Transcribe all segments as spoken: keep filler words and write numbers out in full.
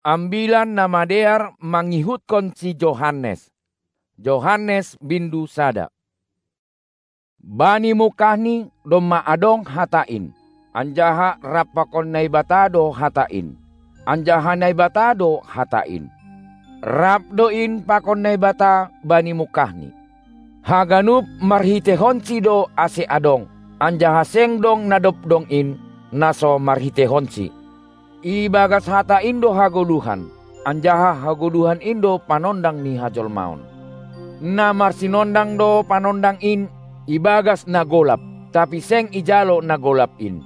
Ambilan Namadear mangihutkon si Johannes. Johannes bindu sada. Bani mungkahni domma adong hata in, anjaha rap pakon Naibata do hata in, anjaha Naibata do hata in. Rap do in pakon Naibata bani mungkahni. Haganup marhiteihonsi do ase adong, anjaha seng dong na dob dong in, na so marhiteihonsi. Ibagas hata in do hagoluhan, anjaha hagoluhan in do panondang ni hajolmaon. Na marsinondang do panondang in ibagas na golap, tapi seng ijalo na golap in.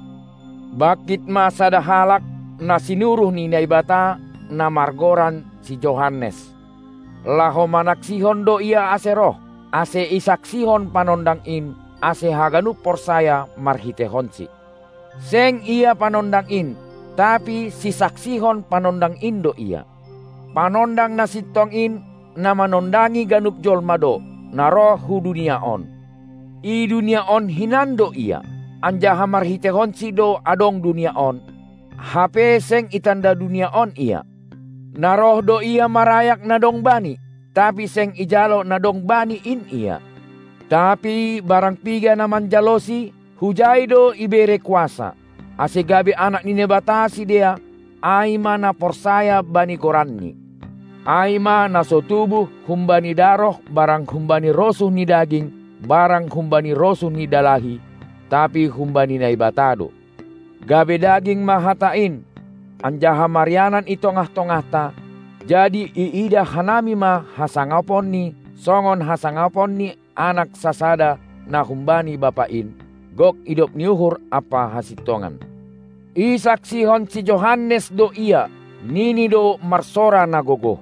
Bangkit ma sada halak, na sinuruh ni Naibata, na margoran si Johannes. Laho manaksihon do ia ase roh, ase isaksihon panondang in, ase haganup porsaya marhiteihonsi. Seng ia panondang in, tapi sisaksihon panondang in do ia. Panondang na sintong in, na manondangi ganup jolma do, na roh hu dunia on. I dunia on hinan do ia, anjaha marhiteihonsi do adong dunia on, hape seng itanda dunia on ia. Na roh do ia marayak na dong bani, tapi seng ijalo na dong bani in ia. Tapi barang piga na manjalosi, hujai do ibere kuasa, ase gabe anak ni Naibata sidea, ai ma na porsaya bani goranni. Ai ma na so tubuh humbani daroh barang humbani rosuh ni daging, barang humbani rosuh ni dalahi, tapi humbani Naibata do. Gabe daging ma hata in, anjaha marianan i tongah-tongahta, jadi iidah hanami ma hasangaponni, songon hasangapon ni anak sasada na humbani Bapa in, gok idop ni uhur ampa hasintongan. Isaksihon si Johannes do ia, nini do marsora na gogoh.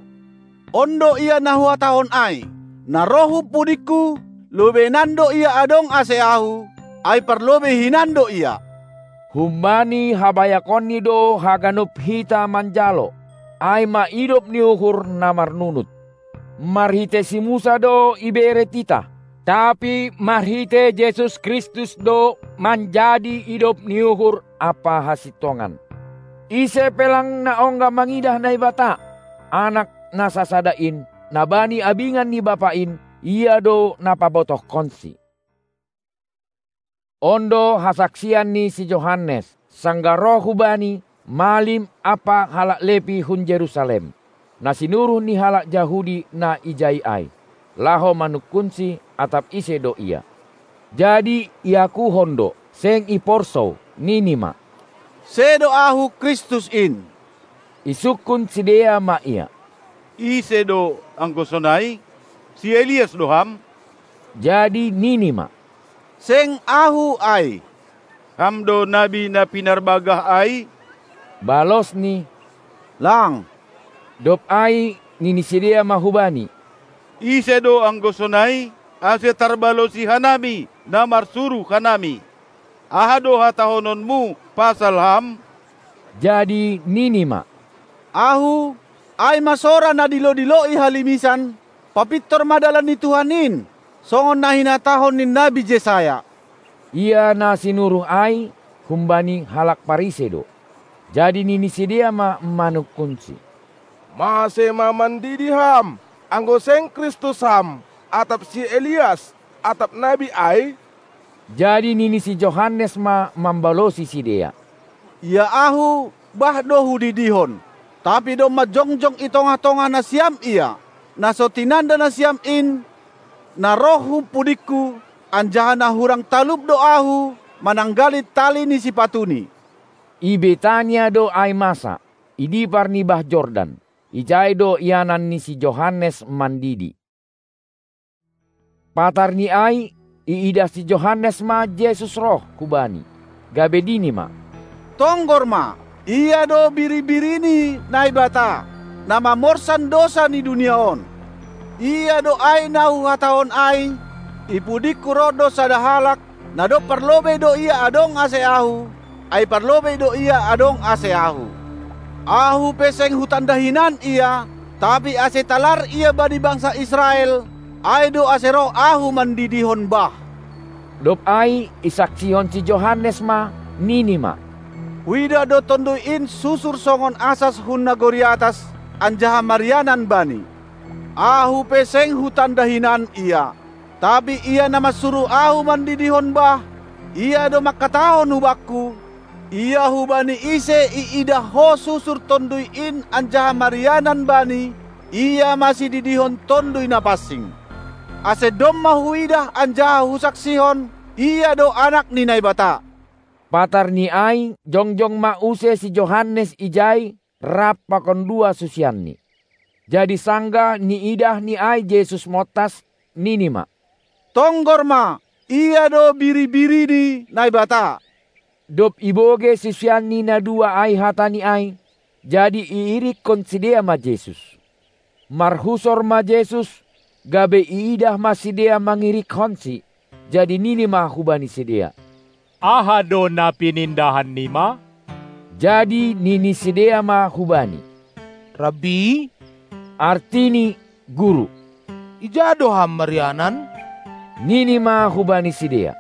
On do ia na huhatahon ai, na roh hu pudingku, lobeinan do ia adong ase ahu, ai parlobei hinan do ia. Humbani habayakonni do haganup hita manjalo, ai ma idop ni uhur na marnunut. Marhitei si Musa do ibere titah, tapi marhitei Jesus Kristus do manjadi idop ni uhur ampa hasintongan. Ise pe lang na ongga mangidah Naibata, Anak na sasada in, na bani abingan ni Bapa in, ia do na pabotohkonsi. On do hasaksian ni si Johannes, sanggah roh hu bani, malim ampa halak Lepi hun Jerusalem, na sinuruh ni halak Jahudi na ijai ai, laho manungkunsi atap ise do ia. Jadi iakuhon do, seng iporsou, nini ma: Sedo ahu Kristus in. Isungkun sidea ma ia: Ise do anggo sonai? Si Elias do ham? Jadi nini ma: Seng ahu ai. Ham do nabi na pinarbagah ai? Balosni: Lang. Dob ai nini sidea ma hu Bani: Ise do anggo sonai, ase tarbalosi hanami na marsuruh hanami? Aha do hatahononmu pasal ham? Jadi nini ma: Ahu, ai ma sora na dilo-diloi halimisan, papintor ma dalan ni Tuhan in, songon na hinatahon ni nabi Jesaya. Ia na sinuruh ai humbani halak Parise do. Jadi nini sidea ma manungkunsi: Mase ma mandidi ham, anggo seng Kristus ham, atap si Elias, atap nabi ai? Jadi nini si Johannes ma mambalosi sidea: Ia ahu, bah do hudidihon. Tapi domma jongjong i tongah-tongah nasiam ia, na so tinanda nasiam in, na roh hu pudingku, anjaha na hurang talup do ahu mananggali tali ni sipatuni. I Betania do ai masa, i dipar ni bah Jordan, ijai do ianan ni si Johannes mandidi. Patar ni ai, iidah si Johannes ma Jesus roh hu bani, gabe nini ma: Tonggor ma, ia do biri-biri ni Naibata, na mamorsan dosa ni dunia on. Ia do ai na huhatahon ai: I pudingku roh do sada halak, na dob parlobei do ia adong ase ahu, ai parlobei do ia adong ase ahu. Ahu pe seng hutanda hinan ia, tapi ase talar ia bani bangsa Israel, ai do ase roh ahu mandidihon bah. Dob ai isaksihon si Johannes ma, nini ma: Huidah do Tonduy in susur songon asas hun nagori atas, anjaha marianan bani. Ahu pe seng hutanda hinan ia, tapi ia na mansuru ahu mandidihon bah, ia do mangkatahon hubakku: Ia hubani ise iidah ho susur Tonduy in anjaha marianan bani, ia ma sididihon Tonduy Napansing. Ase domma huidah anjaha husaksihon: Ia do Anak ni Naibata. Patarni ai jongjong ma use si Johannes ijai rap pakon dua susianni. Jadi sanggah niidahni ai Jesus montas, nini ma: Tonggor ma, Ia do Biri-biri ni Naibata! Dob ibogei susianni na dua ai hatani ai, jadi iirikkon sidea ma Jesus. Marhusor ma Jesus, gabe iidah ma sidea mangirikkonSi, jadi nini ma hubani sidea: Aha do na pinindahannima? Jadi nini sidea ma hu-Bani: Rabbi, artini: Guru. Ija do Ham marianan? Nini ma hubani sidea: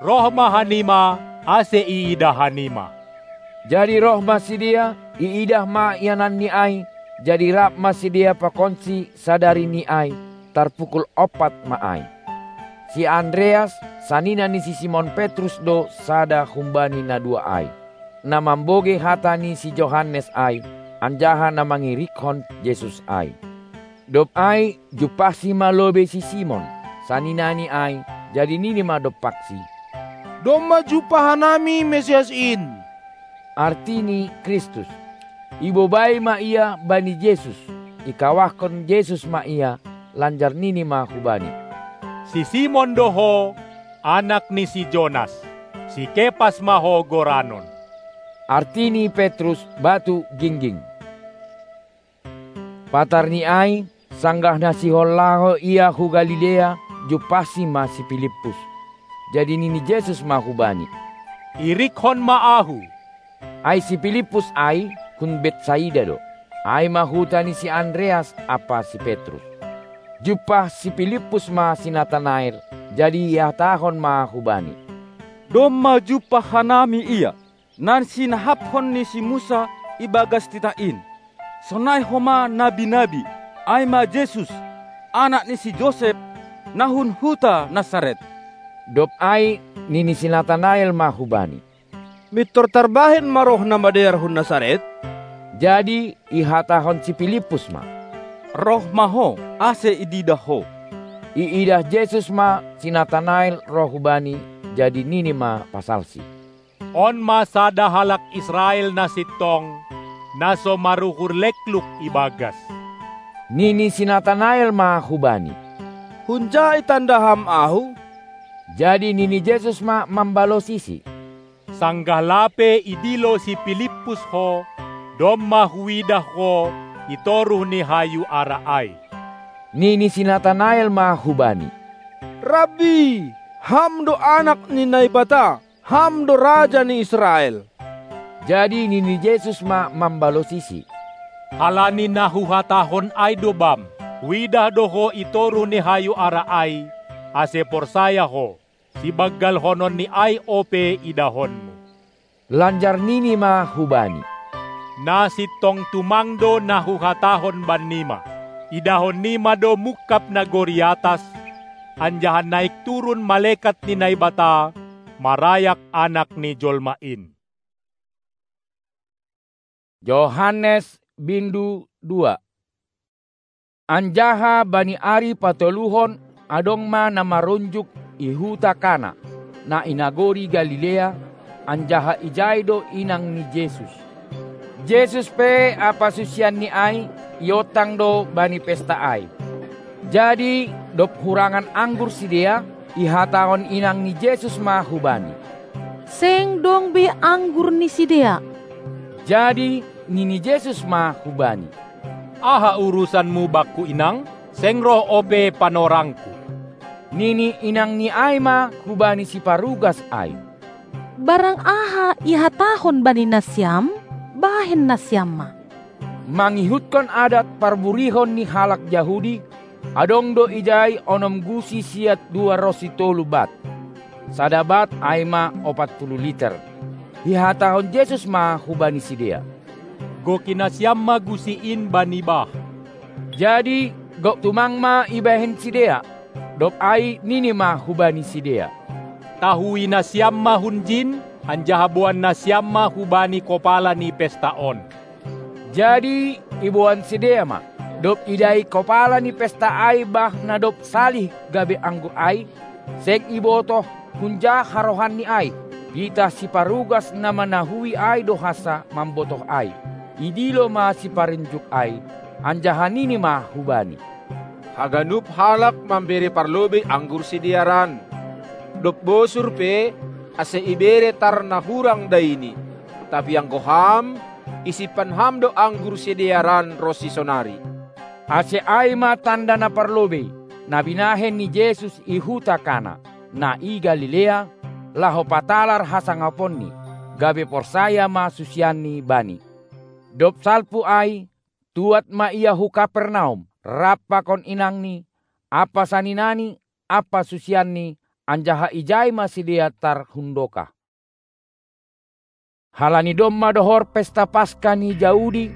Roh ma hanima, ase iidah hanima. Jadi roh ma sidea, iidah ma iananni ai, jadi rap ma sidea pakonSi sadari ni ai, tarpukul ompat ma ai. Si Andreas, sanina ni si Simon Petrus do sada humbani na dua ai, na mambogei hata ni si Johannes ai, anjaha na mangirikkon Jesus ai. Dob ai jumpahsi ma lobei si Simon, saninani ai, jadi nini ma dompaksi: Domma jumpah hanami Mesias in, artini Kristus. Ibobai ma ia bani Jesus, ikawahkon Jesus ma ia, lanjar nini ma hubani: Si Simon do ho, anak ni si Jonas, si Kepas ma ho goranon. Artini Petrus: Batu gingging. Patarni ai, sanggah na sihol laho ia hu Galilea, jumpahsi ma si Pilippus. Jadi nini Jesus ma hubani: Irikkon ma Ahu. Ai si Pilippus ai hun Betsaida do, ai ma huta ni si Andreas ampa si Petrus. Jumpah si Pilippus ma si Natanael, jadi ihatahon ma hubani: Domma jumpah hanami Ia, na sinahaphon ni si Musa ibagas titah in, sonai homa nabi-nabi, ai ma Jesus, anak ni si Josep, na hun huta Nasaret. Dob ai nini si Natanael ma hubani: Mintor tarbahen ma roh na madear hun Nasaret? Jadi ihatahon si Pilippus ma: Roh ma ho, ase ididah ho. Iidah Jesus ma si Natanael roh hu-Bani, jadi nini ma pasalsi: On ma sada halak Israel na sintong, na so maruhur lekluk ibagas. Nini si Natanael ma hu-Bani: Hunja itanda Ham ahu? Jadi nini Jesus ma mambalosisi: Sanggah lape idilo si Pilippus ho, domma huidah ho i toruh ni hayu ara ai. Nini si Natanael ma hu-Bani: Rabbi, Ham do Anak ni Naibata, Ham do Raja ni Israel. Jadi nini Jesus ma mambalosisi: Halani na huhatahon ai do bam: Huidah do ho i toruh ni hayu ara ai, ase porsaya ho, sibanggalhonon ni ai ope idahonmu. Lanjar nini ma hubani: Na sintong tumang do na huhatahon bannima: Idahon nima do mungkap nagori atas, anjaha naik turun malekat ni Naibata marayak Anak ni jolma in. Johannes bindu dua. Anjaha bani ari patoluhon adong ma na marunjuk i huta Kana, na i nagori Galilea, anjaha ijai do inang ni Jesus. Jesus pe ampa susianni ai iontang do bani pesta ai. Jadi dob hurangan anggur sidea, ihatahon inang ni Jesus ma hubani: Seng dong be anggur ni sidea. Jadi nini Jesus ma hubani: Aha urusanmu bakku inang? Seng roh ope panorangku. Nini inangni ai ma hubani siparugas ai: Barang aha ihatahon bani nasiam, bahen nasiam ma. Mangihutkon adat parburihon ni halak Jahudi, adong do ijai onom gusi siat dua ronsi tolu bat. Sada bat ai ma ompat pulu liter. Ihatahon Jesus ma hubani sidea: Goki nasiam ma gusi in bani bah. Jadi gok tumang ma ibahen sidea. Dob ai nini ma hubani sidea: Tahui nasiam ma hunjin, anjaha boan nasiam ma hubani kopala ni pesta on. Jadi iboan sidea ma. Dob idai kopala ni pesta ai bah na dob salih gabe anggur ai, seng ibotoh hunja harohanni ai. Pitah siparugas na manahui ai do hansa mambotoh ai. Idilo ma siparinjuk ai, anjaha nini ma hubani: Haganup halak mambere parlobei anggur sidearan. Dob bosur pe, ase ibere tar na hurang daini. Tapi anggo ham, isimpan ham do anggur sidearan ronsi sonari. Ase ai ma tanda na parlobei, na binahen ni Jesus i huta Kana, na i Galilea, laho patalar hasangaponni, gabe porsaya ma susianni Bani. Dob salpu ai, tuat ma Ia hu Kapernaum, rap pakon inangni, ampa saninani, ampa susianni, anjaha ijai ma sidea tar hundokah. Halani domma dohor pesta Paska ni Jahudi,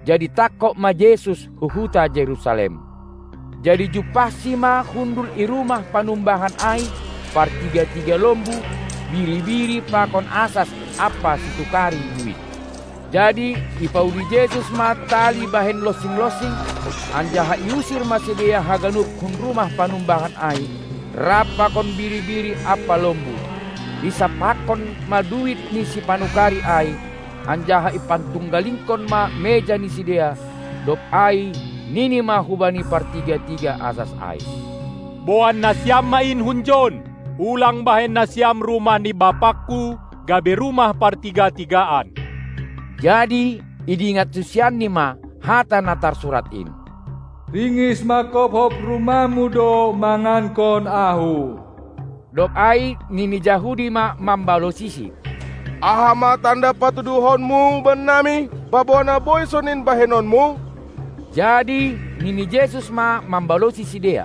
jadi tangkog ma Jesus hu huta Jerusalem. Jadi jumpahsi ma hundul i rumah panumbahan ai, partiga-tiga lombu, biri-biri pakon asas ampa situkari duit. Jadi ipauli Jesus ma tali bahen lonsing-lonsing, anjaha iusir ma sidea haganup hun rumah panumbahan ai, rap pakon biri-biri ampa lombu. Isampakkon ma duit ni sipanukari ai, anjaha ipantunggalingkon ma meja ni sidea. Dob ai nini ma hubani partiga-tiga asas ai: Boan nasiam ma in hunjon, ulang bahen nasiam rumah ni bapakku gabe rumah partiga-tigaan. Jadi idingat susianni ma hata na tarsurat in: Ringis manghophop rumahmu do mangankon Ahu. Dob ai nini Jahudi ma mambalosisi: Aha ma tanda patuduhonmu bannami, paboa na boi sonin bahenonmu? Jadi nini Jesus ma mambalosi sidea: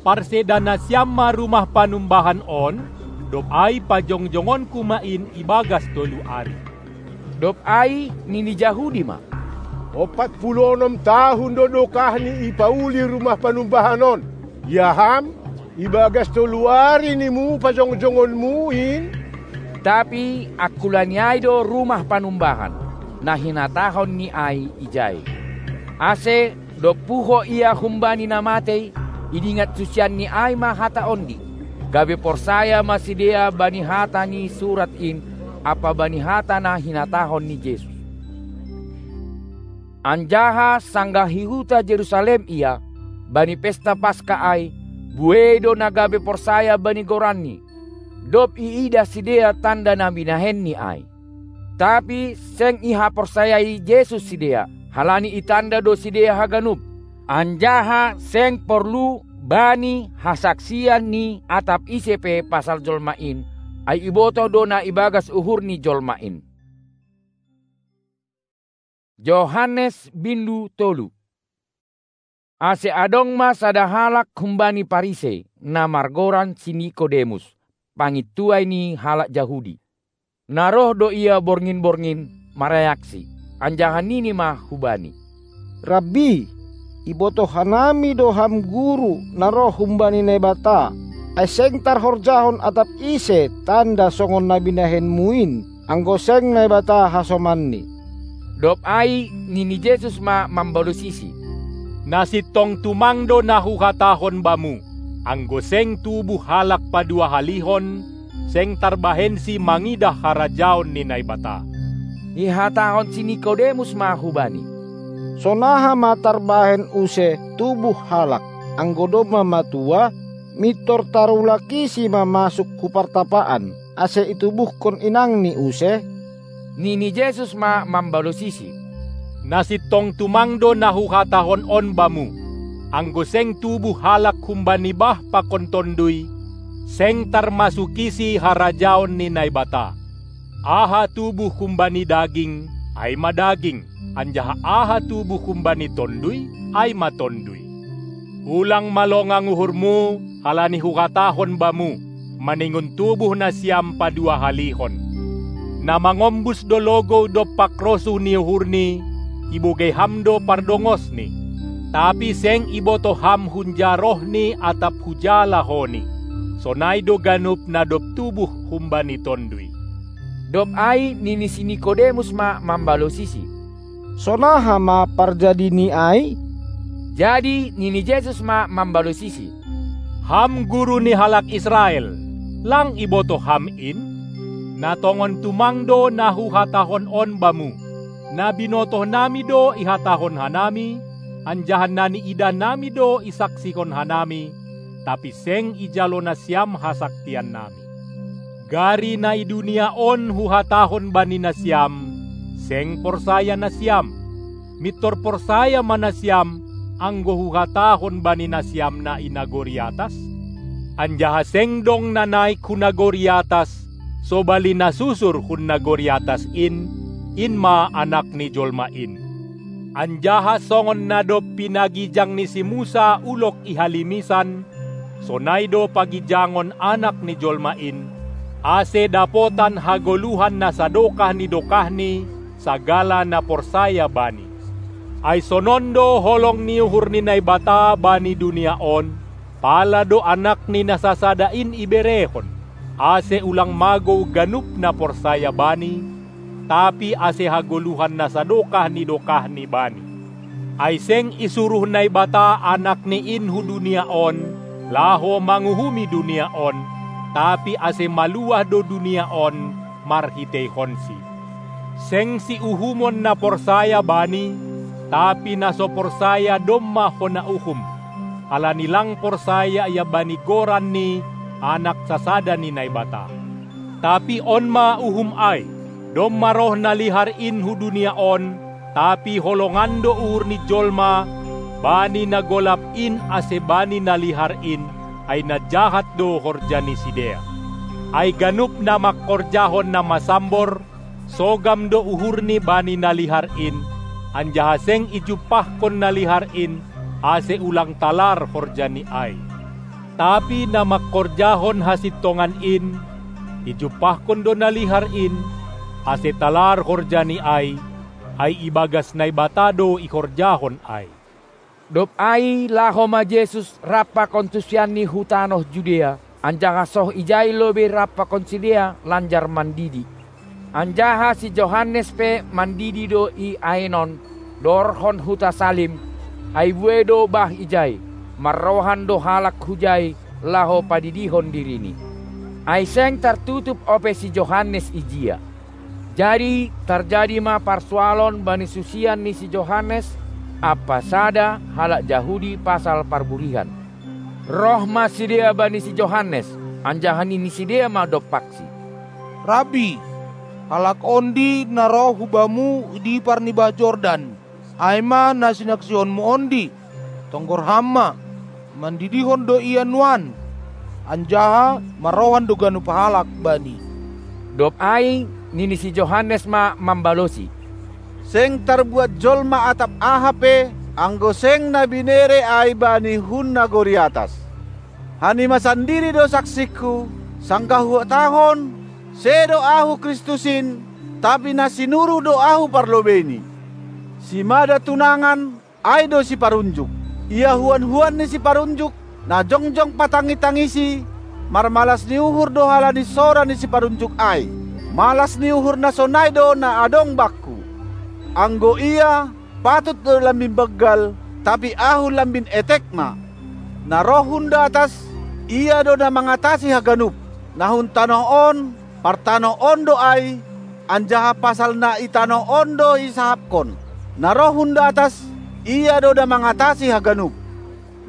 Parseda nasiam ma rumah panumbahan on, dob ai pajongjongonku ma in ibagas tolu ari. Dob ai nini Jahudi ma: Ompat pulu onom tahun do dokahni ipauli rumah panumbahan on. Ia ham, ibagas tolu ari nimu pajongjongonmu in? Tapi angkulani ai do rumah panumbahan, na hinatahonni ai ijai. Ase dob puho Ia humbani na matei, idingat susianni ai ma hata ondi, gabe porsaya ma sidea bani hata ni surat in ampa bani hata na hinatahon ni Jesus. Anjaha sanggah i huta Jerusalem Ia, bani pesta Paska ai, buei do na gabe porsaya bani goranNi, dob iidah sidea tanda na binahenNi ai. Tapi seng ihaporsayai Jesus sidea, halani itanda do sidea haganup, anjaha seng porlu bani hasaksian ni atap ise pe pasal jolma in, ai ibotoh do na ibagas uhur ni jolma in. Johannes bindu tolu. Ase adong ma sada halak humbani Parisei, na margoran si Nikodemus, pangintuai ni halak Jahudi. Na roh do ia borngin-borngin marayaksi, anjaha nini ma hu-Bani: Rabbi, ibotoh hanami do Ham guru na roh humbani Naibata, ai seng tarhorjahon atap ise tanda songon na binahenmu in, anggo seng Naibata hasomanni. Dob ai nini Jesus ma mambalosisi: Na sintong tumang do na Huhatahon bamu: Anggo seng tubuh halak paduahalihon, seng tarbahensi mangidah harajaon ni Naibata. Ihatahon si Nikodemus ma hu-Bani: Sonaha ma tarbahen use tubuh halak, anggo domma matua, mintor tarulakisi ma masuk hu partapaan, ase itubuhkon inangni use? Nini Jesus ma mambalosisi: Na sintong tumang do na Huhatahon on bamu: Anggo seng tubuh halak humbani bah pakon tonduy, seng tarmasukisi harajaon ni Naibata. Aha tubuh humbani daging, ai ma daging, anjaha aha tubuh humbani tonduy, ai ma tonduy. Ulang ma longang uhurmu, halani Huhatahon bamu, maningon tubuh nasiam paduahalihon. Na mangombus do logou dompak rosuh ni uhurni, ibogei ham do pardongosni. Tapi seng ibotoh ham hunja rohni atap huja lahoni. Sonai do ganup na dob tubuh humbani Tonduy. Dob ai nini si Nikodemus ma mambalosisi: Sonaha ma parjadini ai? Jadi nini Jesus ma mambalosisi: Ham guru ni halak Israel, lang ibotoh ham in? Na tongon tumang do na huhatahon on bamu. Na binotohnami do ihatahon hanami, anjaha na niidahnami do isaksihon hanami, tapi seng ijalo nasiam hasaktiannami. Gari na i dunia on huhatahon bani nasiam, seng porsaya nasiam. Mintor porsaya ma nasiam, anggo huhatahon bani nasiam na i nagori atas? Anjaha seng dong na naik hu nagori atas, sobali na susur hun nagori atas in, in ma Anak ni jolma in. Anjaha songon na dob pinagijang ni si Musa ulok i halimisan, sonai do pagijangon Anak ni jolma in, ase dapotan hagoluhan na sadokah ni dokahni sagala na porsaya Bani. Ai sonon do holong ni uhur ni Naibata bani dunia on, pala do Anak ni na sasada in iberehon, ase ulang magou ganup na porsaya Bani, tapi ase hagoluhan na sadokah ni dokahni Bani. Ai seng isuruh Naibata Anak ni in hu dunia on, laho manguhumi dunia on, tapi ase maluah do dunia on marhiteihonSi. Seng siuhumon na porsaya Bani, tapi na so porsaya domma hona uhum, halani lang porsaya ia bani goran ni Anak sasada ni Naibata. Tapi on ma uhum ai: Domma roh na lihar in hu dunia on, tapi holongan do uhur ni jolma bani na golap in ase bani na lihar in, ai na jahat do horja ni sidea. Ai ganup na mangkorjahon na masambor, sogam do uhurni bani na lihar in, anjaha seng ijumpahkon na lihar in, ase ulang talar horjani ai. Tapi na mangkorjahon hasintongan in, ijumpahkon do na lihar in, ase talar horjani ai, ai ibagas Naibata do ihorjahon ai. Dob ai laho ma Jesus rap pakon susianNi hu tanoh Judea, anjaha soh ijai lobei rap pakon sidea lanjar mandidi. Anjaha si Johannes pe mandidi do i Aenon, dorhon huta Salim, ai buei do bah ijai, marrohan do halak hujai laho padidihon dirini. Ai seng tartutup ope si Johannes ijia. Jadi tarjadi ma parsoalon bani susian ni si Johannes ampa sada halak Jahudi pasal parburihan. Roh ma sidea bani si Johannes, anjaha nini sidea ma dompaksi: Rabbi, halak ondi na roh hu Bamu di parnibah Jordan, ai ma na sinaksihonMu ondi. Tonggor Ham ma, mandidihon do Ia nuan, anjaha marrohan do ganup halak Bani. Dob ai nini si Johannes ma mambalosi: Seng tarbuat jolma atap aha pe, anggo seng na binere ai bani hun nagori atas. Hanima sandiri do saksingku, sanggah huhatahon: Sedo Ahu Kristus in, tapi na sinuruh do Ahu parlobeini. Simada tunangan, ai do siparunjuk. Ia huan-huan ni siparunjuk, na jongjong patangitangisi, marmalas ni uhur do halani sora ni siparunjuk ai. Malas ni uhur na sonai do na adong bakku. Anggo ia, patut do lambin banggal, tapi ahu lambin etek ma. Na roh hun datas, ia do na mangatasi haganup. Na hun tanoh on, partanoh on do ai, anjaha pasal na i tanoh on do isahapkon. Na roh hun datas, ia do na mangatasi haganup.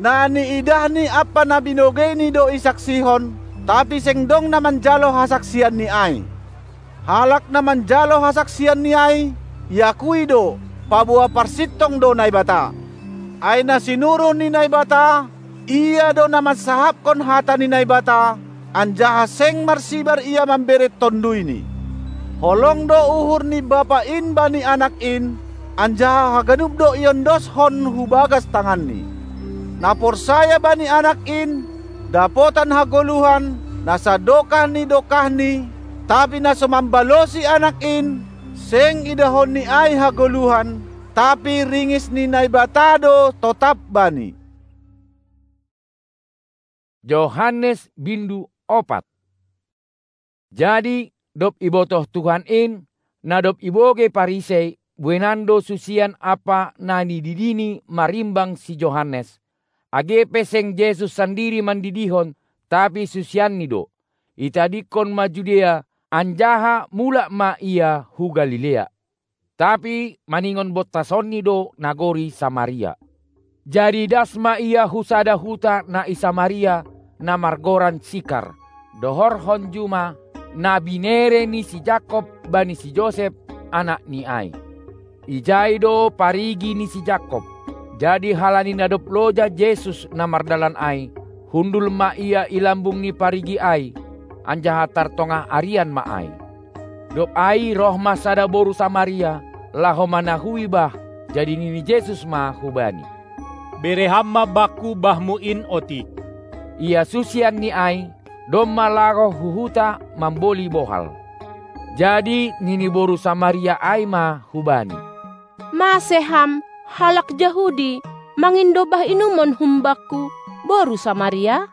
Na niidahni ampa na binogeini do isaksihon, tapi seng dong na manjalo hasaksianni ai. Halak na manjalo hasaksianni ai, iakui do, paboa parsintong do Naibata. Ai na sinuruh ni Naibata, ia do na mansahapkon hata ni Naibata, anjaha seng marsibar ia mambere TonduyNi. Holong do uhur ni Bapa in bani Anak in, anjaha haganup do iondoskon hu bagas tanganNi. Na porsaya bani Anak in, dapotan hagoluhan, na sadokah ni dokahni, Tapi na so mambalosi Anak in, seng idahonni ai hagoluhan, tapi ringis ni Naibata do totap bani. Johannes bindu opat. Jadi, dob ibotoh Tuhan in, na dob ibogei Parisei, bueinan do susian ampa na nididini marimbang si Johannes, age pe seng Jesus sandiri mandidihon, tapi susianni do. Itadingkon ma Judea, anjaha mulak ma ia hu Galilea. Tapi maningon bontasonni do nagori Samaria. Jadi das ma ia hu sada huta na i Samaria, na margoran Sikar, dohorhon juma, na binere ni si Jakob bani si Josep, anakni ai. Ijai do parigi ni si Jakob. Jadi halani na dob loja Jesus na mardalan ai, hundul ma ia i lambung ni parigi ai, anjaha tartongah arian ma ai. Dob ai roh ma sada boru Samaria, laho manahui bah, jadi nini Jesus ma hubani: Bere ham ma bakku bahmu in otik. Ia susianni ai, domma laho hu huta mamboli bohal. Jadi nini boru Samaria ai ma hubani: Mase ham, halak Jahudi, mangindo bah inumon humbakku, boru Samaria?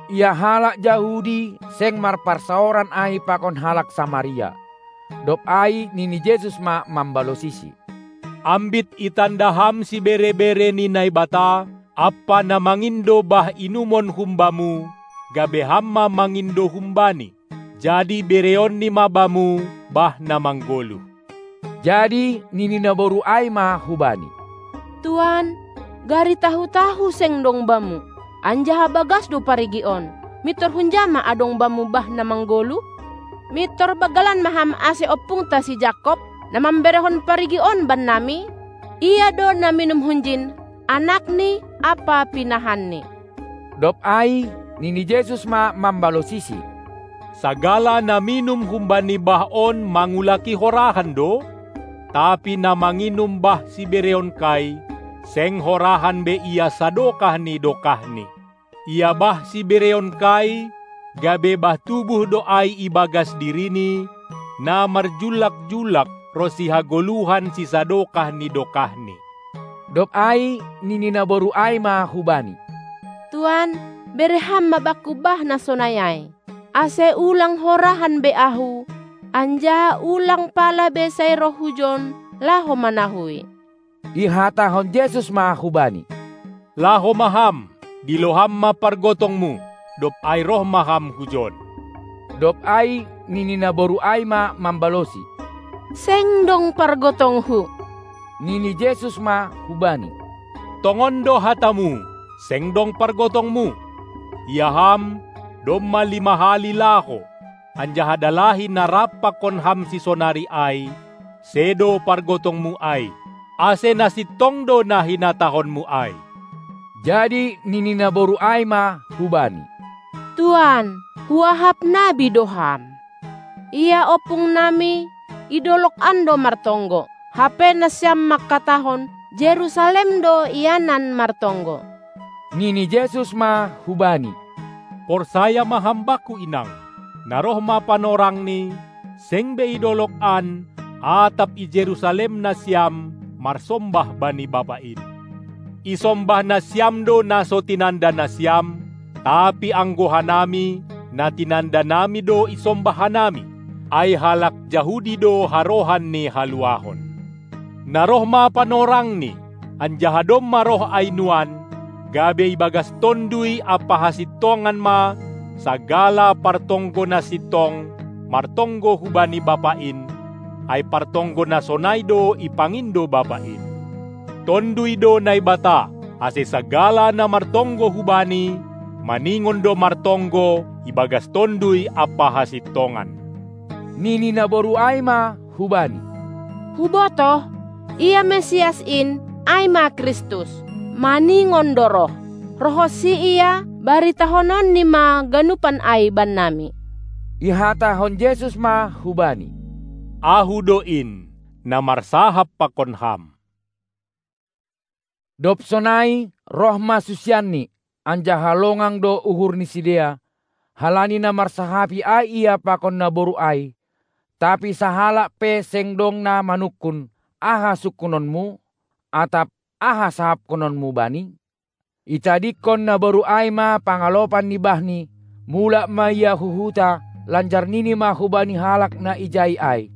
Ia halak Jahudi seng marparsaoran ai pakon halak Samaria. Dob ai nini Jesus ma mambalosisi: Ambit itanda ham sibere-bere ni Naibata, ampa na mangindo bah inumon humbamu, gabe ham ma mangindo humbani. Jadi bereonni ma bamu bah na manggoluh. Jadi nini naboru ai ma hubani: Tuan, gari tahu-tahu seng dong bamu, anjaha bagas do parigi on, mintor hunja ma adong bamu bah na manggoluh? Mintor banggalan ma ham ase ompungta si Jakob, na mamberehon parigi on bannami? Ia do na minum hunjin, anakni ampa pinahanni. Dob ai nini Jesus ma mambalosisi: Sagala na minum humbani bah on mangulaki horahan do, tapi na manginum bah sibereonkai, seng horahan be ia sadokah ni dokahni. Ia bah sibereonkai, gabe bah tubuh do ai ibagas dirini, na marjullak-jullak ronsi hagoluhan sisadokah ni dokahni. Dob ai nini naboru ai ma hubani: Tuan, bere ham ma bakku bah na sonai ai, ase ulang horahan be ahu, anjaha ulang pala be sai roh hujon laho manahui. Ihatahon Jesus ma hubani: Laho ma ham, dilo ham ma pargotongmu, dob ai roh ma ham hujon. Dob ai nini naboru ai ma mambalosi: Seng dong pargotonghu. Nini Jesus ma hubani: Tongon do hatamu, seng dong pargotongmu. Ia ham, domma lima hali laho, anjaha dalahi na rap pakon ham sisonari ai, sedo pargotongmu ai, ase na sintong do na hinatahonmu ai. Jadi nini naboru ai ma hubani: Tuan, huahap nabi do ham. Ia ompungnami i dolog an do martonggo, hape nasiam mangkatahon, Jerusalem do ianan martonggo. Nini Jesus ma hubani: Porsaya ma ham bakku inang, na roh ma panorangni, seng be i dolog an, atap i Jerusalem nasiam marsombah bani Bapa in. Isombah nasiam do na so tinanda nasiam, tapi anggo hanami, na tinandanami do isombah hanami, ai halak Jahudi do harohan ni haluahon. Na roh ma panorangni, anjaha domma roh ai nuan, gabe ibagas Tonduy ampa hasintongan ma sagala partonggo na sintong martonggo hubani Bapa in, ai partonggo na sonai do ipangindo Bapa in. Tonduy do Naibata, ase sagala na martonggo hubani, maningon do martonggo ibagas Tonduy ampa hasintongan. Nini naboru ai ma hubani: Hubotoh, ia Mesias in, ai ma Kristus, maningon do roh. Rohonsi ia, baritahononni ma ganupan ai bannami. Ihatahon Jesus ma hubani: Ahu do in, na marsahap pakon ham. Dob sonai roh ma susianni, anjaha longang do uhur ni sidea, halani na marsahapi ai ia pakon naboru ai. Tapi sahalak pe seng dong na manungkun, "Aha sungkunonmu?" atap "Aha sahapkononmu bani?" Itadingkon naboru ai ma pangalopan ni bahni, mulak ma ia hu huta, lanjar nini ma hubani halak na ijai ai,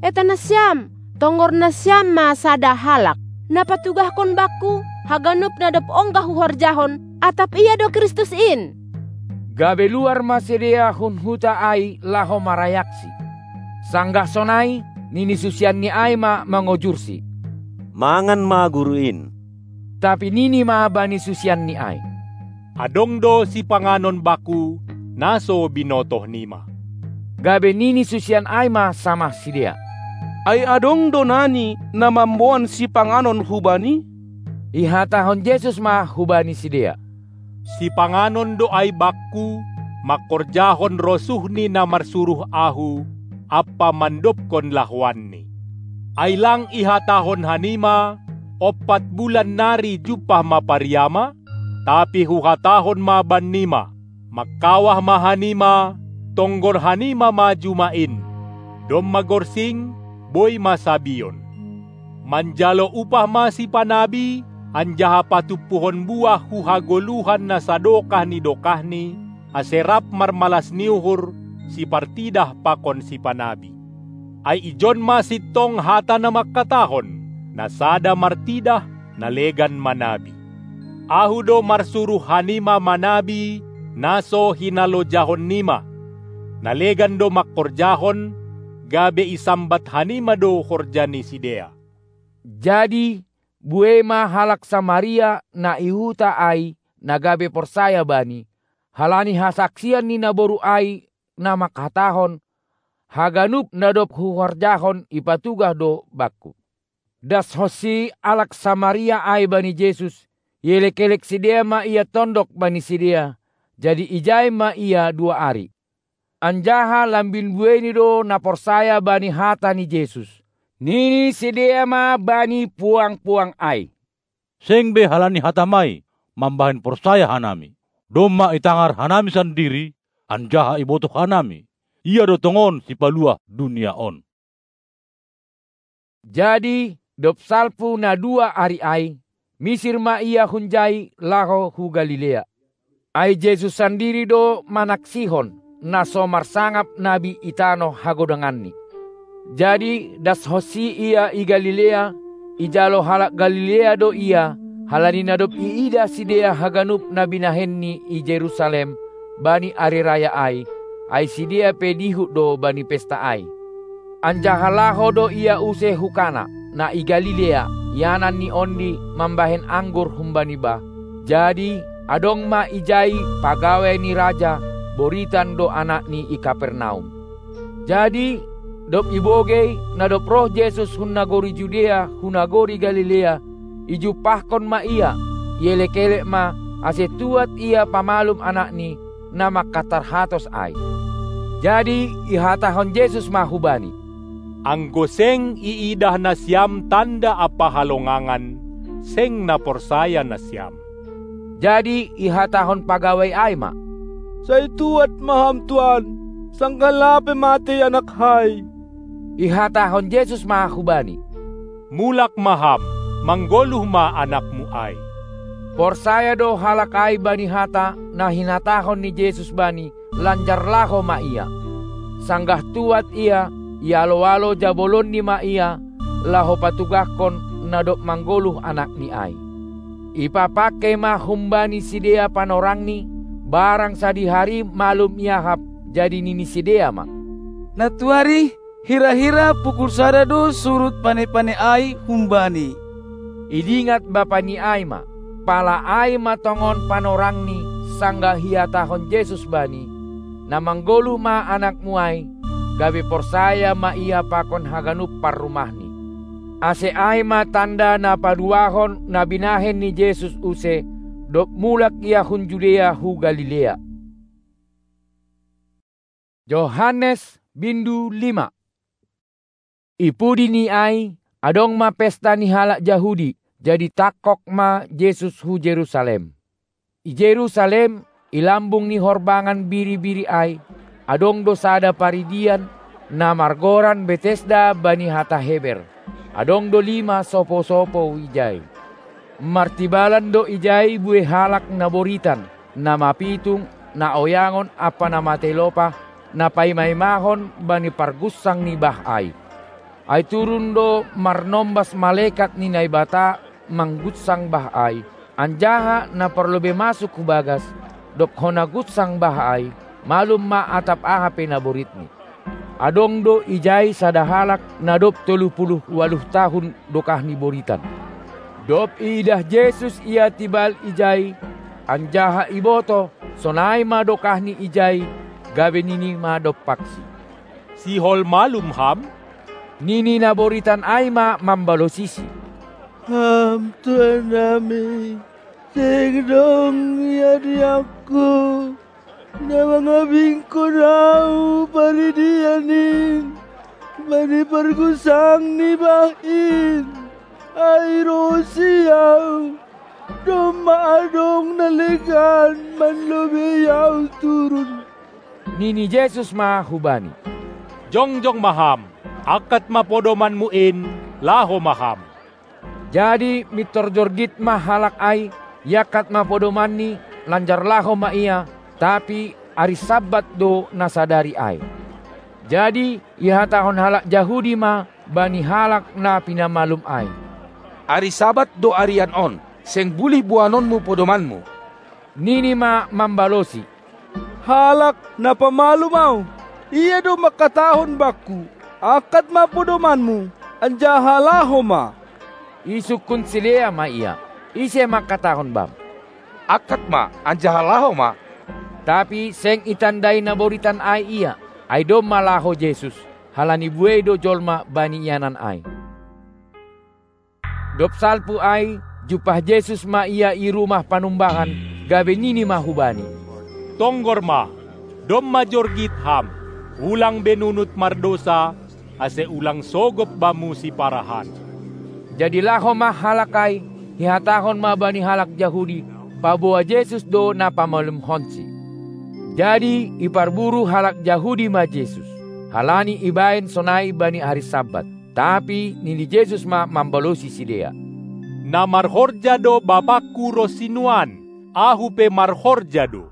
"Eta nasiam, tonggor nasiam ma sada halak, na patugahkon bakku haganup na dob ongga huhorjahon, atap ia do Kristus in." Gabe luar ma sidea hun huta ai laho marayaksi. Sanggah sonai, nini susianni ai ma mangojursi, "Mangan ma Guru in." Tapi nini ma bani susianni ai, "Adong do sipanganon bakku, na so binotohnima." Gabe nini susian ai ma samah sidea, "Ai adong do nani na mamboan sipanganon hubani?" Ihatahon Jesus ma hubani sidea, "Sipanganon do ai bakku, mangkorjahon rosuh ni na marsuruh ahu, ampa mandobkon lahoanni. Ai lang ihatahon hanima, ompat bulan nari jumpah ma pariama? Tapi huhatahon ma bannima, mangkawah ma hanima, tonggor hanima ma juma in. Domma gorsing, boi ma sabion. Manjalo upah ma sipanabi, anjaha patumpuhon buah hu hagoluhan na sadokah ni dokahni, ase rap marmalas ni uhur sipartidah pakon sipanabi. Ai ijon ma sintong hata na mangkatahon, na sada martidah, na legan manabi. Ahu do marsuruh hanima manabi, na so hinalojahonnima. Na legan do mangkorjahon, gabe isambat hanima do horja ni sidea." Jadi buei ma halak Samaria na i huta ai na gabe porsaya Bani, halani hasaksian ni naboru ai na mangkatahon, "Haganup na dob huhorjahon ipatugah do bakku." Dashonsi halak Samaria ai bani Jesus, ielek-elek sidea ma ia tondok bani sidea, jadi ijai ma ia dua ari. Anjaha lambin bueini do na porsaya bani hata ni Jesus. Nini sidea ma bani puang-puang ai, "Seng be halani hatam ai mambahen porsaya hanami. Domma itangar hanami sandiri, anjaha ibotoh hanami, Ia do tongon Sipaluah dunia on." Jadi dob salpu na dua ari ai, misir ma Ia hunjai laho hu Galilea. Ai Jesus sandiri do manaksihon, na so marsangap nabi i tanoh hagodanganni. Jadi dashonsi Ia i Galilea, ijalo halak Galilea do Ia, halani na dob iidah sidea haganup na binahenNi i Jerusalem bani ari raya ai, ai sidea pe dihut do bani pesta ai. Anjaha laho do Ia use hu Kana, na i Galilea, ianan ni ondi mambahen anggur humbani bah. Jadi adong ma ijai pagawai ni raja, boritan do anakni i Kapernaum. Jadi dob ibogei, na dob roh Jesus hun nagori Judea hu nagori Galilea, ijumpahkon ma Ia, ielek-elek ma, ase tuat Ia pamalum anakni, na mangkatarhatos ai. Jadi ihatahon Jesus ma hubani, "Anggo seng iidah nasiam tanda ampa halongangan, seng na porsaya nasiam." Jadi ihatahon pagawai ai ma, "Sai tuat ma Ham, Tuan, sanggah lape matei anakhai." Ihatahon Jesus ma hubani, "Mulak ma ham, manggoluh ma anakmu ai." Porsaya do halak ai bani hata na hinatahon ni Jesus bani, lanjar laho ma ia. Sanggah tuat ia, ialo-alo jabolonni ma ia, laho patugahkon na dob manggoluh anakni ai. Ipapangkei ma humbani sidea panorangni, barang sadihari malum iahap, jadi nini sidea ma, "Natuari hira-hira pukul sada do surut pane-pane ai humbani." Idingat bapani ai ma, pala ai ma tongon panorangni, sanggah ihatahon Jesus bani, "Na manggoluh ma anakmu ai," gabe porsaya ma ia pakon haganup parrumahni. Ase ai ma tanda na paduahon na binahen ni Jesus use, dob mulak Ia hun Judea hu Galilea. Johannes bindu lima. I pudi ni ai, adong ma pesta ni halak Jahudi, jadi tangkok ma Jesus hu Jerusalem. I Jerusalem I lambung ni horbangan biri-biri ai, adong do sada paridian, na margoran Betesda bani hata Heber. Adong do lima sopo-sopo ijai. Martibalan do ijai buei halak na boritan, na mapitung, na oyangon ampa na matei lopah, na paima-imahon bani pargunsang ni bah ai. Ai turun do marnombas malekat ni Naibata manggunsang bah ai, anjaha na parlobei masuk hu bagas, dob hona gunsang bah ai, malum ma atap aha pe na boritni. Adong do ijai sada halak na dob tolu puluh ualuh tahun dokahni boritan. Dob iidah Jesus ia tibal ijai, anjaha ibotoh, sonai ma dokahni ijai, gabe nini ma dompaksi: "Sihol malum ham?" Nini na boritan ai ma mambalosisi: "Ham Tuhan nami, seng dong ia di aku, na mangabingkon ahu paridian in bani pargunsang ni bah in. Ai ro si ahu, domma adong na legan manlobei ahu turun." Nini Jesus ma hubani: "Jongjong ma ham, angkat ma podomanmu in, laho ma ham." Jadi mintor jorgit ma halak ai, iangkat ma podomanni, lanjar laho ma ia, tapi ari Sabbat do na sadari ai. Jadi ihatahon halak Jahudi ma bani halak na pinamalum ai: "Ari Sabbat do arian on, seng bulih boanonmu podomanmu." Nini ma mambalosi: "Halak na pamalum ahu, ia do mangkatahon bangku: 'Angkat ma podomanmu, anjaha laho ma.'" Isungkun sidea ma ia: "Ise mangkatahon bam: 'Angkat ma, anjaha laho ma'?" Tapi seng itandai na boritan ai ia, ai domma laho Jesus, halani buei do jolma bani ianan ai. Dob salpu ai, jumpah Jesus ma ia i Rumah Panumbahan, gabe nini ma hubani: "Tonggor ma, domma jorgit ham, ulang be nunut mardousa, ase ulang sogop bamu siparahan." Jadi laho ma halak ai, ihatahon ma bani halak Jahudi, paboa Jesus do na pamalumhonsi. Jadi iparburu halak Jahudi ma Jesus, halani ibahen sonai bani ari Sabbat. Tapi nini Jesus ma mambalosi sidea: "Na marhorja do Bapakku ronsi nuan, Ahu pe marhorja do."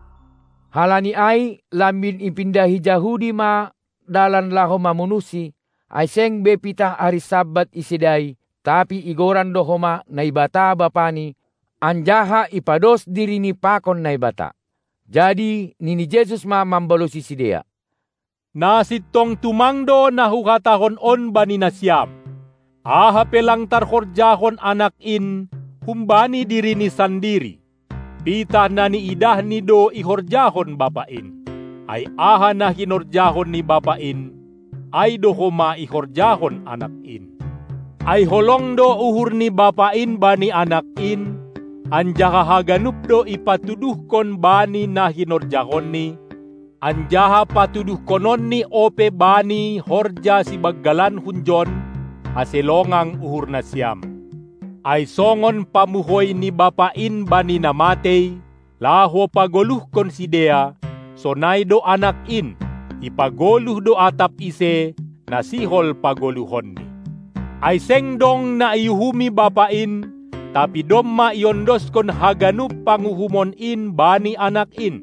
Halani ai lambin ipindahi Jahudi ma dalan laho mamunuhsi, ai seng be pitah ari Sabbat isedai, tapi igoran do homa Naibata Bapani, anjaha ipados dirini pakon Naibata. Jadi nini Jesus ma mambalosi sidea: "Na sintong tumang do na Huhatahon on bani nasiam: Aha pe lang tarhorjahon Anak in humbani dirini sandiri, pitah na niidahni do ihorjahon Bapa in. Ai aha na hinorjahon ni Bapa in, ai do homa ihorjahon Anak in. Ai holong do uhur ni Bapa in bani Anak in, anjaha haganup do ipatuduhkon bani na hinorjahonni, anjaha patuduhkononni ope bani horja sibanggalan hunjon, ase longang uhur nasiam. Ai songon pamuhoi ni Bapa in bani na matei, laho pagoluhkon sidea, sonai do Anak in, ipagoluh do atap ise, na sihol pagoluhonni. Ai seng dong na iuhumi Bapa in, tapi domma iondoskon haganup panguhumon in bani Anak in,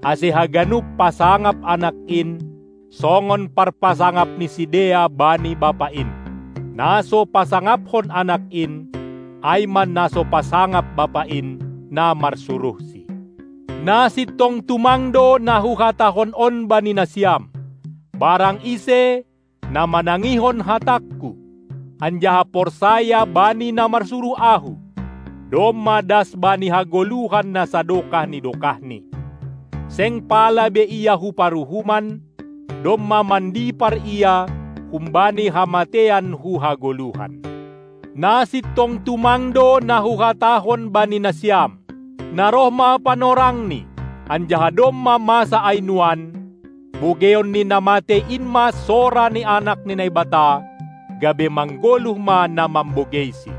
ase haganup pasangap Anak in, songon parpasangap ni sidea bani Bapa in. Na so pasangaphon Anak in, ai ma na so pasangap Bapa in, na marsuruhsi. Na sintong tumang do na Huhatahon on bani nasiam: Barang ise na manangihon hatangKu, anjaha porsaya bani na marsuruh Ahu, domma das bani hagoluhan na sadokah ni dokahni. Seng pala be ia hu paruhuman, domma mandipar ia humbani hamatean hu hagoluhan. Na sintong tumang do na Huhatahon bani nasiam: Na roh ma panorangni, anjaha domma masa ai nuan, bogeion ni na matei in ma sora ni Anak ni Naibata, gabe manggoluh ma na mambogeisi.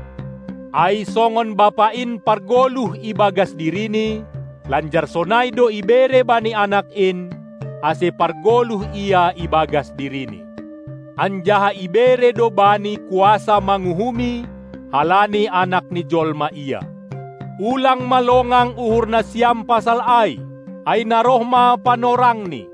Ai songon Bapa in pargoluh ibagas dirini, Lanjar sonai do ibere bani Anak in, ase pargoluh Ia ibagas diriNi. Anjaha ibere do Bani kuasa manguhumi, halani Anak ni jolma Ia. Ulang ma longang uhur nasiam pasal ai, ai na roh ma panorangni,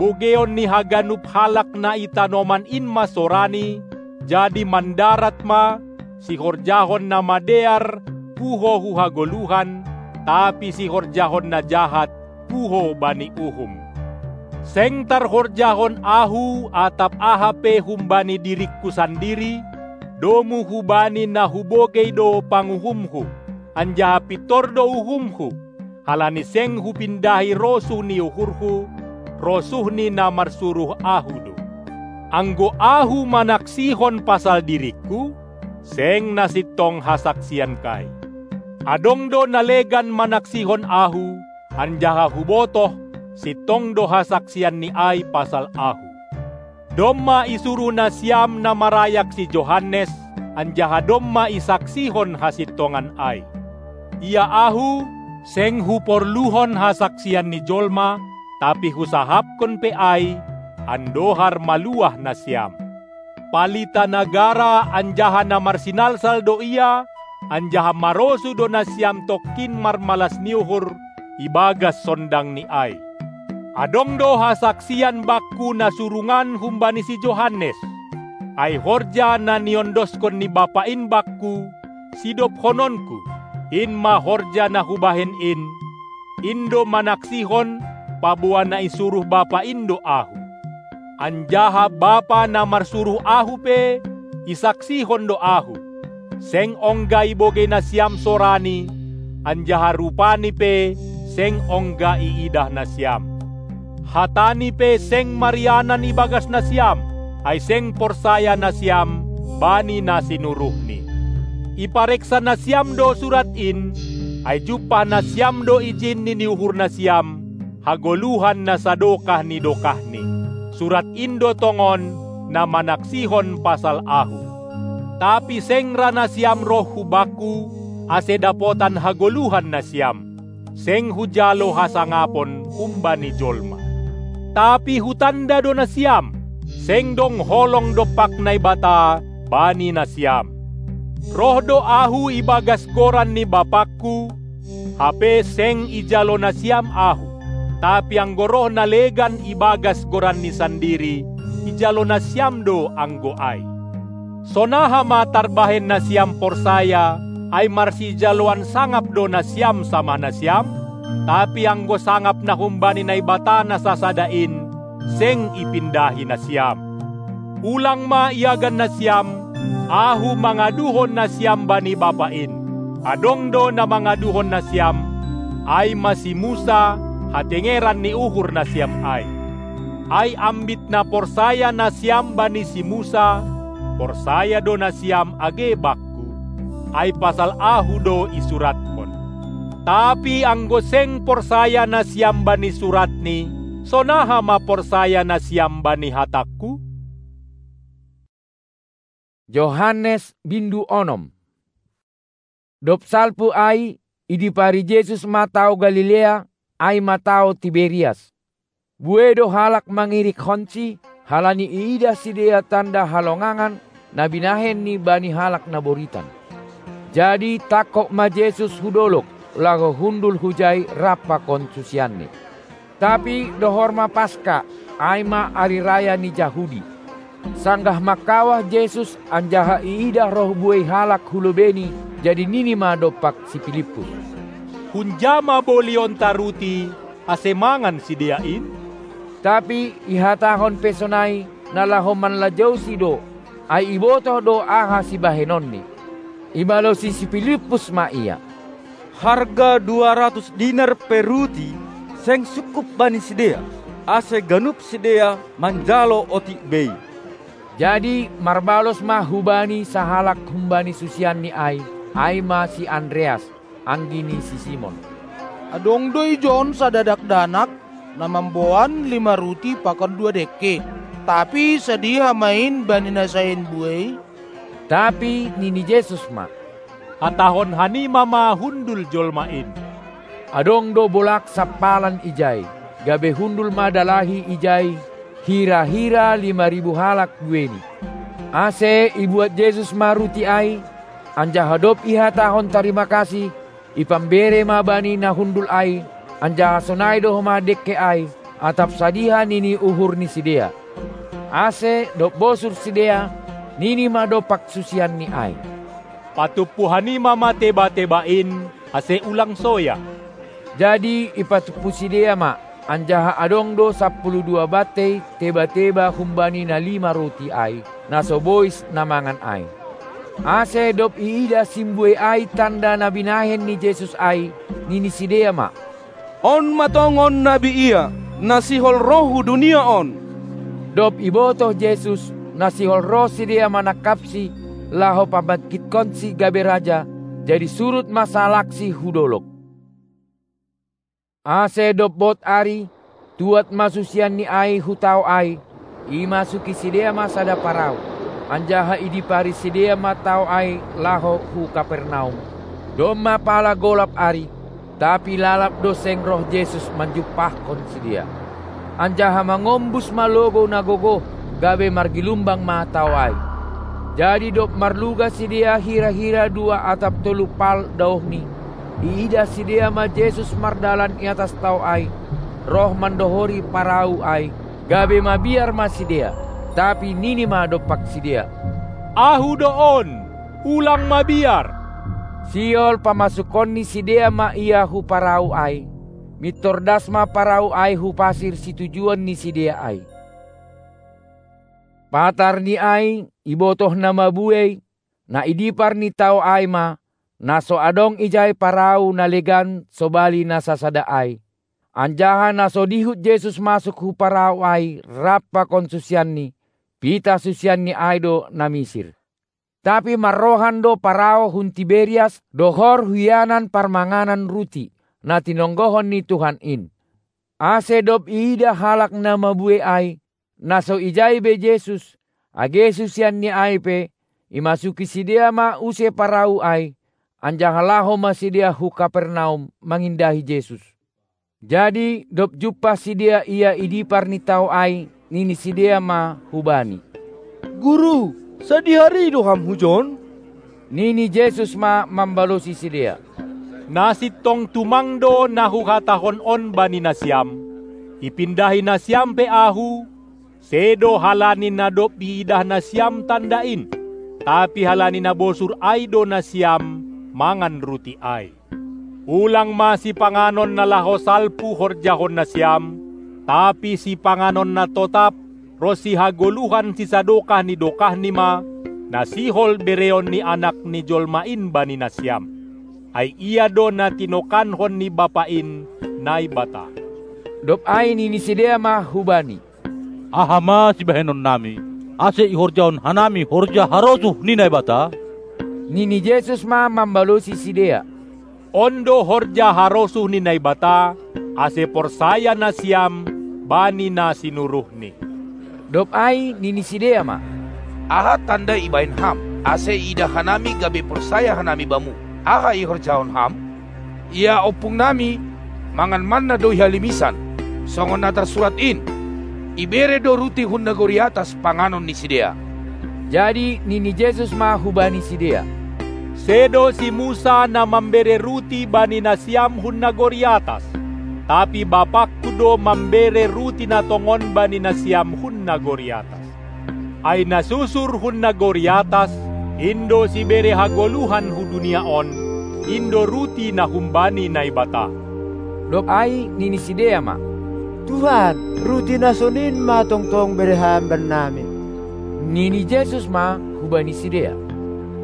bogeion ni haganup halak na i tanoman in ma sorani, jadi mandarat ma, sihorjahon na madear puho hu hagoluhan, tapi sihorjahon na jahat puho bani uhum. Seng tarhorjahon ahu atap aha pe humbani diringku sandiri, domu hubani na hubogei do panguhumhu, anjaha pintor do uhumhu, halani seng hupindahi rosuh ni uhurhu, rosuh ni na marsuruh ahu do. Anggo ahu manaksihon pasal diringku, seng na sintong hasaksiankai. Adong do na legan manaksihon ahu, anjaha hubotoh, sintong do hasaksianni ai pasal ahu. Domma isuruh nasiam na marayak si Johannes, anjaha domma isaksihon hasintongan ai. Ia ahu, seng huporluhon hasaksian ni jolma, tapi husahapkon pe ai, andohar maluah nasiam. Palita na gara anjaha na marsinalsal do ia, anjaha marosuh do nasiam tongkin marmalas ni uhur ibagas sondangni ai. Adong do hasaksian bakku na surungan humbani si Johannes. Ai horja na niondoskon ni Bapa in bakku, sidobhononku, in ma horja na hubahen in, in do manaksihon, paboa na isuruh Bapa in do ahu. Anjaha Bapa na marsuruh ahu pe, isaksihon do ahu. Seng ongga ibogei nasiam sorani, anjaha rupani pe seng ongga iidah nasiam. Hatani pe seng marianan ibagas nasiam, ai seng porsaya nasiam bani na sinuruhni. Ipareksa nasiam do surat in, ai jumpah nasiam do ijinni ni uhur nasiam, hagoluhan na sadokah ni dokahni. Surat in do tongon na manaksihon pasal ahu. Tapi seng ra nasiam roh hu bakku, ase dapotan hagoluhan nasiam. Seng hujalo hasangapon humbani jolma. Tapi hutanda do nasiam, seng dong holong dompak Naibata bani nasiam. Roh do ahu ibagas goran ni Bapakku, hape seng ijalo nasiam ahu, tapi anggo roh na legan ibagas goranni sandiri, ijalo nasiam do anggo ai. Sonaha ma tarbahen nasiam porsaya, ai marsijaloan sangap do nasiam samah nasiam? Tapi anggo sangap na humbani Naibata na sasada in, seng ipindahi nasiam. Ulang ma iagan nasiam, ahu mangaduhon nasiam bani Bapa in. Adong do na mangaduhon nasiam, ai ma si Musa, hatengeran ni uhur nasiam ai. Ai ambit na porsaya nasiam bani si Musa, porsaya do nasiam age bakku. Ai pasal ahu do isurathon. Tapi anggo seng porsaya nasiam bani suratni, sonaha ma porsaya nasiam bani hatangku? Johannes bindu onom. Dob salpu ai, idipari Jesus ma tao Galilea, ai ma tao Tiberias. Buei do halak mangirikhonsi, halani iidah sidea tanda halongangan na binahenni bani halak na boritan. Jadi tangkog ma Jesus hu dolog, laho hundul hujai rap pakon susianni. Tapi dohor ma Paska, ai ma ari raya ni Jahudi. Sanggah mangkawah Jesus anjaha iidah roh buei halak hu lobeini, jadi nini ma dompak si Pilippus: Hunja ma bolionta ruti, ase mangan sidea in? Tapi ihatahon pe sonai, na laho manlajousi do, ai ibotoh do aha sibahenonni. Ibalosi si Pilippus ma ia: Harga dua ratus dinar pe ruti seng sungkup bani sidea, ase ganup sidea manjalo otik bei. Jadi marbalos ma hu Bani sahalak humbani susianni ai, ai ma si Andreas, anggi ni si Simon: Adong do ijon sada dakdanak, na mamboan lima ruti pakon dua dengke, tapi sadia hamain bani na sain buei? Tapi nini Jesus ma: Hatahon hanima ma hundul jolma in. Adong do bolak sampalan ijai, gabe hundul ma dalahi ijai hira-hira lima ribu halak bueni. Ase ibuat Jesus ma ruti ai, anjaha dob ihatahon tarima kasih, ipambere ma bani na hundul ai, anjaha sonai do homa dengke ai, atap sadiha nini uhur ni sidea. Ase dob bosur sidea, nini ma dompak susianni ai: Patumpu hanima ma teba-teba in, ase ulang soya. Jadi ipatumpu sidea ma, anjaha adong do sampulu dua bantei teba-teba humbani na lima ruti ai, na so bois na mangan ai. Ase dob iidah simbue ai tanda na binahen ni Jesus ai, nini sidea ma: On ma tongon nabi ia, na sihol roh hu dunia on. Dob ibotoh Jesus, na sihol roh sidea manangkapsi, laho pambangkitkonsi gabe raja, jadi surut ma sahalakSi hu dolok. Ase dob bot ari, tuat ma susianni ai hu tao ai, imasuki sidea ma sada parau, anjaha idipari sidea ma tao ai laho hu Kapernaum. Domma pala golap ari, tapi lalap do seng roh Jesus manjumpahkon sidea. Anjaha mangombus ma logou na gogoh, gabe margilumbang ma tao ai. Jadi dob marluga sidea hira-hira dua atap tolu pal daohni, iidah sidea ma Jesus mardalan i atas tao ai, roh mandohori parau ai, gabe mabiar ma sidea. Tapi nini ma dompak sidea: Ahu do on, ulang mabiar! Sihol pamasukkonni sidea ma Ia hu parau ai, mintor das ma parau ai hu pasir situjuon ni sidea ai. Patarni ai, ibotoh na mabuei, na idipar ni tao ai ma, na so adong ijai parau na legan sobali na sasada ai. Anjaha na so dihut Jesus masuk hu parau ai rap pakon susianni, pitah susianni ai do na misir. Tapi marrohan do parau hun Tiberias dohor hu ianan parmanganan ruti, na tinonggohon ni Tuhan in. Ase dob iidah halak na mabue ai, na so ijai be Jesus, age susianni ai pe, imasuki sidea ma use parau ai, anjaha laho ma sidea hu Kapernaum mangindahi Jesus. Jadi dob jumpah sidea Ia i dipar ni tao ai, nini sidea ma hu Bani: Guru, sadihari do Ham hujon? Nini Jesus ma mambalosi sidea: Na sintong tumang do na Huhatahon on bani nasiam: Ipindahi nasiam pe Ahu, sedo halani na dob iidah nasiam tanda in, tapi halani na bosur ai do nasiam mangan ruti ai. Ulang ma sipanganon na laho salpu horjahon nasiam, tapi sipanganon na totap ronsi hagoluhan sisadokah ni dokahni ma, na sihol bereon ni Anak ni jolma in bani nasiam. Ai Ia do na tinokankon ni Bapa in, Naibata. Dob ai nini sidea ma hu Bani: Aha ma sibahenonnami, ase ihorjahon hanami horja harosuh ni Naibata? Nini Jesus ma mambalosi sidea: On do horja harosuh ni Naibata, ase porsaya nasiam bani na sinuruhNi. Dob ai nini sidea ma: Aha tanda ibahen Ham, ase iidah hanami gabe porsaya hanami Bamu? Aha ihorjahon Ham? Ia ompungnami mangan manna do i halimisan, songon na tarsurat in: Ibere do ruti hun nagori atas panganon ni sidea. Jadi nini Jesus ma hubani sidea: Sedo si Musa na mambere ruti bani nasiam hun nagori atas, tapi BapangKu do mambere ruti na tongon bani nasiam hun nagori atas. Ai na susur hun nagori atas, in do sibere hagoluhan hu dunia on, in do ruti na humbani Naibata. Dob ai nini sidea ma: Tuhan, ruti na sonin ma tongtong bere Ham bannami. Nini Jesus ma hubani sidea: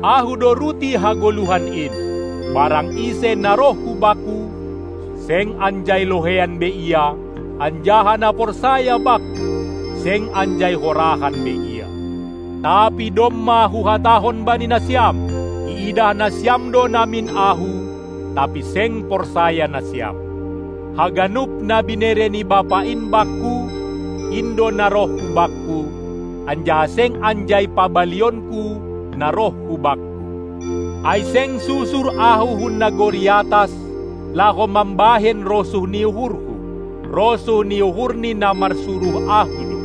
Ahu do ruti hagoluhan in. Barang ise na roh hu Bakku, seng anjai loheian be ia, anjaha na porsaya Bakku, seng anjai horahan be ia. Tapi domma Huhatahon bani nasiam: Iidah nasiam do namin Ahu, tapi seng porsaya nasiam. Haganup na binere ni Bapa in Bakku, in do na roh hu Bakku, anjaha seng anjai pabalionKu na roh hu Bakku. Ai seng susur Ahu hun nagori atas, laho mambahen rosuh ni uhurhu, rosuh ni uhur ni na marsuruh ahu do.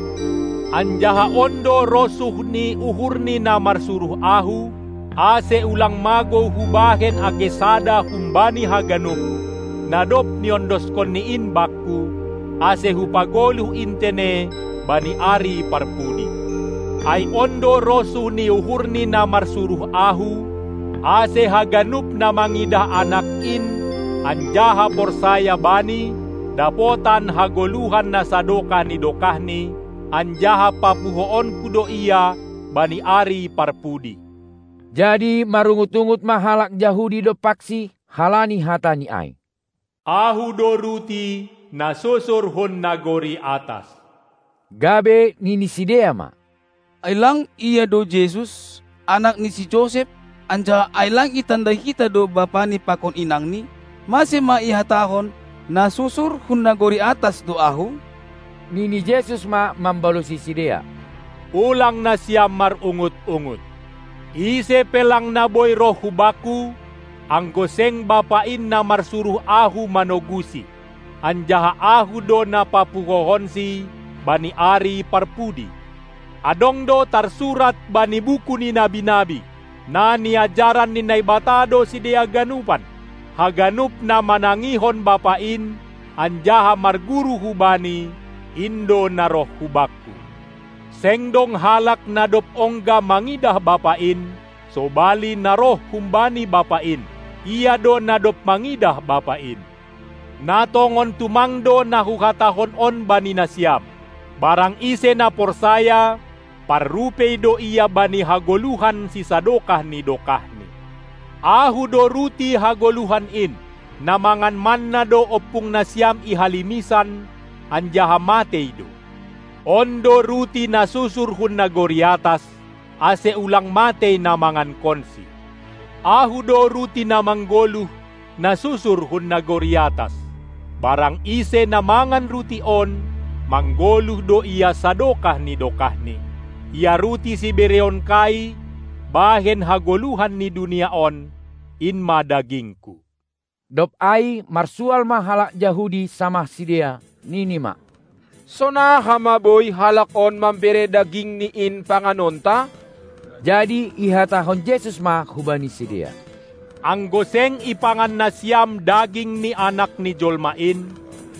Anjaha on do rosuh ni uhur ni na marsuruh ahu, ase ulang magou hubahen age sada humbani haganup, na dob niondoskonni in bakku, ase hupagoluh intene bani ari parpudi. Ai on do rosuh ni uhur ni na marsuruh ahu, ase haganup na mangidah Anak in, anjaha porsaya Bani, dapotan hagoluhan na sadokah ni dokahni, anjaha papuhoonku do ia bani ari parpudi. Jadi marungut-ungut ma halak Jahudi dompaksi halani hatani ai. Ahu do ruti na susur hun nagori atas. Gabe nini sidea ma: Ai lang ia do Jesus, anak ni si Josep, anjaha ai lang itandai hita do bapani pakon inangni? Mase ma ihatahon: Na susur hun nagori atas do ahu? Nini Jesus ma mambalosi sidea: Ulang nasiam marungut-ungut. Ise pe lang na boi roh hu bakku, anggo seng Bapa in na marsuruh ahu manogusi, anjaha ahu do na papuhohonsi bani ari parpudi. Adong do tarsurat bani buku ni nabi-nabi, na niajaran ni Naibata do sidea ganupan, haganup na manangihon Bapa in, anjaha marguru hu Bani, in do na roh hu bakku. Seng dong halak na dob ongga mangidah Bapa in, sobali na roh humbani Bapa in, ia do na dob mangidah Bapa in. Na tongon tumang do na huhatahon on bani nasiam: Barang ise na porsaya, parrupei do ia bani hagoluhan sisadokah ni dokahni. Ahu do ruti hagoluhan in, na mangan manna do ompung nasiam i halimisan, anjaha matei do. On do ruti na susur hun nagori atas, ase ulang matei na mangankonsi. Ahu do ruti na manggoluh, na susur hun nagori atas. Barang ise na mangan ruti on, manggoluh do ia sadokah ni dokahni. Ia ruti sibereonkai bahen hagoluhan ni dunia on, in ma dagingku. Dob ai marsual ma halak Jahudi samah sidea, nini ma: Sonaha ma boi halak on mambere dagingni in panganonta? Jadi ihatahon Jesus ma hubani sidea: Anggo seng ipangan nasiam daging ni Anak ni jolma in,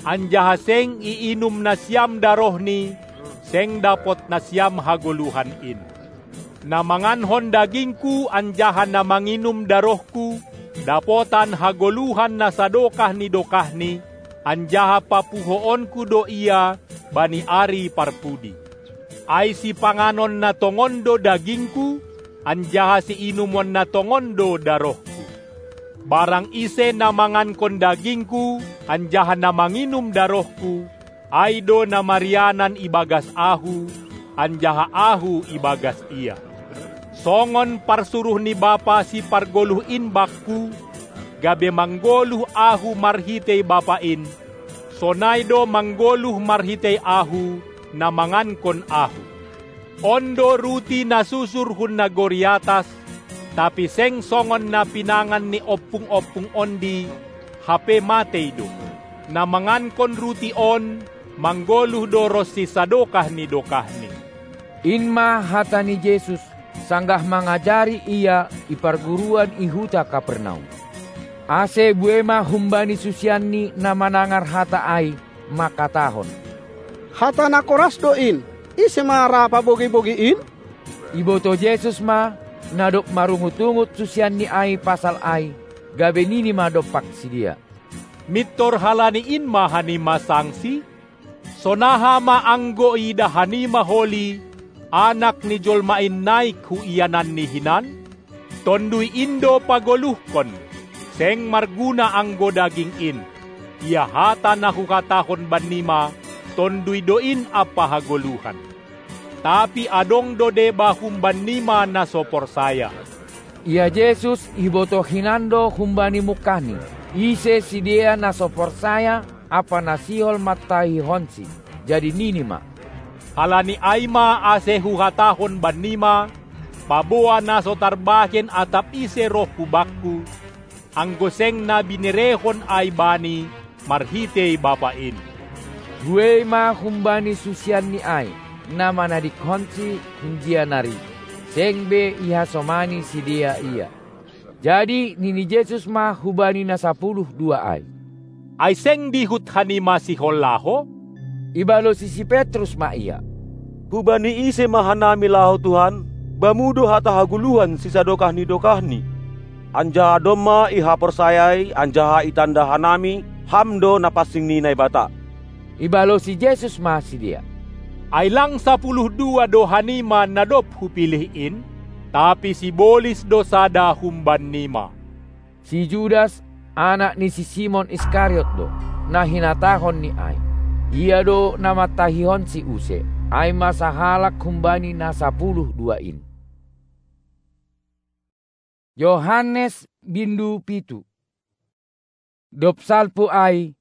anjaha seng iinum nasiam darohni, seng dapot nasiam hagoluhan in. Na mangankon dagingku anjaha na manginum darohku, dapotan hagoluhan na sadokah ni dokahni, anjaha papuhoonku do ia bani ari parpudi. Ai sipanganon na tongon do dagingku, anjaha siinumon na tongon do darohku. Barang ise na mangankon dagingku anjaha na manginum darohku, ai do na marianan ibagas ahu, anjaha ahu ibagas ia. Songon parsuruh ni Bapa sipargoluh in bakku, gabe manggoluh ahu marhitei Bapa in, sonai do manggoluh marhitei ahu, na mangankon ahu. On do ruti na susur hun nagori atas, tapi seng songon na pinangan ni ompung-ompung ondi, hape matei do. Na mangankon ruti on, manggoluh do ronsi sadokah ni dokahni. In ma hata ni Jesus, sanggah mangajari ia i parguruan i huta Kapernaum. Ase buei ma humbani susianni na manangar hata ai, mangkatahon: Hata na koras do in, ise ma ra pabogi-bogi in? Iboto Jesus ma, na dob marungut-ungut susianni ai pasal ai, gabe nini ma dompak sidea: Mintor halani in ma hanima sangsi? Sonaha ma anggo iidah hanima holi Anak ni jolma in naik hu iananni hinan? Tonduy in do pagoluhkon, seng marguna anggo daging in. Ia hata na huhatahon bannima, tonduy do in ampa hagoluhan. Tapi adong do deba humbannima na so porsaya. Ia Jesus iboto hinan do humbani mungkahni, ise sidea na so porsaya ampa na sihol mantahihonsi. Jadi nini ma: Halani ai ma ase huhatahon bannima, paboa na so tarbahen atap ise roh hu bakku, anggo seng na binerehon ai bani marhitei Bapa in. Buei ma humbani susianni ai, na manadingkonsi hunjia nari, seng be ihasomani sidea ia. Jadi nini Jesus ma hubani na sapuluh dua ai: Ai seng dihut hanima sihol laho? Ibalosi si Petrus ma ia: Hubani ise ma hanami laho, Tuhan? Bamu do hata hagoluhan sisadokah ni dokahni. Anjaha domma ihaporsayai anjaha itanda hanami, Ham do na pansing ni Naibata. Ibalosi Jesus ma sidea: Ai lang sapuluh dua do hanima na dob hupilih in? Tapi sibolis do sada humbannima. Si Judas, anak ni si Simon Iskariot do, na hinatahon ni ai. Ia do na mantahihonsi use, ai ma sahalak humbani na sapuluh dua in. Johannes bindu pitu. Dob salpu ai,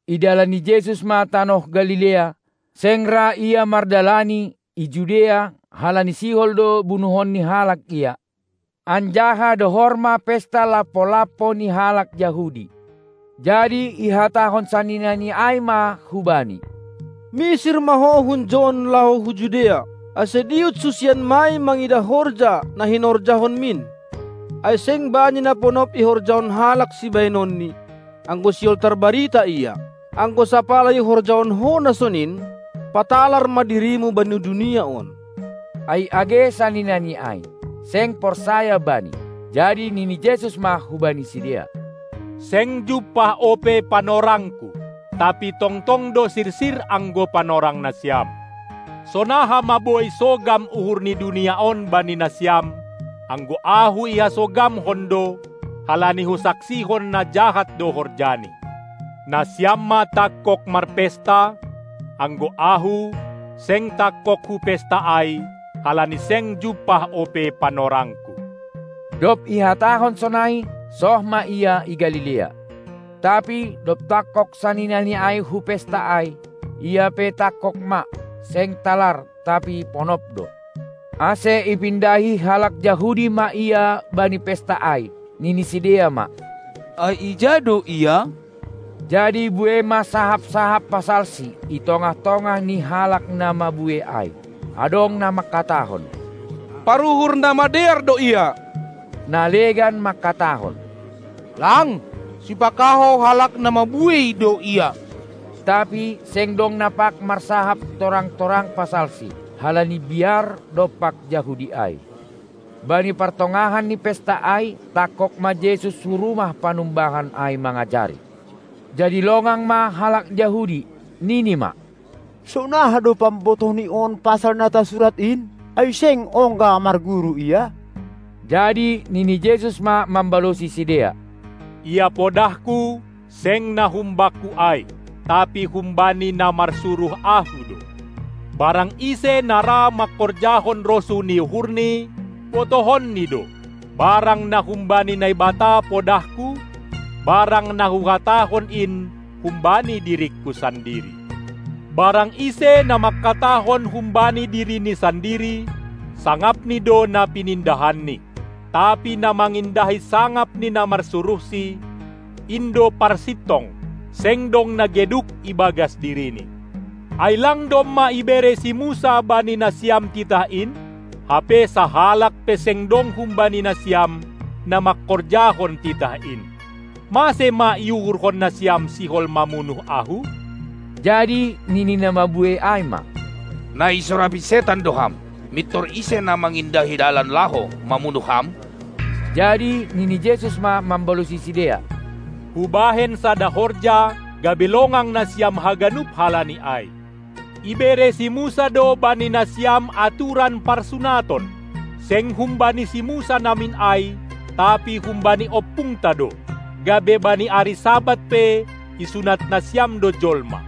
idalani Jesus ma tanoh Galilea, seng ra ia mardalani i Judea, halani sihol do bunuhon ni halak ia. Anjaha dohor ma pesta lampo-lampo ni halak Jahudi. Jadi ihatahon saninani ai ma hubani: Misir ma ho hunjohon laho hu Judea, ase diut susianmai mangidah horja na hinorjahonmin. Ai seng bani na ponop ihorjahon halak sibahenonni, anggo sihol tarbarita ia. Anggo sapala ihorjahon ho na sonin, patalar ma dirimu bani dunia on. Ai age saninani ai, seng porsaya bani. Jadi nini Jesus ma hubani sidea: Seng jumpah ope panorangKu, tapi tongtong do sirsir anggo panorang nasiam. Sonaha ma boi sogam uhur ni dunia on bani nasiam, anggo Ahu ihasogamhon do, halani husaksihon na jahat do horjani. Nasiam ma tangkog marpesta, anggo Ahu, seng tangkog hupesta ai, halani seng jumpah ope panorangKu. Dob ihatahon sonai, soh ma ia i Galilea. Tapi dob tangkog saninani ai hu pesta ai, ia pe tangkog ma, seng talar, tapi ponop do. Ase ipindahi halak Jahudi ma ia bani pesta ai, nini sidea ma: Ai ija do ia? Jadi buei ma sahap-sahap pasalsi i tongah-tongah ni halak na mabue ai. Adong na mangkatahon: Paruhur na madear do ia! Na legan mangkatahon: Lang, sipakaho halak na mabue do ia! Tapi seng dong na pag marsahap torang-torang pasalsi, halani biar dompak Jahudi ai. Bani partongahan ni pesta ai, tangkog ma Jesus hu rumah panumbahan ai mangajari. Jadi longang ma halak Jahudi, nini ma: Sonaha do pambotohni on pasal na tasurat in? Ai seng ongga marguru ia? Jadi nini Jesus ma mambalosi sidea: Ia podahKu, seng na hum-Bangku ai, tapi humbani na marsuruh Ahu do. Barang ise na ra mangkorjahon rosuh ni uhurni, botohonni do, barang na humbani Naibata podahKu, barang na Huhatahon in humbani diringKu sandiri. Barang ise na mangkatahon humbani dirini sandiri, sangapni do na pinindahanni, tapi na mangindahi sangap ni na marsuruhsi, in do parsintong, seng dong na geduk ibagas dirini. Ai lang domma ibere si Musa bani nasiam titah in? Hape sahalak pe seng dong humbani nasiam na mangkorjahon titah in. Mase ma iuhurhon nasiam sihol mamunuh Ahu? Jadi nini na mabue ai ma: Na isorapi setan do Ham! Mintor ise na mangindahi dalan laho mamunuh Ham? Jadi nini Jesus ma mambalosi sidea: Hubahen sada horja, gabe longang nasiam haganup halani ai. Ibere si Musa do bani nasiam aturan parsunaton, seng humbani si Musa namin ai, tapi humbani ompungta do, gabe bani ari Sabat pe isunat nasiam do jolma.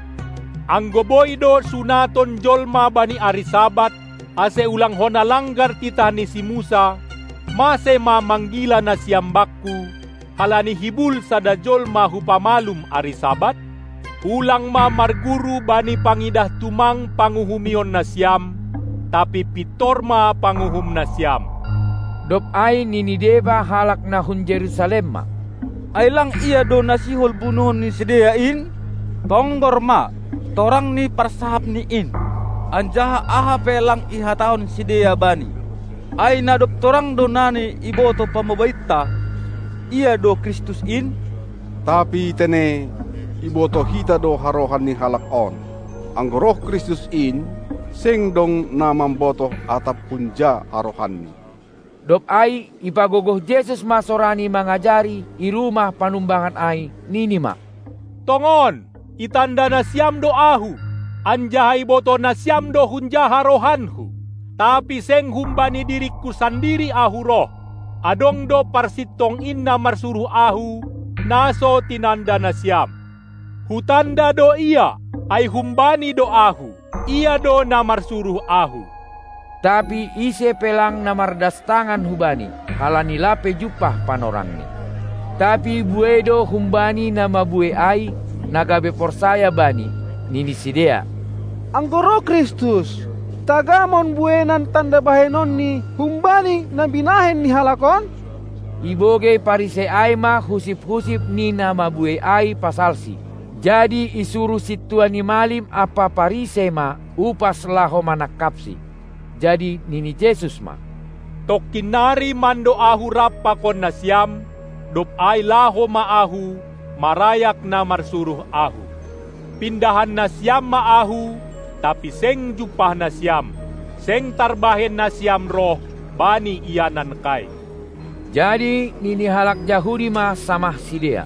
Anggo boi do sunaton jolma bani ari Sabat, ase ulang hona langgar titah ni si Musa, mase ma manggila nasiam Bangku, halani hibul sada jolma hupamalum ari Sabat? Ulang ma marguru bani pangidah tumang panguhumion nasiam, tapi pintor ma panguhum nasiam. Dob ai nini deba halak na hun Jerusalem ma: Ai lang ia do na sihol bunuhon ni sidea in? Tonggor ma, torang ni parsahapni in, anjaha aha pe lang ihatahon sidea bani. Ai na dob torang do nani ibotoh pamobainta, ia do Kristus in? Tapi tene, ibotoh hita do harohan ni halak on. Anggo roh Kristus in, seng dong na mambotoh atap hunja harohanni. Dob ai ipagogoh Jesus ma sorani mangajari i rumah panumbahan ai, nini ma: Tongon, itanda nasiam do Ahu, anjaha ibotoh nasiam do hunja harohanHu. Tapi seng humbani diringKu sandiri Ahu roh. Adong do parsintong in na marsuruh Ahu, na so tinanda nasiam. Hutanda do Ia, ai humbani do Ahu. Ia do na marsuruh Ahu. Tapi ise pe lang na mardastangan hu Bani, halani lape jumpah panorangni. Tapi buei do humbani na mabuei ai, na gabe porsaya Bani, nini sidea: Anggo roh Kristus, tagamon buenan tanda bahenonNi humbani na binahen ni halak on? Ibogei Parisei ai ma husip-husip ni na mabuei ai pasalSi. Jadi isuruh sintua ni malim ampa Parisei ma upas laho manangkapSi. Jadi nini Jesus ma: Tongkin nari mando Ahu rap pakon nasiam, dob ai laho ma Ahu, marayak na marsuruh Ahu. Pindahan nasiam ma Ahu, tapi seng jumpah nasiam, seng tarbahen nasiam roh bani ianankai. Jadi nini halak Jahudi ma samah sidea: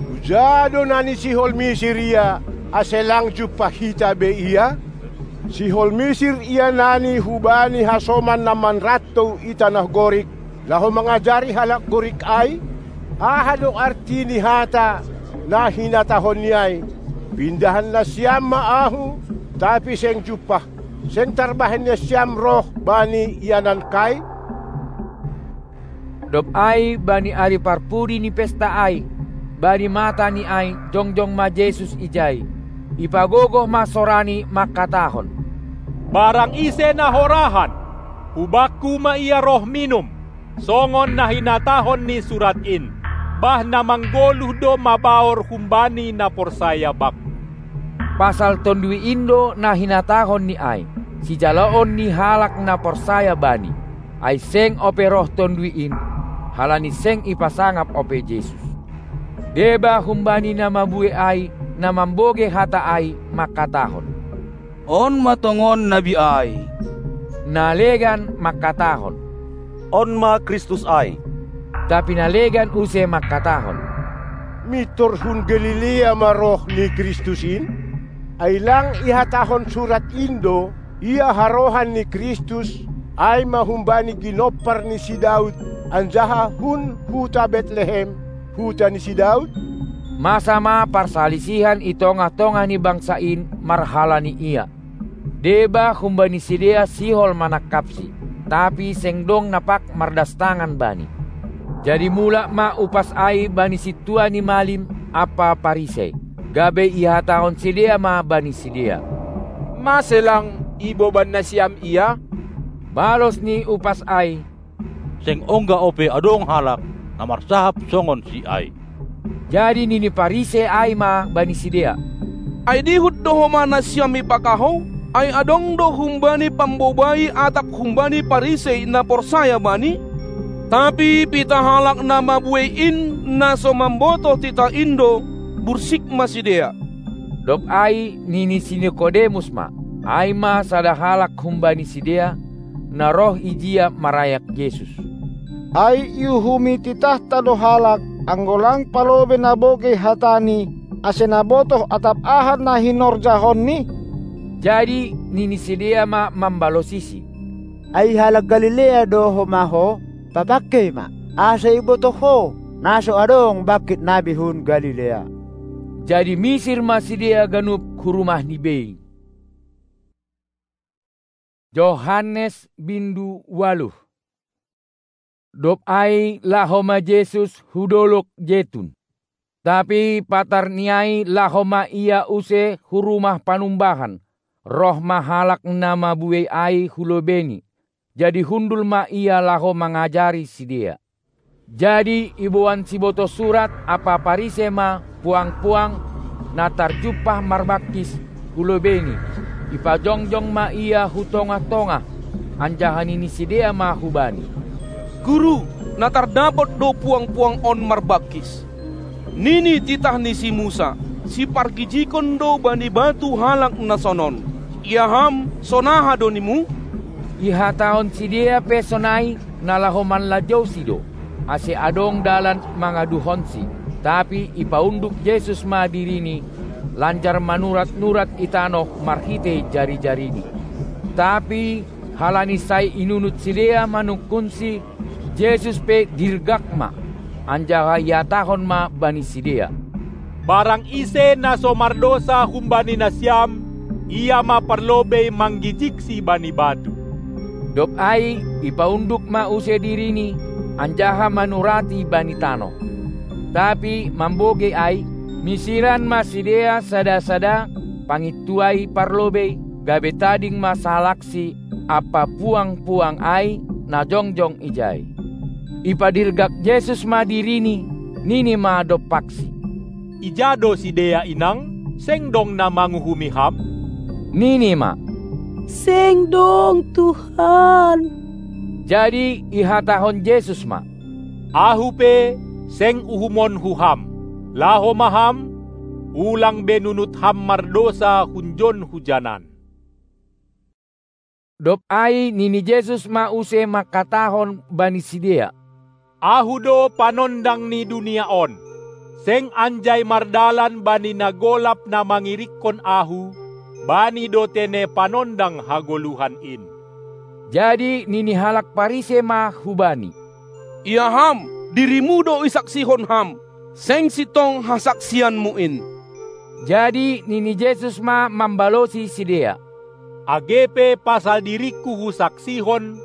Huja do na nisihol Misir Ia, ase lang jumpah hita be Ia? Sihol Misir Ia nani hubani hasoman na manrantou i tanoh Gorik, laho mangajari halak Gorik ai? Aha do arti ni hata na hinatahonNi ai: Pindahan nasiam ma Ahu, tapi seng jumpah, seng tarbahen nasiam roh bani ianankai? Dob ai bani ari parpudi ni pesta ai, bani mata ni ai, jongjong ma Jesus ijai. Ipagogoh ma sorani mangkatahon: Barang ise na horahan, hu Bakku ma ia roh minum, songon na hinatahon ni surat in. Bah na manggoluh do mabaor humbani na porsaya Bakku. Pasal Tonduy in do na hinatahon ni ai, sijaloon ni halak na porsaya Bani. Ai seng ope roh Tonduy in, halani seng ipasangap ope Jesus. Deba humbani na mabuei ai, na mambogei hata ai, mangkatahon: On ma tongon nabi ai. Na legan mangkatahon: On ma Kristus ai. Tapi na legan use mangkatahon: Mintor hun Galilea ma roh ni Kristus in? Ai lang ihatahon surat in do, Ia harohan ni Kristus, ai ma humbani ginompar ni si Daud, anjaha hun huta Betlehem, huta ni si Daud? Masa ma parsalisihan i tongah-tongah ni bangsa in marhalani Ia. Deba humbani sidea sihol manangkapSi, tapi seng dong na pag mardastangan Bani. Jadi mulak ma upas ai bani sintua ni malim ampa Parisei, gabe ihatahon sidea ma bani sidea: Mase lang iboban nasiam Ia? Balos ni upas ai: Seng ongga ope adong halak na marsahap songon si ai. Jadi nini Parisei ai ma bani sidea: Ai dihut do homa nasiam ipakahou? Ai adong do humbani pambobai atap humbani Parisei na porsaya Bani? Tapi pitah halak na mabuei in, na so mambotoh titah in do, bursik ma sidea. Dob ai nini si Nikodemus ma, ai ma sada halak humbani sidea, na roh ijia marayak Jesus: Ai iuhumi titahta do halak, anggo lang palobei na bogei hataNi, ase na botoh atap aha na hinorjahonNi? Jadi nini sidea ma mambalosisi: Ai halak Galilea do homa ho? Papangkei ma, ase ibotoh ho, na so adong bangkit nabi hun Galilea. Jadi misir ma sidea ganup hu rumah ni bei. Johannes bindu ualuh. Dob ai laho ma Jesus hu Dolok Jetun. Tapi patar ni ai laho ma Ia use hu Rumah Panumbahan, roh ma halak na mabuei ai hu lobeini. Jadi hundul ma Ia laho mangajari sidea. Jadi iboan sibotoh surat ampa Parise ma puang-puang na tarjumpah marbangkis hu lobeini, ipajongjong ma ia hu tongah-tongah, anjaha nini sidea ma hu Bani: "Guru, na tardapot do puang-puang on marbangkis. Nini titah ni si Musa, sipargijigkon do bani batu halak na sonon. Ia ham, sonaha do nimu?" Ihatahon sidea pe sonai, na laho manlajousi do, ase adong dalan mangaduhonsi. Tapi ipaunduk Jesus ma diriNi, lanjar manurat-nurat i tanoh marhitei jari-jariNi. Tapi halani sai inunut sidea manungkunSi, Jesus pe dirgak ma, anjaha ihatahon ma bani sidea: "Barang ise na so mardousa humbani nasiam, ia ma parlobei manggijigsi bani batu." Dob ai ipaunduk ma use diriNi, anjaha manurati bani tanoh. Tapi mambogei ai, misiran ma sidea sada-sada, pangintuai parlobei, gabe tading ma sahalakSi ampa puang-puang ai na jongjong ijai. Ipadirgak Jesus ma diriNi, nini ma dompaksi: "Ija do sidea inang? Seng dong na manguhumi ham?" Nini ma: "Seng dong, Tuhan." Jadi ihatahon Jesus ma: "Ahu pe, seng uhumonku ham. Laho ma ham, ulang be nunut ham mardousa hunjon hujanan." Dob ai nini Jesus ma use mangkatahon bani sidea: "Ahu do panondang ni dunia on. Seng anjai mardalan bani na golap na mangirikkon Ahu, bani do tene panondang hagoluhan in." Jadi nini halak Parise ma hu Bani: "Ia ham, dirimu do isaksihon ham, seng sintong hasaksianmu in." Jadi nini Jesus ma mambalosi sidea: "Age pe pasal diringKu Husaksihon,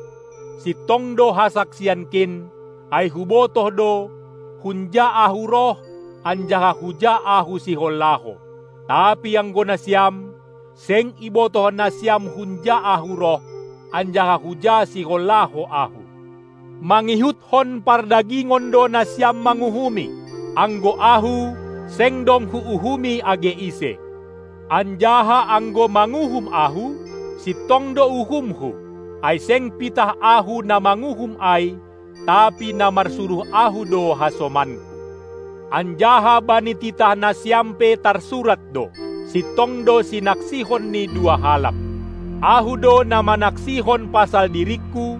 sintong do hasaksiankin, ai Hubotoh do, hunja Ahu roh, anjaha huja Ahu sihol laho. Tapi anggo nasiam, seng ibotoh nasiam hunja Ahu roh, anjaha huja sihol laho Ahu. Mangihuthon pardagingon do nasiam manguhumi, anggo Ahu, seng dong Huuhumi age ise. Anjaha anggo manguhum Ahu, sintong do uhumHu, ai seng pitah Ahu na manguhum ai, tapi na marsuruh Ahu do hasomanKu. Anjaha bani titah nasiam pe tarsurat do, sintong do sinaksihon ni dua halak. Ahu do na manaksihon pasal diringKu,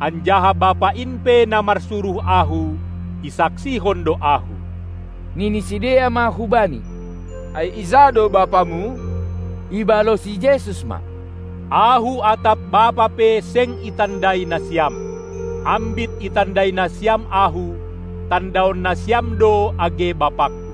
anjaha Bapa in pe na marsuruh Ahu, isaksihon do Ahu." Nini sidea ma hu Bani: "Ai ija do BapaMu?" Ibalosi Jesus ma: "Ahu atap Bapa pe seng itandai nasiam. Ambit itandai nasiam Ahu, tandaon nasiam do age BapangKu."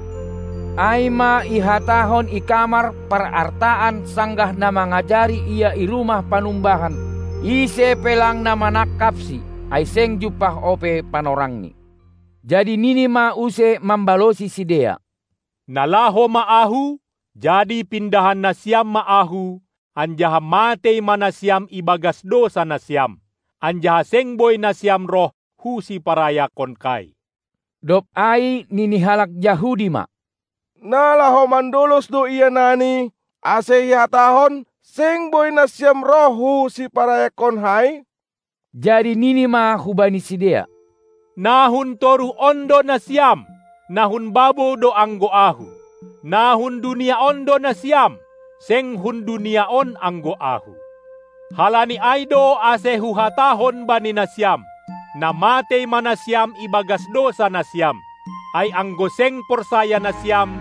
Ai ma ihatahon i kamar parartaan sanggah na mangajari Ia i rumah panumbahan, ise pe lang na manangkapSi, ai seng jumpah ope panorangni. Jadi nini ma use mambalosi sidea: "Na laho ma Ahu, jadi pindahan nasiam ma Ahu, anjaha matei ma nasiam ibagas dousa nasiam, anjaha seng boi nasiam roh hu siparayakkon kai." Dob ai nini halak Jahudi ma: "Na laho mandolos do Ia nani, ase ihatahon, 'Seng boi nasiam roh hu siparayakkon hai'?" Jadi nini ma hubani sidea: "Na hun toruh on do nasiam, na hun babo do anggo Ahu. Na hun dunia on do nasiam, seng hun dunia on anggo Ahu. Halani ai do ase Huhatahon bani nasiam, na matei ma nasiam ibagas dousa nasiam. Ai anggo seng porsaya nasiam,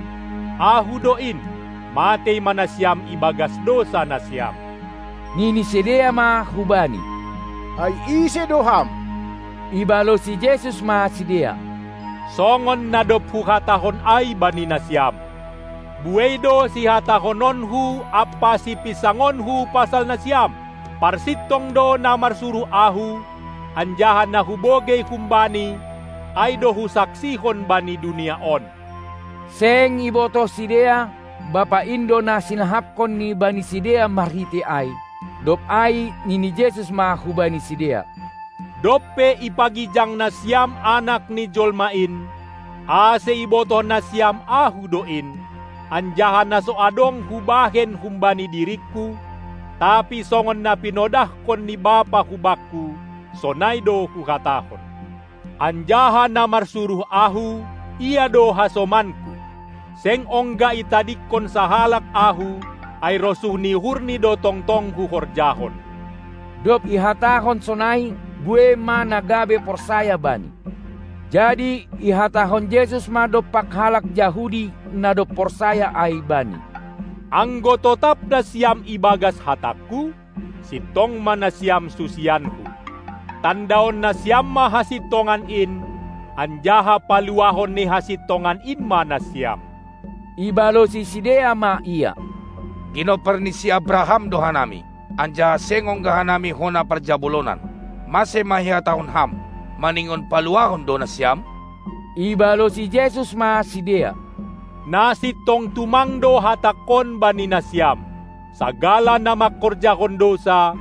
Ahu do in, matei ma nasiam ibagas dousa nasiam." Nini sidea ma hu Bani: "Ai ise do Ham?" Ibalosi Jesus ma sidea: "Songon na dob Huhatahon ai bani nasiam. Buei do sihatahononKu ampa sipinsangonKu pasal nasiam. Parsintong do na marsuruh Ahu, anjaha na Hubogei humbani, ai do Husaksihon bani dunia on." Seng ibotoh sidea, Bapa in do na sinahapkon ni bani sidea marhitei ai. Dob ai nini Jesus ma hubani sidea: Dob pe ipagijang nasiam Anak ni jolma in, ase ibotoh nasiam Ahu do in, anjaha na so adong hubahen humbani diringku, tapi songon na pinodahkon ni Bapa hu Bakku, sonai do Huhatahon. Anjaha na marsuruh Ahu, ia do hasomanKu. Seng ongga itadingkon sahalak Ahu, ai rosuh ni uhurni do tongtong Huhorjahon. Dob ihatahon sonai, buei ma na gabe porsaya Bani. Jadi ihatahon Jesus ma dompak halak Jahudi na dob porsaya ai Bani: Anggo totap nasiam ibagas hatangKu, sintong ma nasiam susianKu. Tandaon nasiam ma hasintongan in, anjaha paluahon ni hasintongan in ma nasiam. Ibalosi sidea ma Ia: Ginompar ni si Abraham do hanami, anjaha seng ongga hanami hona parjabolonan. Mase ma ihatahon Ham, maningon paluahon do nasiam? Ibalosi Jesus ma sidea: Na sintong tumang do hatangKon bani nasiam: Sagala na mangkorjahon dousa,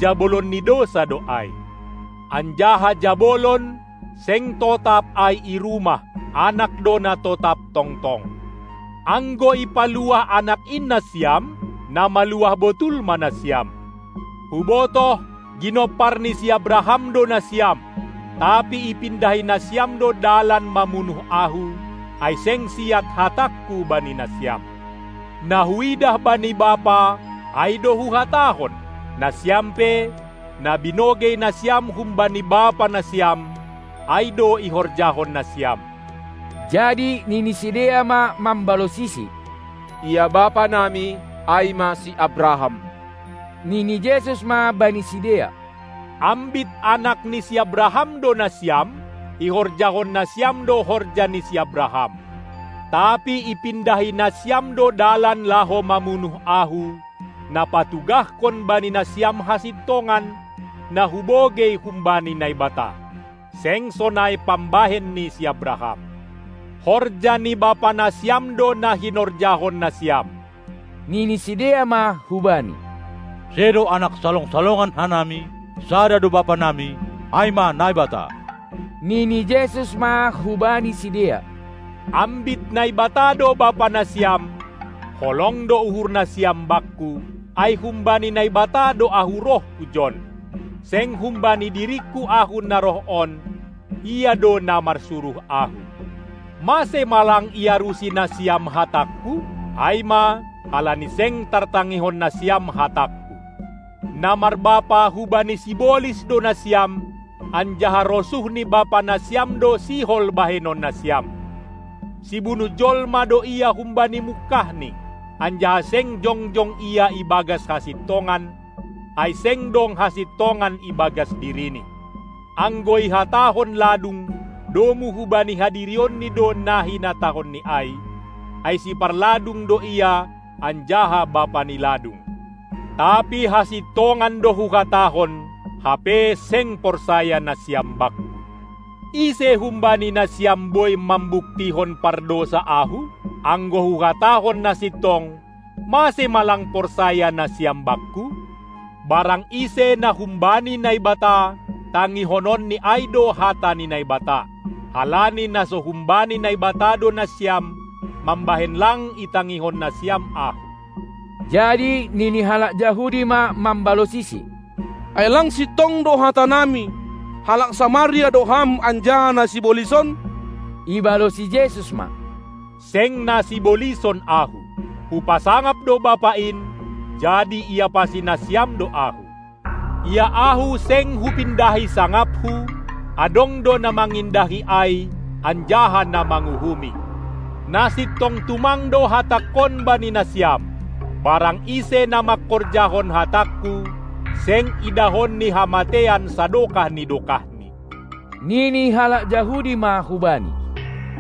jabolon ni dousa do ai. Anjaha jabolon, seng totap ai i rumah, Anak do na totap tongtong. Anggo ipaluah Anak in nasiam, na maluah botul ma nasiam. Hubotoh, ginompar ni si Abraham do nasiam, tapi ipindahi nasiam do dalan mamunuh Ahu, ai seng siat hatangKu bani nasiam. Na Huidah bani Bapa, ai do Huhatahon, nasiam pe, na binogei nasiam humbani bapa nasiam, ai do ihorjahon nasiam. Jadi nini sidea ma mambalosisi: Ia bapa nami, ai ma si Abraham. Nini Jesus ma bani sidea: Ambit anak ni si Abraham do nasiam, ihorjahon nasiam do horja ni si Abraham. Tapi ipindahi nasiam do dalan laho mamunuh Ahu, na patugahkon bani nasiam hasintongan, na hubogei humbani Naibata. Seng sonai pambahen ni si Abraham. Horja ni bapa nasiam do na hinorjahon nasiam. Nini sidea ma hu Bani: Sedo anak salongsalongan hanami, sada do Bapa nami, ai ma Naibata. Nini Jesus ma hubani sidea: Ambit Naibata do Bapa nasiam, holong do uhur nasiam Bakku, ai humbani Naibata do Ahu roh hujon. Seng humbani diringKu Ahu na roh on, Ia do na marsuruh Ahu. Mase ma lang iarusi nasiam hatangKu? Ai ma, halani seng tartangihon nasiam hatangKu. Na marbapa hubani sibolis do nasiam, anjaha rosuh ni bapa nasiam do sihol bahenon nasiam. Sibunu jolma do ia humbani mungkahni, anjaha seng jongjong ia ibagas hasintongan, ai seng dong hasintongan ibagas dirini. Anggo ihatahon ladung, domu hubani hadirionni do na hinatahonni ai, ai siparladung do ia anjaha bapa ni ladung. Tapi hasintongan do Huhatahon, hape seng porsaya nasiam Bakku. Ise humbani nasiam boi mambuktihon pardousa Ahu? Anggo Huhatahon na sintong, mase ma lang porsaya nasiam Bakku? Barang ise na humbani Naibata, tangihononni ai do hata ni Naibata, halani na so humbani Naibata do nasiam, mambahen lang itangihon nasiam Ahu. Jadi nini halak Jahudi ma mambalosisi: Ai lang sintong do hatanami, halak Samaria do Ham anjaha na sibolis on? Ibalosi Jesus ma: Seng na sibolis on Ahu. Hupasangap do Bapa in, jadi iapasi nasiam do Ahu. Ia Ahu seng Hupindahi sangapHu, adong do na mangindahi ai, anjaha na manguhumi. Na sintong tumang do hatangKon bani nasiam: Barang ise na mangkorjahon hatangKu, seng idahon ni hamatean sadokah ni dokahni. Nini halak Jahudi ma hu Bani: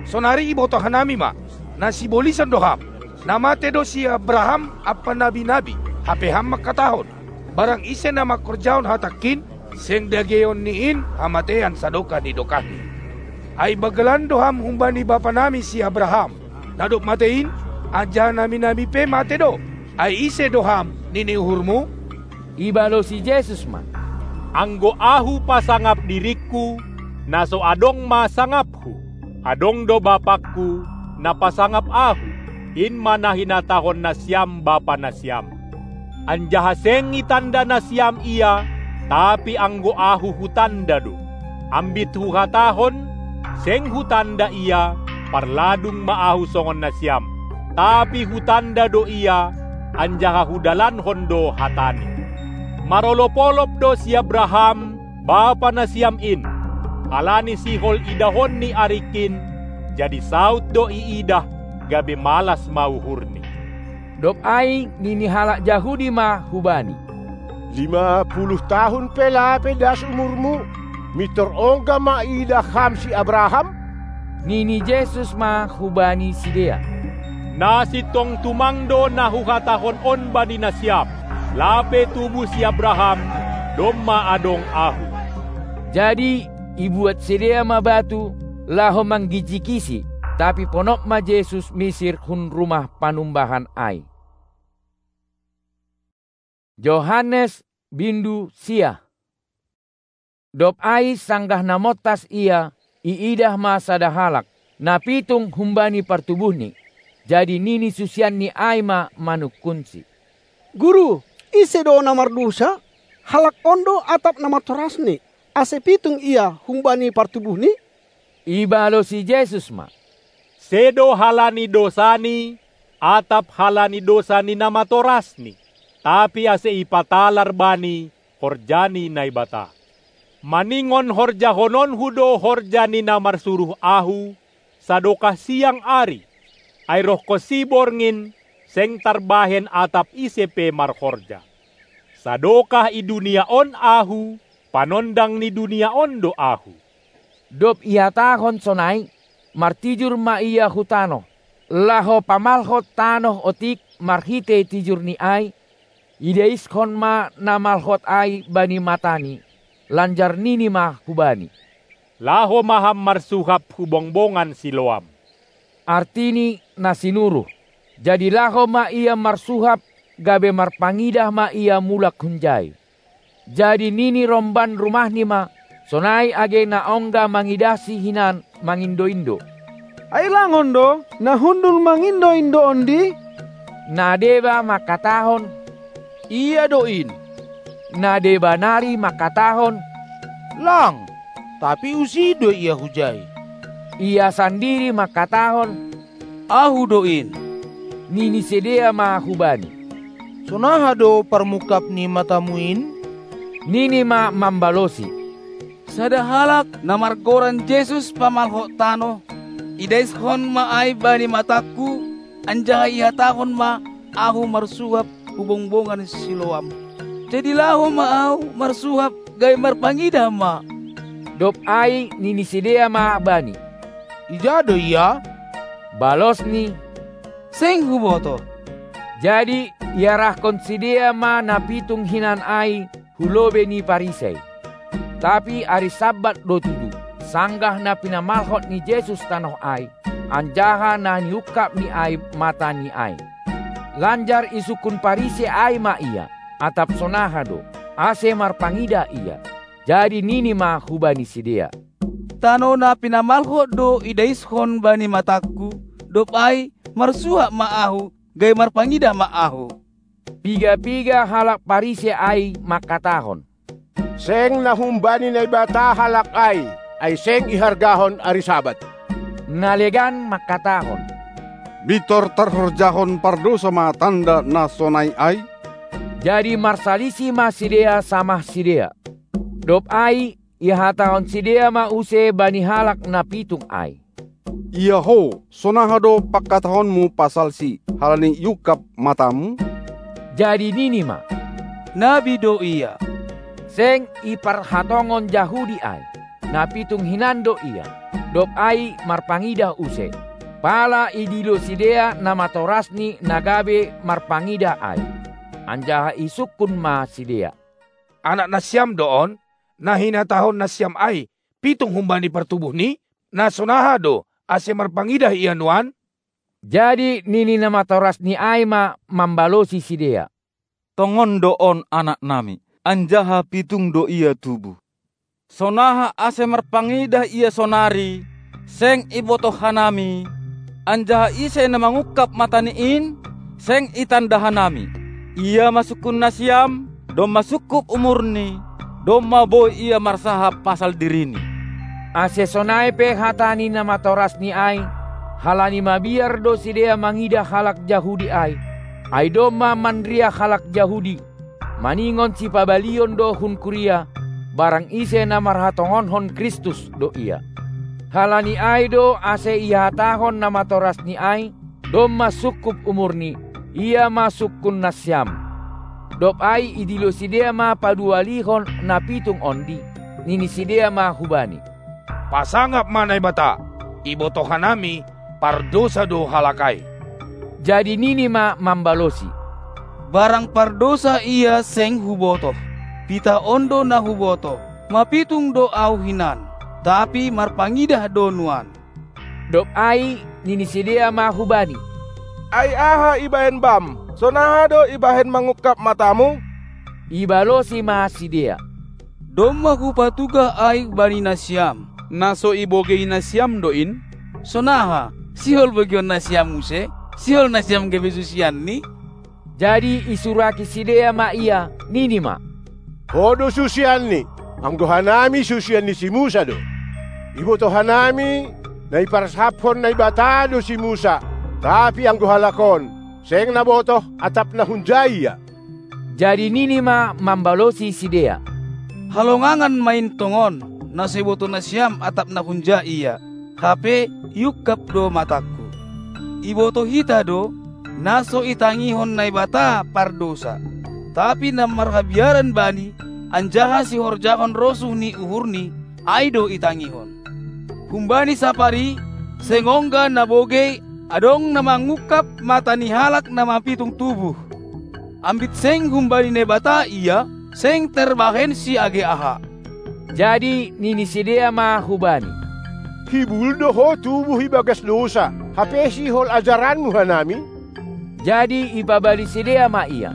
Sonari ibotoh hanami ma, na sibolis on do Ham. Na mate do si Abraham ampa nabi-nabi, hape Ham mangkatahon: Barang ise na mangkorjahon hatangKin, seng dageonni in hamatean sadokah ni dokahni. Ai banggalan do Ham humbani bapa nami si Abraham, na dob mate in, anjaha nabi-nabi pe mate do. Ai ise do Ham, nini uhurMu? Ibalosi Jesus ma: Anggo Ahu pasangap diringKu, na so adong ma sangapHu. Adong do BapangKu, na pasangap Ahu, in ma na hinatahon nasiam bapa nasiam. Anjaha seng itanda nasiam Ia, tapi anggo Ahu hutanda do. Ambit Huhatahon, seng hutanda Ia, parladung ma Ahu songon nasiam, tapi hutanda do Ia, anjaha hudalankon do hataNi. Marolopolop do si Abraham, bapa nasiam in, halani sihol idahon ni aringkin, jadi saut do iidah, gabe malas ma uhurni. Dob ai nini halak Jahudi ma hu-Bani: Lima puluh tahun pe lape das umurmu, mintor ongga ma iidah Ham si Abraham? Nini Jesus ma hubani sidea: Na sintong tumang do na Huhatahon on bani nasiam: Lape tubu si Abraham, domma adong Ahu. Jadi ibuat sidea ma batu, laho manggijikiSi, tapi ponop ma Jesus misir hun rumah panumbahan ai. Johannes bindu sia. Dob ai sanggah na montas ia, iidah ma sada halak, na pitung humbani partubuhni. Jadi nini susianni ai ma manungkunSi: Guru, ise do na mardosa? Halak on do atap namatorasni, ase pitung ia humbani partubuhni? Ibalosi Jesus ma: Sedo halani dosani, atap halani dosa ni namatorasni, tapi ase ipatalar bani horja ni Naibata. Maningon horjahononHu do horja ni na marsuruh Ahu, sadokah siang ari, ai rohkonsi borngin, seng tarbahen atap ise pe marhorja. Sadokah i dunia on Ahu, panondang ni dunia on do Ahu. Dob ihatahon sonai, martijur ma Ia hu tanoh, laho pamalhot tanoh otik marhitei tijurni ai, idaishon ma na malhot ai bani mataNi, lanjar nini ma hubani: Laho ma ham marsuhap hu bongbongan Siloam. Artini na sinuruh. Jadi laho ma ia marsuhap, gabe marpangidah ma ia mulak hunjai. Jadi nini romban rumahni ma, sonai age na ongga mangidahsi hinan mangindo-indo: Ai lang on do, na hundul mangindo-indo ondi? Na deba mangkatahon: Ia do in. Na deba nari mangkatahon: Lang, tapi usih do ia hujai. Ia sandiri mangkatahon: Ahu do in. Nini sidea ma hubani: Sonaha do parmungkap ni matamu in? Nini ma mambalosi: Sada halak na margoran Jesus pamalhot tanoh, idaishon ma ai bani matangku, anjaha ihatahon ma ahu marsuhap hu bongbongan Siloam. Jadi laho ma ahu marsuhap gabe marpangidah ma. Dob ai nini sidea ma bani: Ija do ia? Balosni: Seng hubotoh. Jadi iarahkon sidea ma na pitung hinan ai hu lobei ni Parisei. Tapi ari Sabat do tutu, sanggah na pinamalhot ni Jesus tanoh ai, anjaha na niungkapni ai mataNi ai. Lanjar isungkun Parisei ai ma Ia, atap sonaha do, ase marpangidah ia. Jadi nini ma hubani sidea: Tanoh na pinamalhot do idaishon bani matangku, dob ai marsuhap ma ahu, gabe marpangidah ma ahu. Piga-piga halak Parisei ai mangkatahon: Seng na humbani Naibata halak ai, ai seng ihargahon ari Sabat. Na legan mangkatahon: Mintor tarhorjahon pardosa ma tanda na sonai ai? Jadi marsalisi ma sidea samah sidea. Dob ai ihatahon sidea ma use bani halak na pitung ai: Ia ho, sonaha do pangkatahonmu pasalsi, halani iungkap matamu? Jadi nini ma: Nabi do ia. Seng iparhatongon Jahudi ai, na pitung hinan do ia. Dob ai marpangidah use. Pala idilo sidea namatorasni na gabe marpangidah ai. Anjaha isungkun ma sidea: Anak nasiam do on, na hinatahon nasiam ai, pitung humbani partubuhni? Na sonaha do, ase marpangidah ia nuan? Jadi nini namatorasni ai ma mambalosi sidea: Tongon do on anaknami. anjaha pitung do ia tubuh. Sonaha ase marpangidah ia sonari, seng ibotoh hanami, anjaha ise na mangungkap matani in, seng itanda hanami. Ia ma sungkun nasiam, domma sungkup umurni, domma boi ia marsahap pasal dirini. Ase sonai pe hata ni na matorasni ai, halani mabiar do sidea mangidah halak Jahudi ai, ai domma manriah halak Jahudi, maningon sipabalion do hun kuria, barang ise na marhatongonkon Kristus do ia. Halani ai do ase ihatahon na matorasni ai, domma sungkup umurni, ia ma sungkun nasiam. Dob ai idilo sidea ma padualihon na pitung ondi, nini sidea ma hubani: Pasangap ma Naibata, ibotoh hanami, pardousa do halak ai. Jadi nini ma mambalosi: Barang pardousa ia seng hubotoh. Pitah on do na hubotoh, mapitung do ahu hinan, tapi marpangidah do nuan. Dob ai nini sidea ma hubani: Ai aha ibahen bam? Sonaha do ibahen mangungkap matamu? Ibalosi ma sidea: Domma hupatugah ai bani nasiam, na so ibogei nasiam do in. Sonaha, sihol bogeion nasiam muse? Sihol nasiam gabe susianni? Jadi isuraki sidea ma ia, nini ma: Ho do susianni, anggo hanami susian ni si Musa do. Ibotoh hanami, na iparsaphon Naibata do si Musa, tapi anggo halak on, seng na botoh, atap na hunja ia. Jadi nini ma mambalosi sidea: Halongangan ma in tongon, na so ibotoh nasiam atap na hunja ia, hape iungkap do matangku. Ibotoh hita do, na so itangihon Naibata pardousa, tapi na marhabiaran bani, anjaha sihorjahon rosuh ni uhurni, ai do itangihon. Humbani sapari, seng ongga na bogei, adong na mangungkap mata ni halak na mapitung tubuh. Ambit seng humbani Naibata ia, seng tarbahensi age aha. Jadi nini sidea ma hubani: Hibul do ho tubuh ibagas dousa, hape sihol ajaranmu hanami? Jadi ipabali sidea ma ia.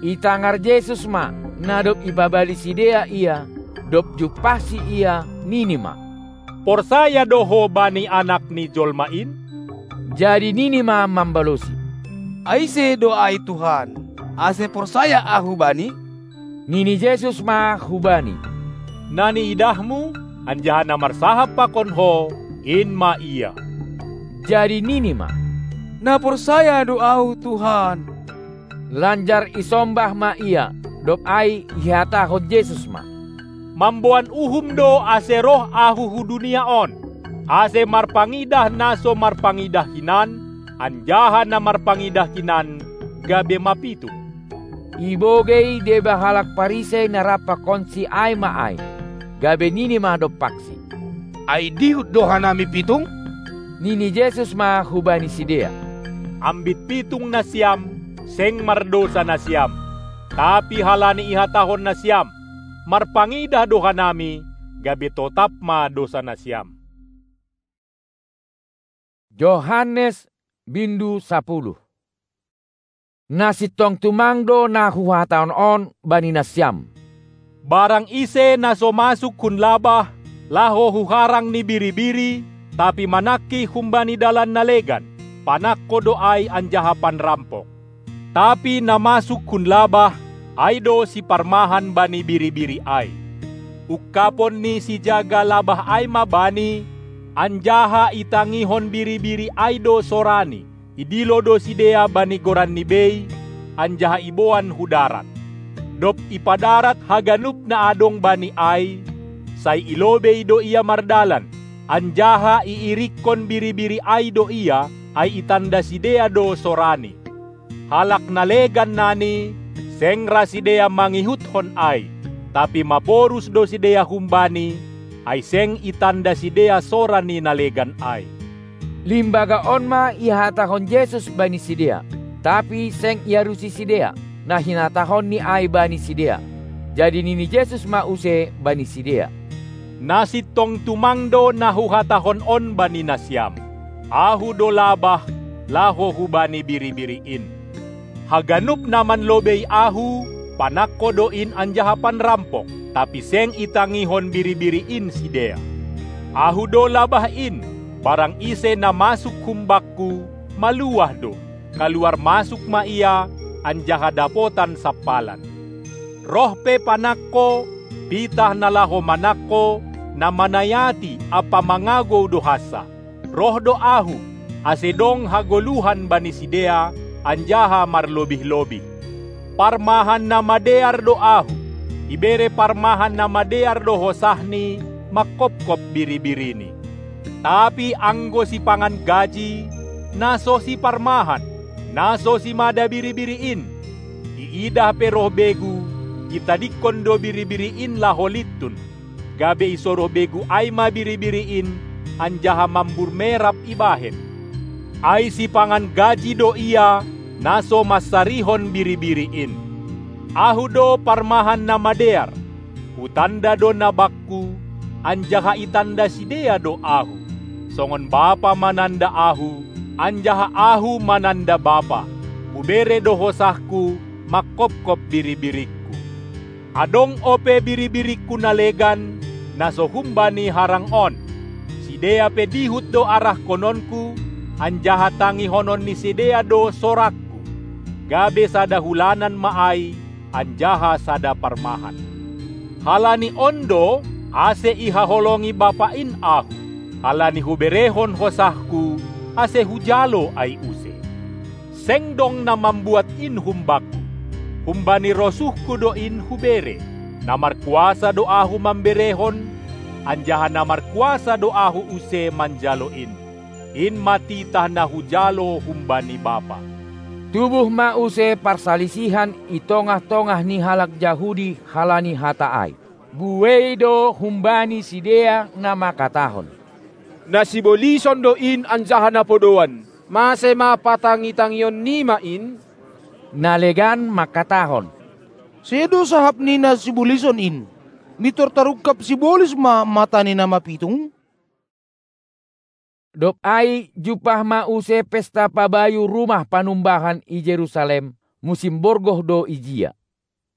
Itangar Jesus ma, na dob ipabali sidea ia, dob jumpahsi ia, nini ma: Porsaya do ho bani Anak ni jolma in? Jadi nini ma mambalosi: Ai ise do ai Tuhan, ase porsaya ahu bani? Nini Jesus ma hubani: Na niidahmu, anjaha na marsahap pakon ho, in ma ia. Jadi nini ma: Na porsaya do ahu, Tuhan. Lanjar isombah ma ia, dob ai ihatahon Jesus ma: Mamboan uhum do ase roh ahu hu dunia on, ase marpangidah na so marpangidah hinan, anjaha na marpangidah hinan gabe mapitung. Ibogei deba halak Parisei na rap pakonsi ai ma ai, gabe nini ma dompaksi: Ai dihut do hanami pitung? Nini Jesus ma hubani sidea: Ambit pitung nasiam, seng mardousa nasiam, tapi halani ihatahon nasiam: Marpangidah do hanami, gabe totap ma dousa nasiam. Johannes bindu sapuluh. Na sintong tumang do na huhatahon on bani nasiam: Barang ise na so masuk hun labah, laho hu harang ni biri-biri, tapi manangkih humbani dalan na legan, panangko do ai anjaha panrampok. Tapi na masuk hun labah, ai do siparmahan bani biri-biri ai. Ungkapon ni sijaga labah ai ma bani, anjaha itangihon biri-biri ai do sorani. Idilo do sidea bani goranni bei, anjaha iboan hu darat. Dob ipadarat haganup na adong bani ai, sai ilobei do ia mardalan, anjaha iirikkon biri-biri ai do ia, ai itanda sidea do sorani. Halak na legan nani, seng ra sidea mangihuthon ai, tapi maborus do sidea humbani, ai seng itanda sidea sora ni na legan ai. Limbaga on ma ihatahon Jesus bani sidea, tapi seng iarusi sidea, na hinatahonni ai bani sidea. Jadi nini Jesus ma use bani sidea: Na sintong tumang do na huhatahon on bani nasiam: Ahu do labah, laho hubani biri-biri in. Haganup na manlobei Ahu, Panangko do in anjaha panrampok, tapi seng itangihon biri-biri in sidea. Ahu do labah in, barang ise na masuk humbakku, maluah do, kaluar masuk ma ia, anjaha dapotan sampalan. Roh pe panangko, pitah na laho manangko, na manayati ampa mangagou do hansa. Roh do ahu, ase dong hagoluhan bani sidea, anjaha marlobih-lobih. Parmahan na madear do ahu, ibere parmahan na madear do hosahni mangkopkop biri-birini. Tapi anggo sipangan gaji, na so siparmahan, na so simada biri-biri in, iidah pe roh begu, itadingkon do biri-biri in laho lintun, gabe isoroh begu ai ma biri-biri in, anjaha mambur merap ibahen. Ai sipangan gaji do ia, na so mansarihon biri-biri in. Ahu do parmahan na madear, hutanda do na bakku, anjaha itanda sidea do ahu. Songon Bapa mananda ahu, anjaha ahu mananda Bapa, hubere do hosahku, mangkopkop biri-biringku. Adong ope biri-biringku na legan, na so humbani harang on. Sidea pe dihut do arahkononku, anjaha tangihonon ni sidea do sorangku. Gabe sada hulanan ma ai, anjaha sada parmahan. Halani on do, ase ihaholongi Bapa in ahu, halani huberehon hosahku, ase hujalo ai use. Seng dong na mambuat in humbakku. Humbani rosuhku do in hubere. Na markuasa do ahu mamberehon, anjaha na markuasa do ahu use manjalo in. In ma titah na hujalo humbani Bapa. Tubuh ma use parsalisihan i tongah-tongah ni halak Jahudi halani hata ai. Buei do humbani sidea na mangkatahon: Na sibolison do in anjaha na podoan, mase ma patangi-tangion nima in? Na legan mangkatahon: Sedo sahap ni na sibolison in. Mintor tarungkap sibolis ma mata ni na mapitung? Dob ai jumpah ma use pesta pabayu Rumah Panumbahan i Jerusalem, musim borgoh do ijia.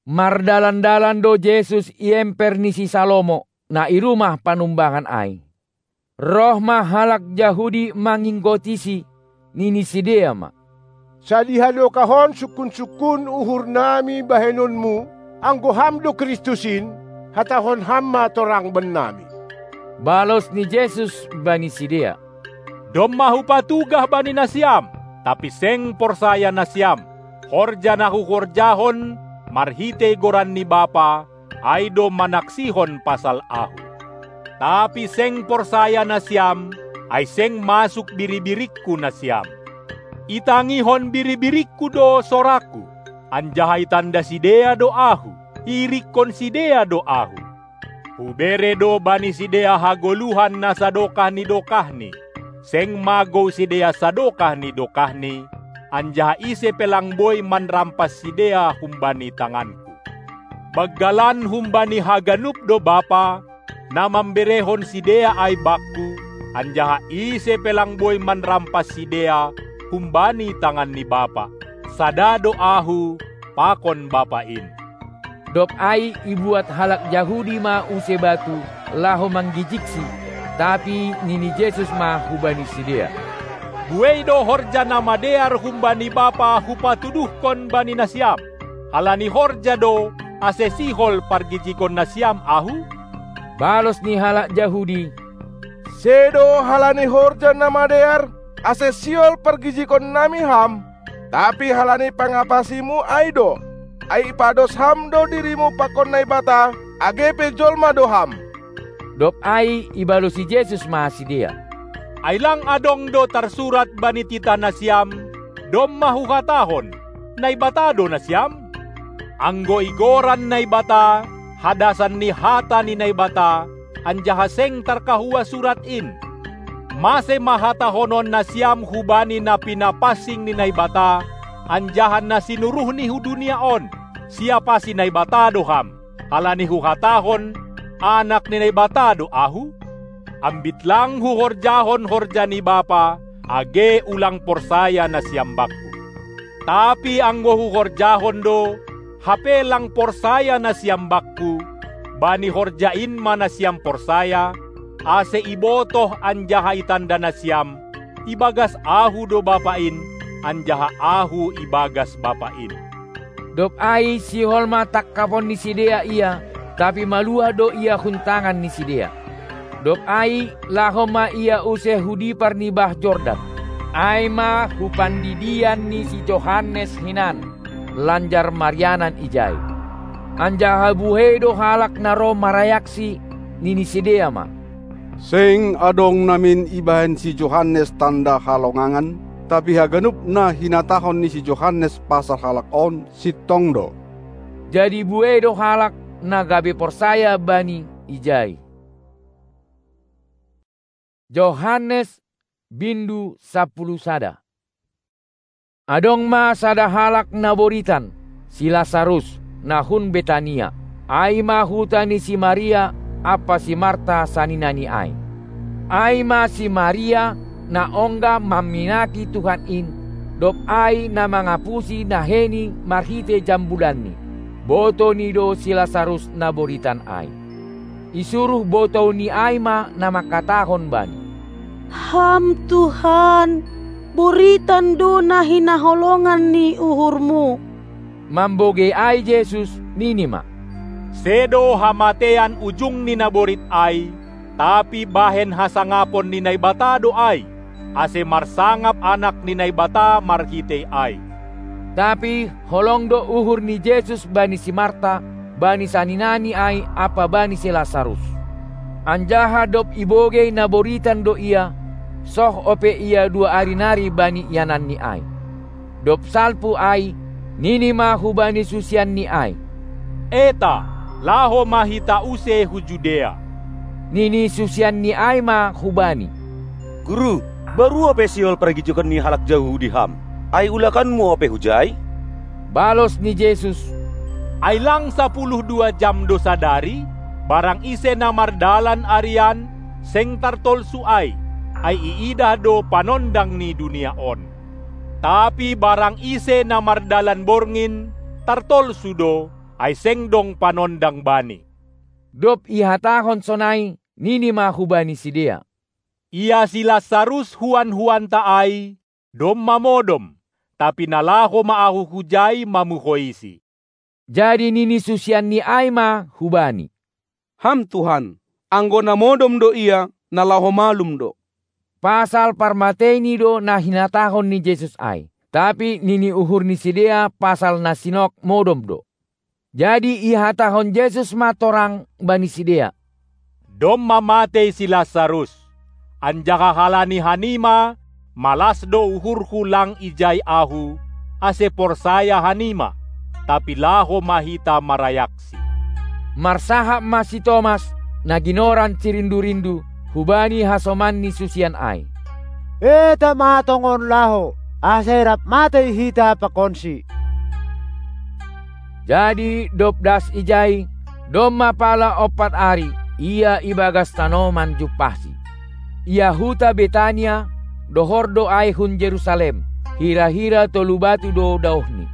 Mardalan-dalan do Jesus i emper ni si Salomo, na i Rumah Panumbahan ai. Roh ma halak Jahudi manginggotisi, nini sidea ma: Sadiha dokahon sungkun-sungkun uhurnami bahenonmu, anggo Ham do Kristus in, hatahon Ham ma torang bannami. Balos ni Jesus bani sidea: Domma hupatugah bani nasiam, tapi seng porsaya nasiam. Horja na huhorjahon marhitei goran ni Bapa, ai do manaksihon pasal Ahu. Tapi seng porsaya nasiam, ai seng masuk biri-biringku nasiam. Itangihon biri-biringku do sorangku, anjaha itanda sidea do Ahu, iirikkon sidea do Ahu. Hubere do bani sidea hagoluhan na sadokah ni dokahni, seng magou sidea sadokah ni dokahni, anjaha ise pe lang boi manrampas sidea humbani tanganku. Banggalan humbani haganup do Bapa, na mamberehon sidea ai bakku, anjaha ise pe lang boi manrampas sidea humbani tangan ni Bapa. Sada do Ahu pakon Bapa in. Dob ai ibuat halak Jahudi ma use batu, laho manggijiksi, tapi nini Jesus ma hubani sidea: Buei do horja na madear humbani Bapa hupatuduhkon bani nasiam. Halani horja do, ase sihol pargijigon nasiam Ahu? Balos ni halak Jahudi: Sedo halani horja na madear, ase sihol pargijigon nami Ham, tapi halani pangapasimu ai do, ai ipados Ham do dirimu pakon Naibata, age pe jolma do Ham. Dob ai ibalosi Jesus ma sidea: Ai lang adong do tarsurat bani titah nasiam, domma Huhatahon, Naibata do nasiam? Anggo igoran Naibata, hadasan ni hata ni Naibata, anjaha seng tarkahua surat in, mase ma hatahonon nasiam hubani na pinapansing ni Naibata, anjaha na sinuruhni hu dunia on, siapasi Naibata do Ham, halani Huhatahon, Anak ni Naibata do Ahu? Ambit lang Huhorjahon horja ni Bapa, age ulang porsaya nasiam bakku. Tapi anggo Huhorjahon do, Hape lang porsaya nasiam Bakku, bani horja in ma nasiam porsaya, ase ibotoh anjaha itanda nasiam, ibagas Ahu do Bapa in, anjaha Ahu ibagas Bapa in. Dob ai sihol ma tangkapon ni sidea Ia, tapi maluah do Ia hun tangan ni sidea. Dob ai laho ma Ia use hu dipar ni bah Jordan, ai ma hu pandidian ni si Johannes hinan, lanjar marianan ijai. Anjaha buei do halak na ro marayaksi, nini sidea ma: Seng adong namin ibahen si Johannes tanda halongangan, tapi haganup na hinatahon ni si Johannes pasal halak on sintong do. Jadi buei do halak na gabe porsaya Bani ijai. Johannes, bindu sampulu sada. Adong ma sada halak na boritan, si Lasarus, na hun Betania, ai ma huta ni si Maria ampa si Marta saninani ai. Ai ma si Maria, na ongga mamminaki Tuhan in, dob ai na mangapusi naheni marhitei jambulanni. Botouni do si Lasarus na boritan ai. Isuruh botouni ai ma na mangkatahon Bani: Ham Tuhan, boritan do na hinaholongan ni uhurMu. Mambogei ai Jesus, nini ma: Sedo hamatean ujung ni naborit ai, tapi bahen hasangapon ni Naibata do ai, ase marsangap Anak ni Naibata marhitei ai. Tapi holong do uhur ni Jesus bani si Marta, bani saninani ai ampa bani si Lasarus. Anjaha dob ibogei na boritan do ia, soh ope ia dua ari nari bani iananni ai. Dob salpu ai, nini ma hubani susianni ai: Eta, laho ma hita use hu Judea. Nini susianni ai ma hu-Bani: Guru, baru ope sihol pargijukon ni halak Jahudi Ham, ai ulakanMu ope hujai? Balos ni Jesus: Ai lang sapuluh dua jam do sadari? Barang ise na mardalan arian, seng tartolsu ai, ai iidah do panondang ni dunia on. Tapi barang ise na mardalan borngin, tartolsu do, ai seng dong panondang bani. Dob ihatahon sonai, nini ma hubani sidea: Ia si Lasarus huan-huanta ai, domma modom, tapi na laho ma ahu hujai mamuhoisi. Jadi nini susianni ai ma hu-Bani: Ham Tuhan, anggo na modom do ia, na laho malum do. Pasal parmateini do na hinatahon ni Jesus ai, tapi nini uhur ni sidea pasal na sinok modom do. Jadi ihatahon Jesus ma torang bani sidea: Domma matei si Lasarus, anjaha halani hanima, malas do uhurhu lang ijai ahu, ase porsaya hanima, tapi laho ma hita marayaksi. Marsahap ma si Tomas, na ginoran si Rindu-rindu, hubani hasoman ni susian ai: Eta ma tongon laho, ase rap matei hita pakonsi. Jadi dob das ijai, domma pala ompat ari, ia ibagas tanoman jumpahsi. Ia huta Betania, dohor do ai hun Jerusalem, hira-hira tolu batu do daohni.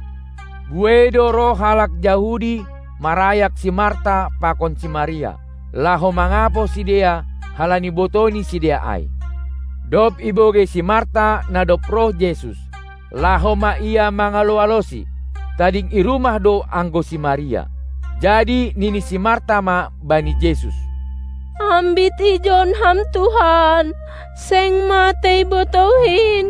Buei do roh halak Jahudi marayak si Marta pakon si Maria, laho mangapoh sidea, halani botouni sidea ai. Dob ibogei si Marta na dob roh Jesus, laho ma ia mangalo-alosi, tading i rumah do anggo si Maria. Jadi nini si Marta ma bani Jesus: Ambit ijon Ham Tuhan, seng matei botouhi in.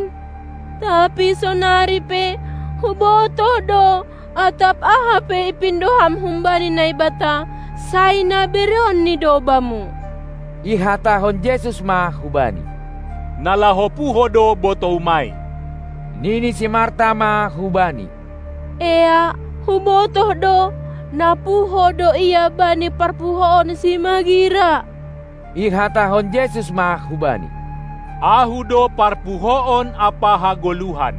Tapi sonari pe hubotoh do, atap aha pe ipindo Ham humbani Naibata, sai na bereonNi do Bamu. Ihatahon Jesus ma hubani: Na laho puho do botoum ai. Nini si Marta ma hubani: Ea, hubotoh do, na puho do ia bani parpuhoon simagira. Ihatahon Jesus ma hubani: Ahu do parpuhoon ampa hagoluhan.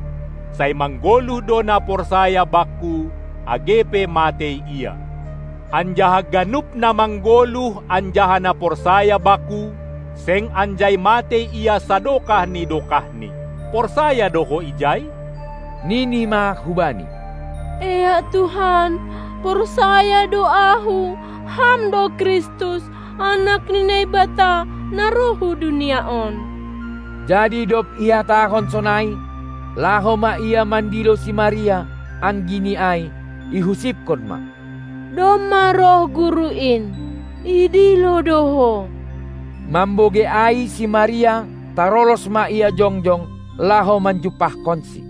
Sai manggoluh do na porsaya Bakku, age pe matei ia. Anjaha ganup na manggoluh anjaha na porsaya Bakku, seng anjai matei ia sadokah ni dokahni. Porsaya do ho ijai? Nini ma hubani: Ea Tuhan, Porsaya do ahu, Ham do Kristus, Anak ni Naibata, na roh hu dunia on. Jadi dob ihatahon sonai, laho ma ia mandilo si Maria, anggini ai, ihusipkon ma: Domma roh Guru in, idilo do ho. Mambogei ai si Maria, tarolos ma ia jongjong, laho manjumpahkonsi.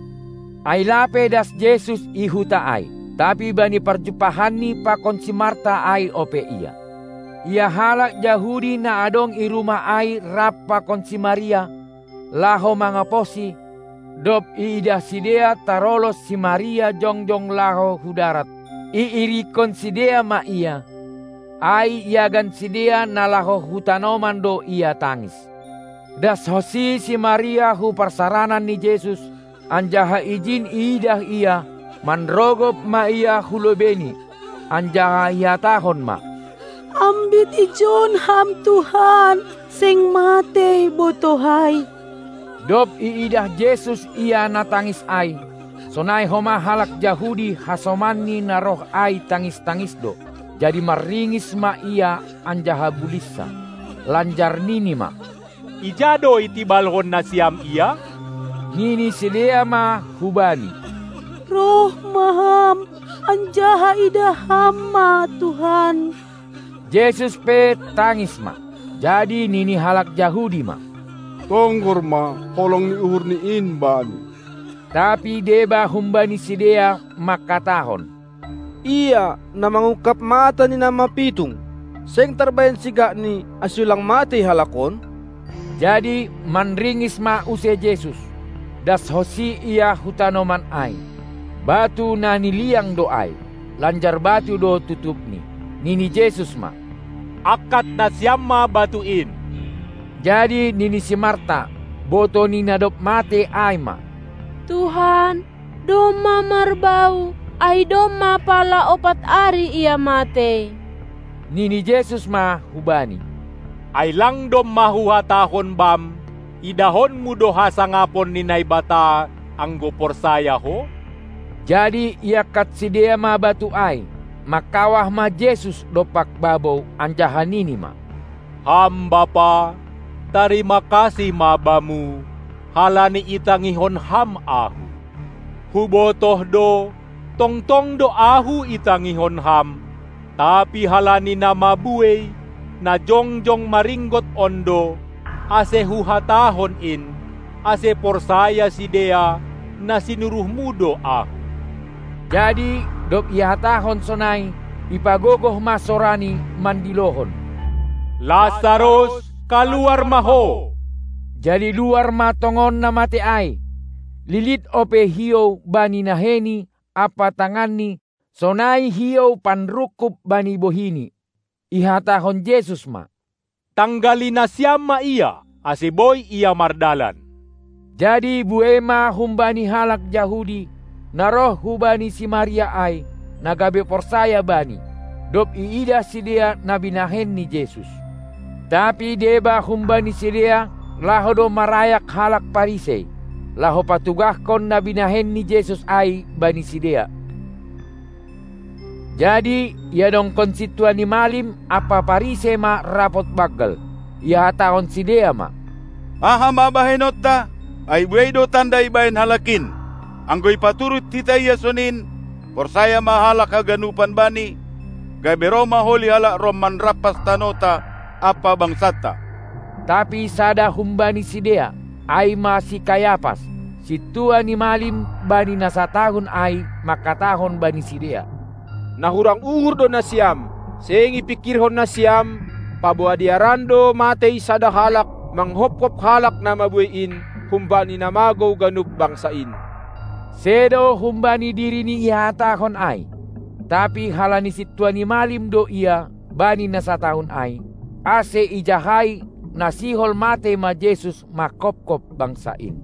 Ai lape das Jesus i huta ai, tapi bani parjumpahanni pakon si Marta ai ope ia. Ia halak Jahudi na adong i rumah ai rap pakon si Maria, laho mangaposi, dob iidah sidea tarolos si Maria jongjong laho hu darat, iirikkon sidea ma ia, ai iagan sidea na laho hu tanoman do ia tangis. Das honsi si Maria hu parsaranan ni Jesus, anjaha ijin iidah ia, manrogop ma ia hu lobeini, anjaha ihatahon ma: Ambit ijon Ham Tuhan, seng matei botohai. Dob iidah Jesus ia na tangis ai, sonai homa halak Jahudi hasomanni na roh ai tangis-tangis do, jadi marringis ma ia anjaha bulinsa, lanjar nini ma: Ija do itibalhon nasiam ia? Nini sidea ma hu Bani: Roh ma Ham, anjaha idah Ham ma Tuhan. Jesus pe tangis ma. Jadi nini halak Jahudi ma: Tonggor ma holong ni uhurni in Bani. Tapi deba humbani sidea mangkatahon: Ia na mangungkap mata ni na mapitung, seng tarbahen sigakni ase ulang matei halak on? Jadi manringis ma use Jesus, das honsi ia hu tanoman ai. Batu na niliang do ai, lanjar batu do tutupni. Nini Jesus ma: Angkat nasiam ma batu in. Jadi nini si Marta, boto ni na dob matei ai ma: Tuhan, domma marbau, ai domma pala opat ari ia matei. Nini Jesus ma hu bani: Ai lang domma huhatahon bam, idahonmu do hasangapon ni Naibata, anggo porsaya ho? Jadi iangkat sidea ma batu ai, mangkawah ma Jesus dompak babou, anjaha nini ma: Ham Bapa, tarima kasih ma Bamu, halani itangihon Ham ahu. Hubotoh do, tongtong do ahu itangihon Ham, tapi halani na mabuei, na jongjong maringgot on do, ase huhatahon in, ase porsaya sidea, na sinuruhMu do ahu. Jadi dob ihatahon sonai, ipagogoh ma sorani mandilohon: Lasarus, kaluar ma ho! Jadi luar ma tongon na matei ai. Lilit ope hiou bani naheni ampa tanganni, sonai hiou panrungkub bani bohini. Ihatahon Jesus ma: Tanggali nasiam ma ia, ase boi ia mardalan. Jadi buei ma humbani halak Jahudi, na roh hubani si Maria ai, na gabe porsaya Bani, dob iidah sidea na binahen ni Jesus. Tapi deba humbani sidea laho do marayak halak Parisei, laho patugahkon na binahen ni Jesus ai bani sidea. Jadi iadongkon sintua ni malim ampa Parisei ma rapot banggal. Ihatahon sidea ma: Aha ma bahenonta? Ai buei do tanda ibahen halak in. Anggo ipaturut hita ia sonin, porsaya ma halak haganupan bani, gabe roh ma holi halak Rom manrampas tanota ampa bangsanta. Tapi sada humbani sidea, ai ma si Kayapas, sintua ni malim bani na satahun ai, mangkatahon bani sidea: Na hurang uhur do nasiam, seng ipingkirhon nasiam, paboa dearan do matei sada halak manghopkop halak na mabuei in humbani na magou ganup bangsa in. Sedo humbani dirini ihatahon ai, tapi halani sintua ni malim do ia bani na satahun ai, ase ijahai na sihol matei ma Jesus mangkopkop bangsa in.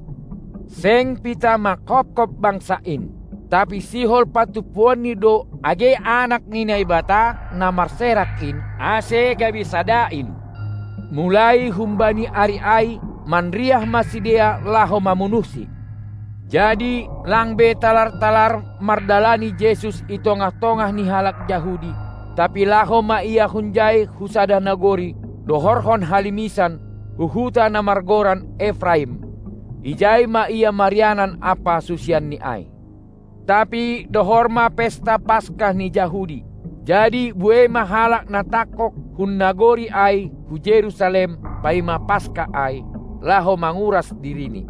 Seng pitah mangkopkop bangsa in, tapi sihol patumpuonni do age Anak ni Naibata na marserak in, ase gabe sada in. Mulai humbani ari ai manriah ma sidea laho mamunuhSi. Jadi lang be talar-talar mardalani Jesus i tongah-tongah ni halak Jahudi, tapi laho ma Ia hunjai hu sada nagori, dohorhon halimisan, hu huta na margoran Efraim. Ijai ma Ia marianan ampa susianNi ai. Tapi dohor ma pesta Paskah ni Jahudi. Jadi buei ma halak na tangkog hun nagori ai hu Jerusalem paima Paskah ai, laho manguras dirini.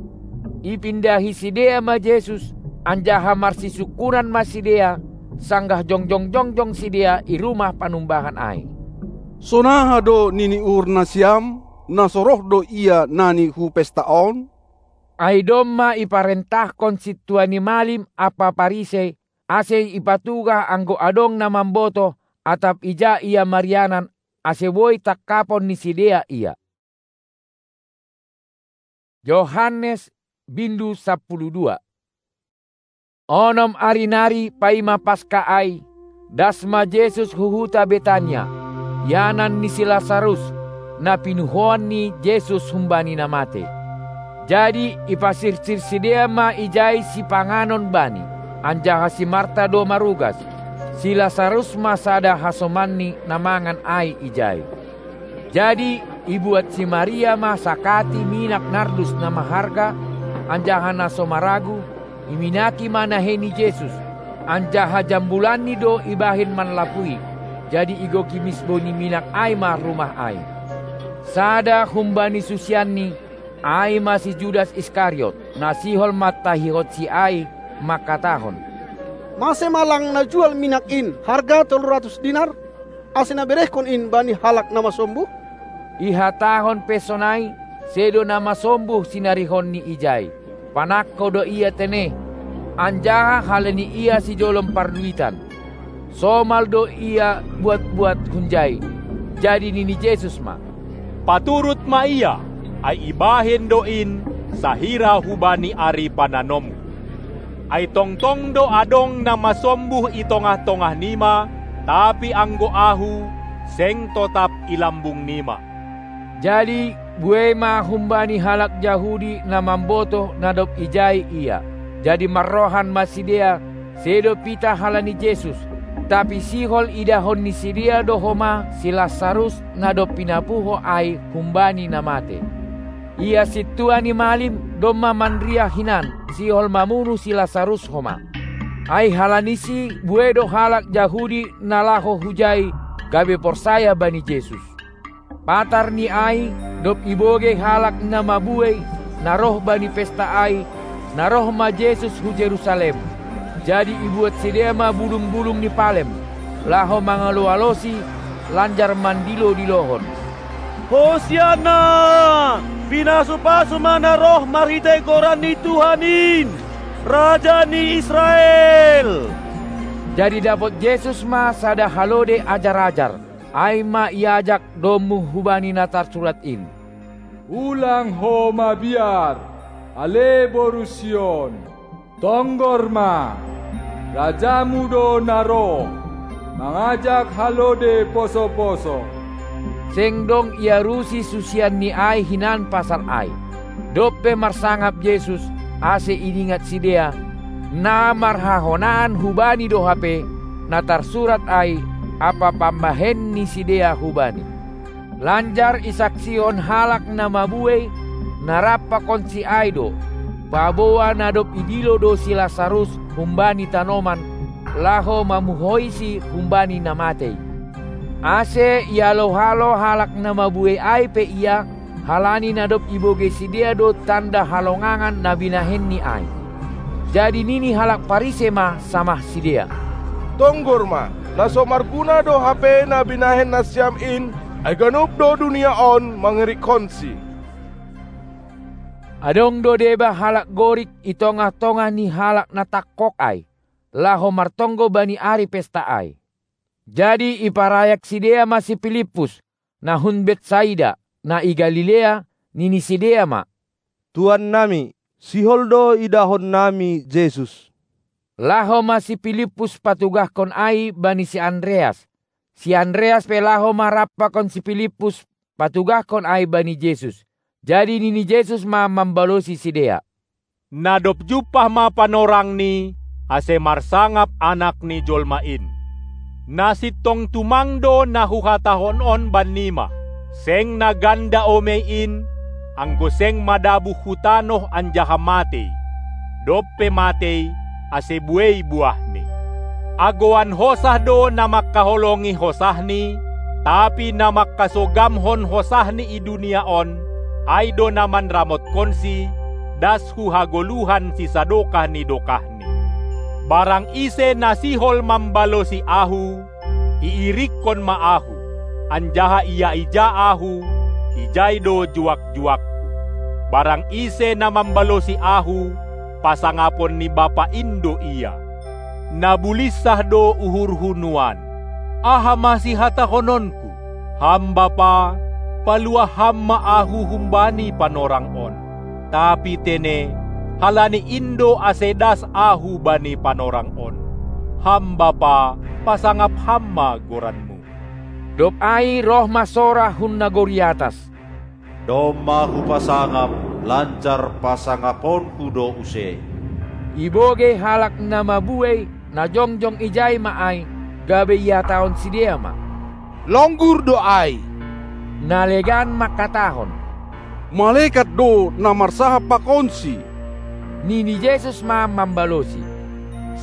Ipindahi sidea ma Jesus, anjaha marsisungkunan ma sidea, sanggah jongjong-jongjong sidea i rumah panumbahan ai. Sonaha do nini uhur nasiam, na so roh do Ia nani hu pesta on? Ai domma iparentahkon sintua ni malim ampa Parisei, ase ipatugah anggo adong na mambotoh, atap ija Ia marianan, ase boi tangkapon ni sidea Ia. Johannes bindu sampulu dua. Onom ari nari paima Paskah ai, das ma Jesus hu huta Betania, ianan ni si Lasarus, na pinuhoan ni Jesus humbani na matei. Jadi ipasirsir sidea ma ijai sipanganon Bani, anjaha si Marta do marugas, si Lasarus ma sada hasomanni na mangan ai ijai. Jadi ibuat si Maria ma sakati minak nardus na maharga, anjaha na so maragu, iminaki ma nahei ni Jesus, anjaha jambulanni do ibahen manlapui, jadi igoki misbou ni minak ai ma rumah ai. Sada humbani susianNi, ai ma si Judas Iskariot, na sihol mantahihonSi ai, mangkatahon: Mase ma lang na jual minak in harga tolu ratus dinar, ase na berehkon in bani halak na masombuh? Ihatahon pe sonai, sedo na masombuh sinarihonNi ijai. Panangko do ia tene, anjaha halani ia sijolom parduitan. Somal do ia buat-buat hunjai. Jadi nini Jesus ma: Paturut ma ia, ai ibahen do in sahira hubani ari pananomku. Ai tongtong do adong na masombuh i tongah-tongah nima, tapi anggo Ahu, seng totap i lambung nima. Jadi buei ma humbani halak Jahudi na mambotoh na dob ijai Ia. Jadi marrohan ma sidea, sedo pitah halani Jesus, tapi sihol idahon ni sidea do homa si Lasarus na dob pinapuho ai humbani na matei. Ia sintua ni malim domma manriah hinan sihol mamunuh si Lasarus homa. Ai halanisi buei do halak Jahudi na laho hujai gabe porsaya bani Jesus. Patar ni ai, dob ibogei halak na mabuei, na roh bani pesta ai, na roh ma Jesus hu Jerusalem. Jadi ibuat sidea ma bulung-bulung ni palem, laho mangalo-alosi, lanjar mandilo-dilohon: Hosianna! Pinasu-pasu ma na roh marhitei goran ni Tuhan in, Raja ni Israel! Jadi dapot Jesus ma sada halode ajar-ajar, ai ma iajak domu hubani na tarsurat in: Ulang ho mabiar, ale boru Sion! Tonggor ma, Rajamu do na roh, mangajak halode poso-poso. Seng dong iarusi susianni ai hinan pasal ai. Dob pe marsangap Jesus, ase iningat sidea, na marhahonaan hubani do hape, na tarsurat ai, ampa pambahen ni sidea hubani. Lanjar isaksihon halak na mabuei, na rap pakonsi ai do, paboa na dob idilo do si Lasarus humbani tanoman, laho mamuhoisi humbani na matei. Ase ialo-halo halak na mabuei ai pe Ia, halani na dob ibogei sidea do tanda halongangan na binahenNi ai. Jadi nini halak Parisei ma samah sidea: Tonggor ma, na so marguna do hape na binahen nasiam in, ai ganup do dunia on mangerikkonsi. Adong do deba halak Gorik i tongah-tongah ni halak na tangkog ai, laho martonggo bani ari pesta ai. Jadi iparayak sidea ma si Pilippus, na hun Betsaida, na i Galilea, nini sidea ma: Tuannami, sihol do idahonnami Jesus. Laho ma si Pilippus patugahkon ai bani si Andreas. Si Andreas pe laho ma rap pakon si Pilippus patugahkon ai bani Jesus. Jadi nini Jesus ma mambalosi sidea: Na dob jumpah ma panorangni, ase marsangap Anak ni jolma in. Na sintong tumang do na huhatahon on bannima: Seng na ganda omei in, anggo seng madabuh hu tanoh anjaha matei, dob pe matei, ase buei buahni. Agoan hosah do na mangkaholongi hosahni, tapi na mangkasogamhon hosahni i dunia on, ai do na manramotkonsi, das hu hagoluhan sisadokah ni dokahni. Barang ise na sihol mambalosi Ahu, iirikkon ma Ahu, anjaha ia ija Ahu, ijai do juak-juakKu. Barang ise na mambalosi Ahu, pasangapon ni Bapa in do ia. Na bulinsah do uhurHu nuan. Aha ma sihatahononKu? Ham Bapa, paluah Ham ma Ahu humbani panorang on. Tapi tene, halani in do ase das Ahu bani panorang on. Ham Bapa, pasangap Ham ma goranMu. Dob ai roh ma sora hun nagori atas: Domma Hupasangap, lanjar pasangaponKu do use. Ibogei halak na mabuei, na jongjong ijai ma ai, gabe ihatahon sidea ma: Longgur do ai! Na legan mangkatahon: Malekat do na marsahap pakonSi! Nini Jesus ma mambalosi: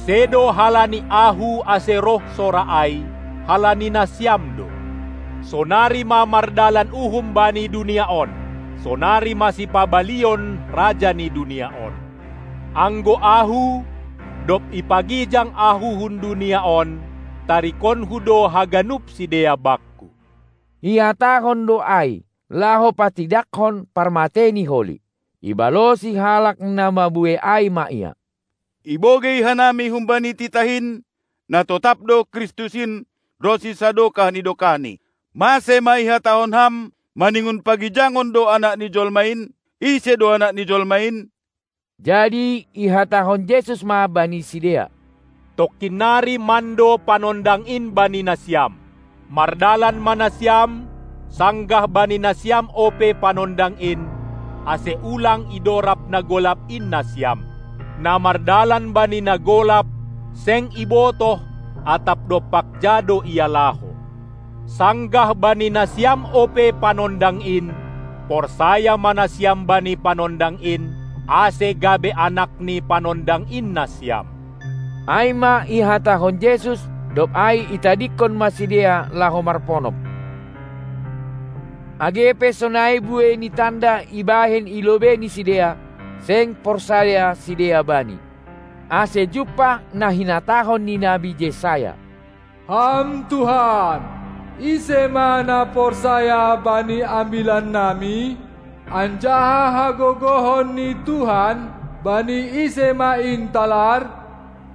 Sedo halani Ahu ase roh sora ai, halani nasiam do. Sonari ma mardalan uhum bani dunia on, sonari ma sipabalion raja ni dunia on. Anggo Ahu, dob ipagijang Ahu hun dunia on, tarikonHu do haganup sidea Bakku. Ihatahon do ai, laho patidakkon parmatei ni holi. Ibalosi halak na mabuei ai ma Ia: Ibogei hanami humbani titah in, na totap do Kristus in ronsi sadokah ni dokahni. Mase ma ihatahon Ham maningon pagijangon do Anak ni jolma in? Ise do Anak ni jolma in? Jadi ihatahon Jesus ma bani sidea: Tongkin nari mando panondang in bani nasiam. Mardalan ma nasiam, sanggah bani nasiam ope panondang in, ase ulang idorab na golap in nasiam. Na mardalan bani na golap, seng ibotoh, atap dompak ja do ia laho. Sanggah bani nasiam ope panondang in, porsaya ma nasiam bani panondang in, ase gabe anak ni panondang in nasiam. Ai ma ihatahon Jesus, dob ai itadingkon ma sidea laho marponop. Age pe sonai buei ni tanda ibahen i lobei ni sidea, seng porsaya sidea Bani. Ase jumpah na hinatahon ni nabi Jesaya: Ham Tuhan, ise ma na porsaya bani ambilannami? Anjaha hagogohon ni Tuhan, bani ise ma in talar?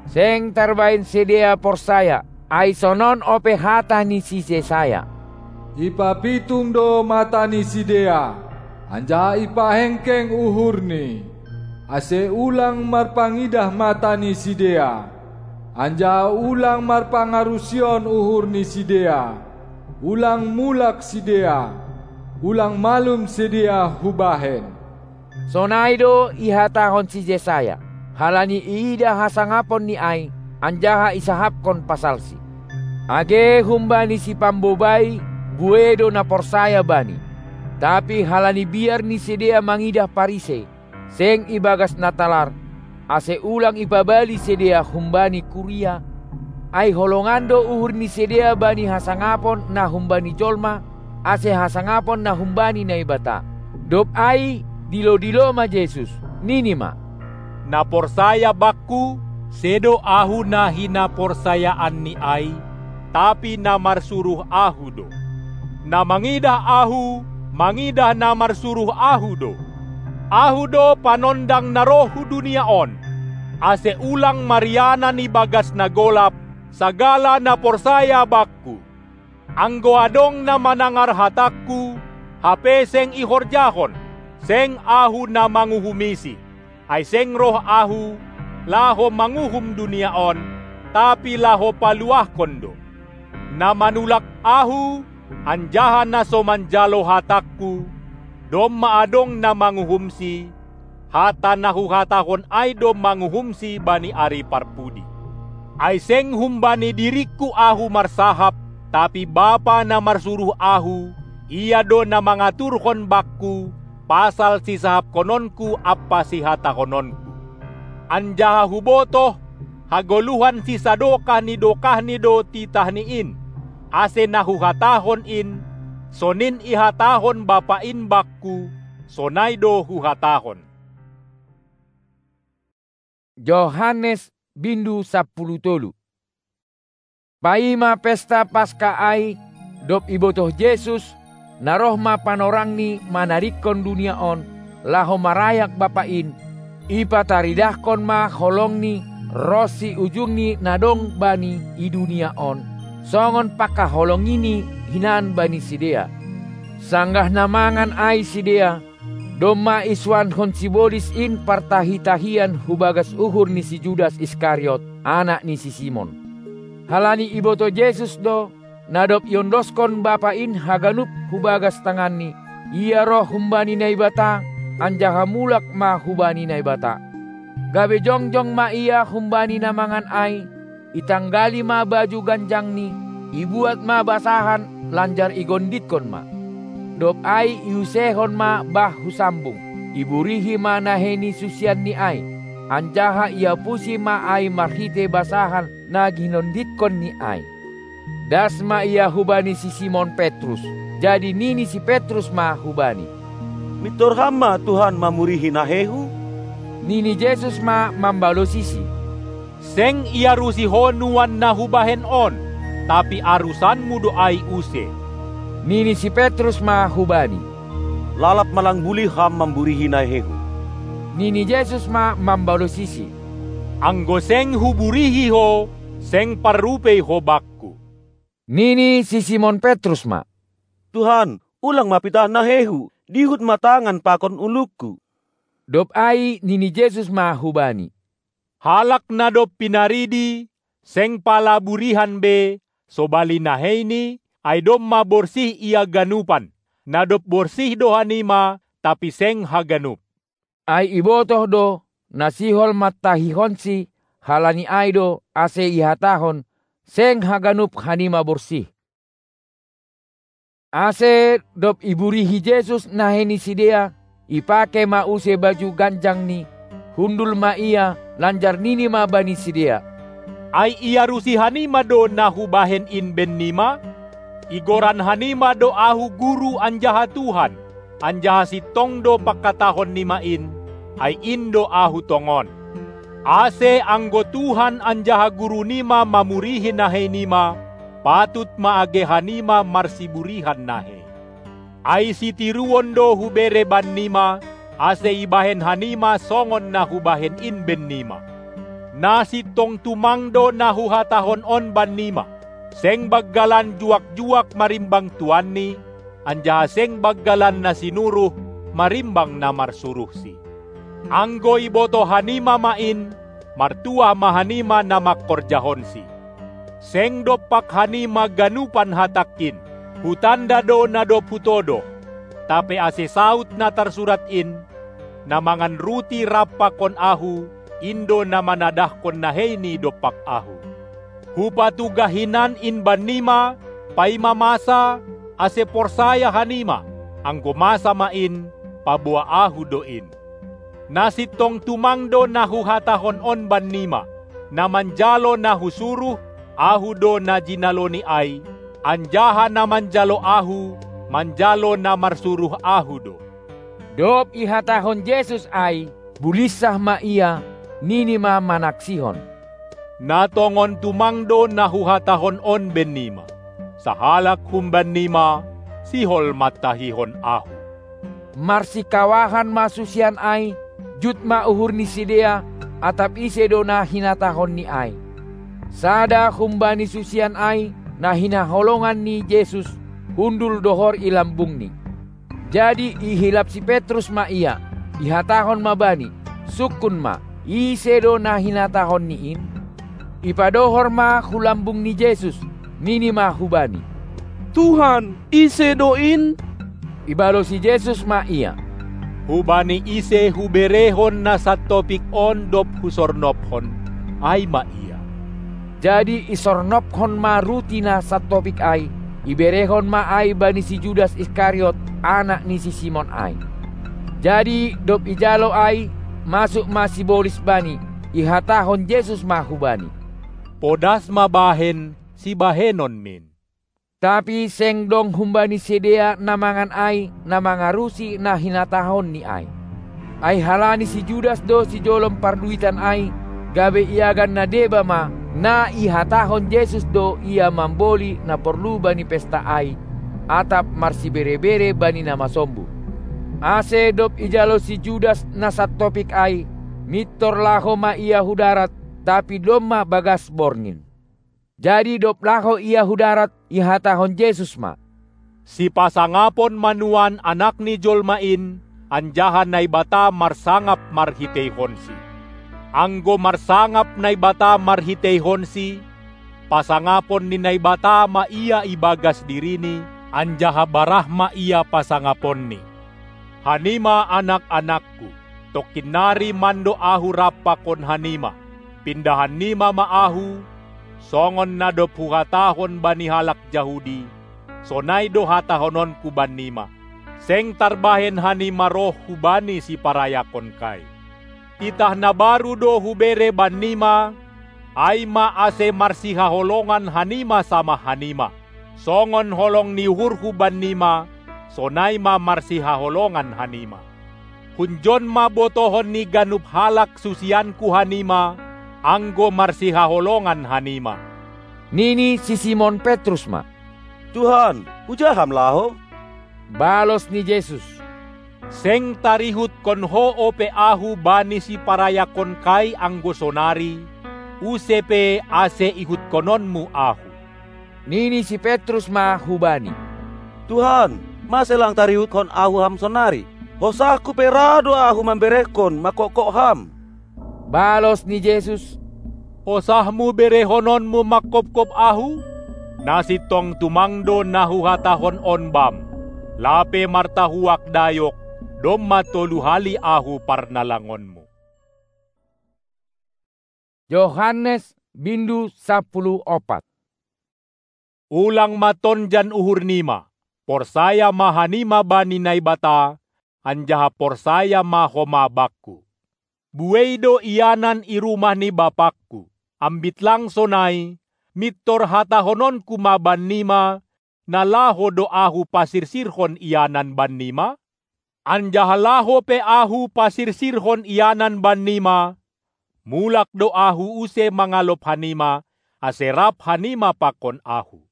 Seng tarbahen sidea porsaya, ai sonon ope hata ni si Jesaya: Ipapitung do mata ni sidea, anjaha ipahengkeng uhurni, ase ulang marpangidah mata ni sidea, anjaha ulang marpangarusion uhur ni sidea, ulang mulak sidea, ulang malum sidea hubahen. Sonai do ihatahon si Jesaya, halani iidah hasangaponni ai, anjaha isahapkon pasalsi. Age humbani sipambobai buei do na porsaya bani. Tapi halani biar ni sidea mangidah Parise, seng ibagas na talar, ase ulang ipabali sidea humbani kuria, ai holongan do uhur ni sidea bani hasangapon na humbani jolma, ase hasangapon na humbani Naibata. Dob ai dilo-dilo ma Jesus, nini ma: Na porsaya Bakku, sedo Ahu na hinaporsayaanni ai, tapi na marsuruh Ahu do. Na mangidah Ahu, mangidah na marsuruh Ahu do. Ahu do panondang na roh hu dunia on, ase ulang marianan ibagas na golap sagala na porsaya Bakku. Anggo adong na manangar hatangKu, hape seng ihorjahon, seng Ahu na manguhumisi, ai seng roh Ahu, laho manguhum dunia on, tapi laho paluahkon do. Na manulak Ahu, anjaha na so manjalo hatangKu, domma adong na manguhumsi, Hata na huhatahon ai do manguhumsi bani ari parpudi. Ai seng humbani diringku ahu marsahap, tapi Bapa na marsuruh ahu, Ia do na mangaturhon bakku pasal sisahapkononku ampa sihatahononku. Anjaha hubotoh, hagoluhan sisadokah ni dokahni do titahni in, ase na huhatahon in, sonin ihatahon Bapa in bakku, sonai do huhatahon. Johannes bindu sampulu tolu. Paima pesta Paska ai, dob ibotoh Jesus, na roh ma panorangni manadingkon dunia on, laho marayak Bapa in, ipataridahkon ma holongni ronsi ujungni na dong bani i dunia on, songon pangkaholongini hinan bani sidea. Sanggah na mangan ai sidea, domma isuankon sibolis in partahi-tahian hu bagas uhur ni si Judas Iskariot, anak ni si Simon. Halani ibotoh Jesus do, na dob iondoskon Bapa in haganup hu bagas tanganni, Ia roh humbani Naibata, anjaha mulak ma hubani Naibata. Gabe jongjong ma Ia humbani na mangan ai, itanggali ma baju ganjangni, ibuat ma basahan, lanjar igonditkon ma. Dob ai iusehon ma bah hu sambung, iburihi ma nahei ni susianni ai, anjaha iapusi ma ai marhitei basahan na ginonditkonNi ai. Das ma Ia hubani si Simon Petrus, jadi nini si Petrus ma hu-Bani: Mintor Ham ma, Tuhan, mamurihi naheihu? Nini Jesus ma mambalosisi: Seng iarusi ho nuan na hubahen on, tapi arusanmu do ai use. Nini si Petrus ma hu-Bani: Lalap ma lang bulih Ham mamburihi naheihu. Nini Jesus ma mambalosisi: Anggo seng huburihi ho, seng parrupei ho Bakku. Nini si Simon Petrus ma: Tuhan, ulang ma pitah naheihu, dihut ma tangan pakon ulungku. Dob ai nini Jesus ma hubani: Halak na dob pinaridi, seng pala burihan be, sobali naheini, ai domma borsih ia ganupan. Na dob borsih do hanima, tapi seng haganup. Ai ibotoh do, na sihol mantahihonsi, halani ai do, ase ihatahon: Seng haganup hanima borsih. Ase dob iburihi Jesus nahei ni sidea, ipakei ma use baju ganjangni, hundul ma Ia, lanjar nini ma bani sidea: Ai iarusi hanima do na hubahen in bennima? Igoran hanima do Ahu Guru anjaha Tuhan, anjaha sintong do pangkatahonnima in, ai in do Ahu tongon. Ase anggo Tuhan anjaha Gurunima mamurihi naheinima, patut ma age hanima marsiburihan nahei. Ai sitiruon do hubere bannima, ase ibahen hanima songon na hubahen in bennima. Na sintong tumang do na huhatahon on bannima: Seng banggalan juak-juak marimbang tuanni, anjaha seng banggalan na sinuruh marimbang na marsuruhsi. Anggo ibotoh hanima ma in, martuah ma hanima na mangkorjahonsi. Seng dompak hanima ganupan hatangkin: Hutanda do na dob hutodoh. Tape ase saut na tarsurat in: Na mangan ruti rap pakon Ahu, in do na manadahkon naheini dompak Ahu. Hupatugah hinan in bannima, paima masa, ase porsaya hanima, anggo masa ma in, paboa Ahu do in. Na sintong tumang do na huhatahon on bannima: Na manjalo na husuruh, Ahu do na jinaloni ai, anjaha na manjalo Ahu, manjalo na marsuruh Ahu do. Dob ihatahon Jesus ai, bulinsah ma Ia, nini ma manaksihon: Na tongon tumang do na huhatahon on bennima: Sahalak humbannima, sihol mantahihon Ahu. Marsikawahan ma susian ai, jut ma uhur ni sidea, atap ise do na hinatahonNi ai. Sada humbani susian ai, na hinaholongan ni Jesus, hundul dohor i lambungni. Jadi ihilap si Petrus ma ia, ihatahon ma bani: Sungkun ma, ise do na hinatahonNi in? Ipadohor ma hu lambung ni Jesus, nini ma hubani: Tuhan, ise do in? Ibalosi Jesus ma ia: Hubani ise huberehon na santopik on dob husornopkon, ai ma ia. Jadi isornopkon ma ruti na santopik ai, iberehon ma ai bani si Judas Iskariot, anak ni si Simon ai. Jadi dob ijalo ai, masuk ma sibolis bani, ihatahon Jesus ma hubani: Podas ma bahen, sibahenonmin. Tapi seng dong humbani sidea na mangan ai na mangarusi na hinatahonni ai. Ai halani si Judas do sijolom parduitan ai, gabe iagan na deba ma, na ihatahon Jesus do ia mamboli na porlu bani pesta ai, atap marsibere-bere bani na masombuh. Ase dob ijalo si Judas na santopik ai, mintor laho ma ia hu darat, tapi domma bagas borngin. Jadi dob laho ia hu darat, ihatahon Jesus ma: Sipasangapon ma nuan Anak ni jolma in, anjaha Naibata marsangap marhiteihonsi. Anggo marsangap Naibata marhiteihonsi, pasangapon ni Naibata ma ia ibagas dirini, anjaha barah ma ia pasangaponni. Hanima anak-anakku, tongkin nari mando ahu rap pakon hanima. Pindahan nima ma ahu, songon na dob huhatahon bani halak Jahudi, sonai do hatahononku bannima. Seng tarbahen hanima roh hubani siparayakonkai. Titah na baru do hubere bannima, ai ma ase marsihaholongan hanima samah hanima. Songon holong ni uhurhu bannima, sonai ma marsihaholongan hanima. Hunjon ma botohon ni ganup halak susianku hanima, anggo marsihaholongan hanima. Nini si Simon Petrus ma: Tuhan, huja Ham laho? Balos ni Jesus: Seng tarihutkon ho ope Ahu bani siparayakonkai anggo sonari, use pe ase ihutkononmu Ahu. Nini si Petrus ma hubani: Tuhan, mase lang tarihutkon ahu Ham sonari? Hosahku pe ra do ahu mamberehkon mangkokkok Ham. Balos ni Jesus: Hosahmu berehononmu mangkopkop Ahu? Na sintong tumang do na huhatahon on bam: Lape martahuak dayok, domma tolu hali Ahu parnalangonmu. Johannes bindu sapuluh opat. Ulang ma tonjan uhurnima, porsaya ma hanima bani Naibata, anjaha porsaya ma homa Bakku. Buei do ianan i rumah ni Bapakku. Ambit lang sonai, mintor hatahononku ma bannima, na laho do Ahu pasirsirhon ianan bannima? Anjaha laho pe Ahu pasirsirhon ianan bannima, mulak do Ahu use mangalop hanima, ase rap hanima pakon Ahu.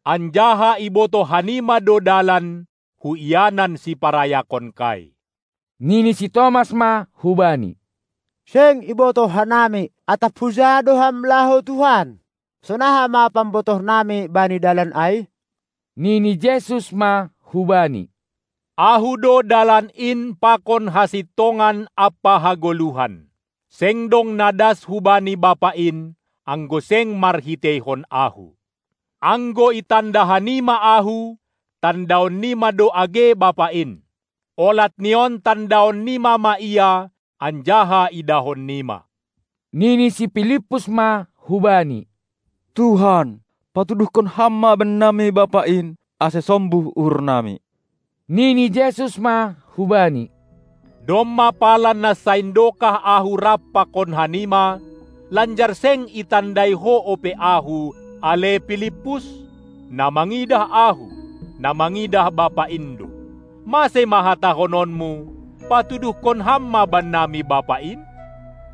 Anjaha ibotoh hanima do dalan hu ianan siparayakonkai. Nini si Tomas ma hubani: Seng ibotoh hanami, atap huja do Ham laho, Tuhan? Sonaha ma pambotohnami bani dalan ai? Nini Jesus ma hubani: Ahu do dalan in pakon hasintongan ampa hagoluhan. Seng dong na das hubani Bapa in, anggo seng marhiteihon Ahu. Anggo itanda hanima Ahu, tandaonnima do age Bapa in. Olat ni on tandaonnima ma Ia, anjaha idahonnima. Nini si Pilippus ma hubani: Tuhan, patuduhkon Ham ma bannami Bapa in, ase sombuh uhurnami. Nini Jesus ma hubani: Domma pala na saindokah Ahu rap pakon hanima, lanjar seng itandai ho ope Ahu, ale Pilippus? Na mangidah Ahu, na mangidah Bapa in do. Mase ma hatahononmu, patuduhkon Ham ma bannami Bapa in?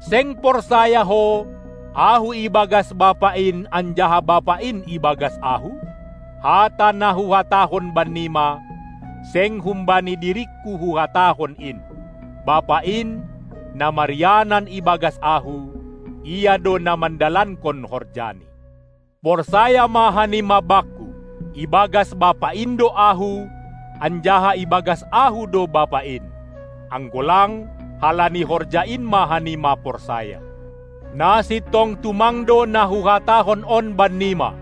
Seng porsaya ho, Ahu ibagas Bapa in anjaha Bapa in ibagas Ahu? Hata na Huhatahon bannima, seng humbani diringKu Huhatahon in. Bapa in, na marianan ibagas Ahu, Ia do na mandalankon horjaNi. Porsaya ma hanima Bakku: Ibagas Bapa in do Ahu, anjaha ibagas Ahu do Bapa in. Anggo lang, halani horja in ma hanima porsaya. Na sintong tumang do na Huhatahon on bannima: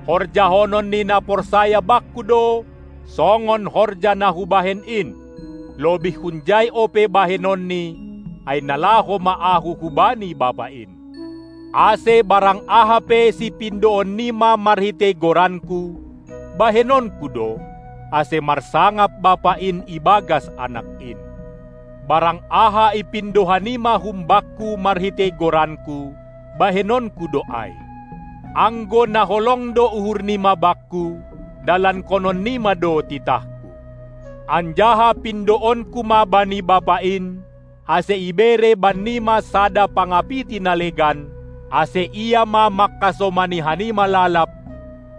Horjahonon ni na porsaya Bakku do, songon horja na Hubahen in. lobih hunjai ope bahenonni, ai na laho ma Ahu hubani Bapa in. Ase barang aha pe sipindoonnima marhitei goranKu, bahenonKu do, ase marsangap Bapa in ibagas Anak in. Barang aha ipindo hanima hum Bakku marhitei goranKu, bahenonKu do ai. Anggo na holong do uhurnima Bakku, dalankononnima do titahKu. Anjaha pindoonKu ma bani Bapa in, ase ibere bannima sada Pangapiti na legan, ase Ia ma mangkasomani hanima lalap,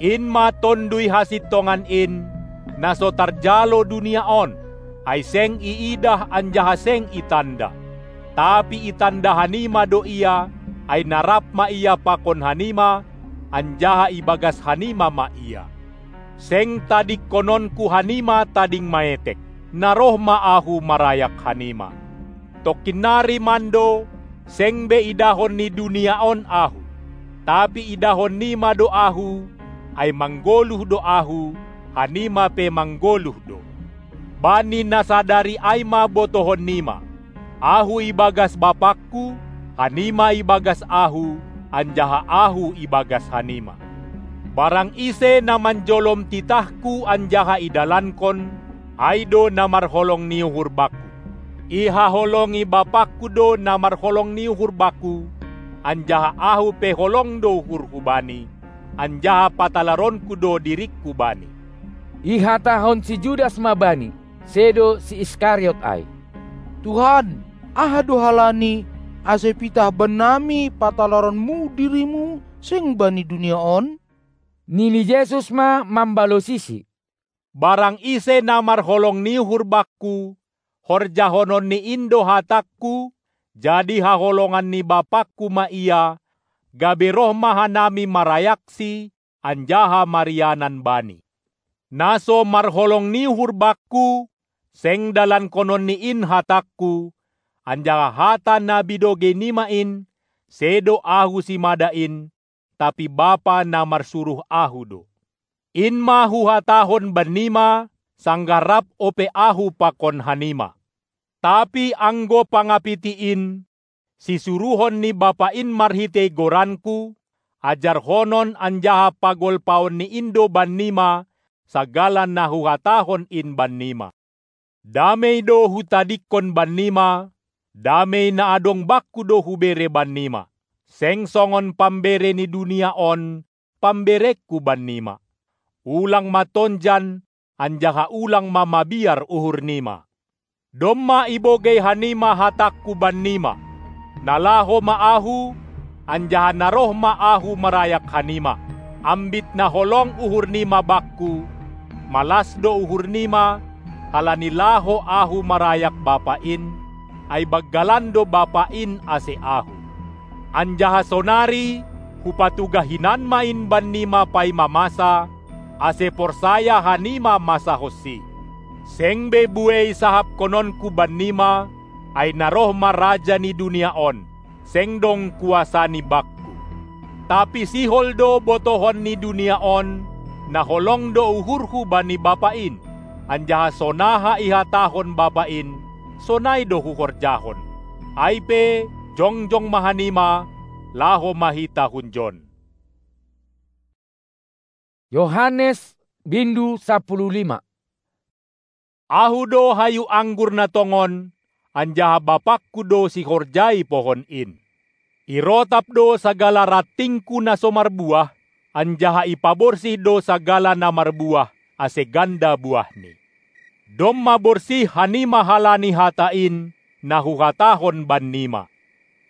in ma Tonduy hasintongan in, na so tarjalo dunia on, ai seng iidah anjaha seng itanda. Tapi itanda hanima do Ia, ai na rap ma Ia pakon hanima, anjaha ibagas hanima ma Ia. Seng tadingkononKu hanima tading maetek, na roh ma Ahu marayak hanima. Tongkin nari mando, seng be idahon ni dunia on Ahu. Tapi idahonnima do Ahu, ai manggoluh do Ahu, hanima pe manggoluh do. Bani na sadari ai ma botohonnima: Ahu ibagas BapangKu, hanima ibagas Ahu, anjaha Ahu ibagas hanima. Barang ise na manjolom titahKu anjaha idalankon, ai do na marholong ni uhur Bakku. Ihaholongi BapangKu do na marholong ni uhur Bakku, anjaha Ahu pe holong do uhurHu bani, anjaha patalaronKu do diringKu bani. Ihatahon si Judas ma Bani, sedo si Iskariot ai: Tuhan, aha do halani, ase pitah bannami patalaronMu diriMu seng bani dunia on? Nini Jesus ma mambalosisi: Barang ise na marholong ni uhur Bakku, horjahononni in do hatangKu, jadi haholongan ni BapangKu ma ia, gabe roh ma hanami marayaksi anjaha marianan Bani. Na so marholong ni uhur Bakku, seng dalankononni in hatangKu, anjaha hata na binogeinima in, sedo Ahu simada in, tapi Bapa na marsuruh Ahu do. In ma Huhatahon bannima, sanggah rap ope Ahu pakon hanima. Tapi anggo Pangapiti in, sisuruhon ni Bapa in marhitei goranKu, ajarhonon anjaha pagolpaonni in do bannima sagala na Huhatahon in bannima. Damei do Hutadingkon bannima, damei na adong Bakku do Hubere bannima. Seng songon pambere ni dunia on pambereKu bannima. Ulang ma tonjan, anjaha ulang ma mabiar uhurnima. Domma ibogei hanima hatangKu bannima: Na laho ma Ahu, anjaha na roh ma Ahu marayak hanima. Ambit na holong uhurnima Bakku, malas do uhurnima, halani laho Ahu marayak Bapa in, ai banggalan do Bapa in ase Ahu. Anjaha sonari Hupatugah hinan ma in bannima paima masa, ase porsaya hanima masahonsi. Seng be buei sahapkononKu bannima, ai na roh ma raja ni dunia on, seng dong kuasani Bakku. Tapi sihol do botohon ni dunia on, na holong do uhurHu bani Bapa in, anjaha sonaha ihatahon Bapa in, sonai do Huhorjahon. Ai pe, jongjong ma hanima, laho ma hita hunjon. Yohanes bindu sampulu lima. Ahu do hayu anggur na tongon, anjaha BapangKu do sihorjai pohon in. Irotap do sagala rantingKu na so marbuah, anjaha ipaborsih do sagala na marbuah, ase ganda buahni. Domma borsih hanima halani hata in, na Huhatahon bannima.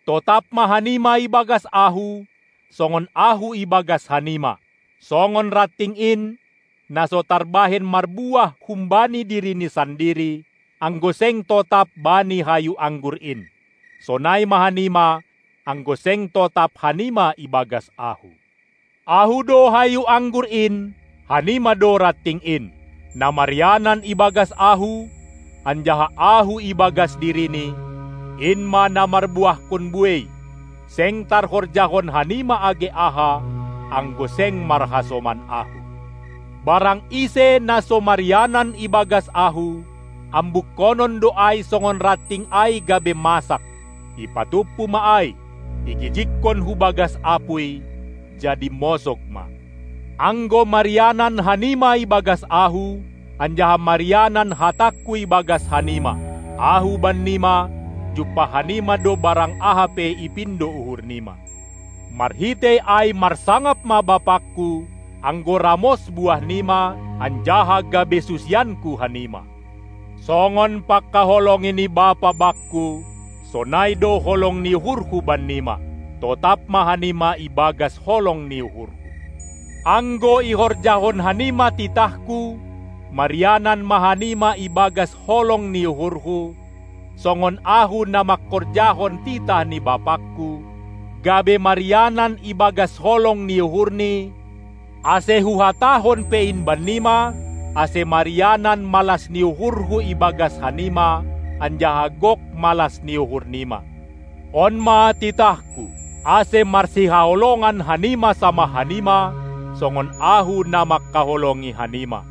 Totap ma hanima ibagas Ahu, songon Ahu ibagas hanima. Songon ranting in, na so tarbahen marbuah humbani dirini sandiri, anggo seng totap bani hayu anggur in, sonai ma hanima, anggo seng totap hanima ibagas Ahu. Ahu do hayu anggur in, hanima do ranting in. Na marianan ibagas Ahu, anjaha Ahu ibagas dirini, in ma na marbuahkon buei. Seng tarhorjahon hanima age aha, anggo seng marhasoman Ahu. Barang ise na so marianan ibagas Ahu, ambukkonon do ai songon ranting ai gabe masak, ipatumpu ma ai, igijikkon hu bagas apuy, jadi mosog ma. Anggo marianan hanima ibagas Ahu, anjaha marianan hatangKu ibagas hanima, Ahu bannima, jumpah hanima do barang aha pe ipindo uhurnima. Marhitei ai marsangap ma BapangKu, anggo ramos buahnima, anjaha gabe susianKu hanima. Songon pangkaholongi ni Bapa Bakku, sonai do holong ni uhurHu bannima, totap ma hanima ibagas holong ni uhurHu. Anggo ihorjahon hanima titahKu, marianan ma hanima ibagas holong ni uhurHu, songon Ahu na mangkorjahon titah ni BapangKu, gabe marianan ibagas holong ni uhurNi, ase Huhatahon pe in bannima, ase marianan malas ni uhurHu ibagas hanima, anjaha gok malas ni uhurnima. On ma titahKu, ase marsihaholongan hanima samah hanima, songon Ahu na mangkaholongi hanima.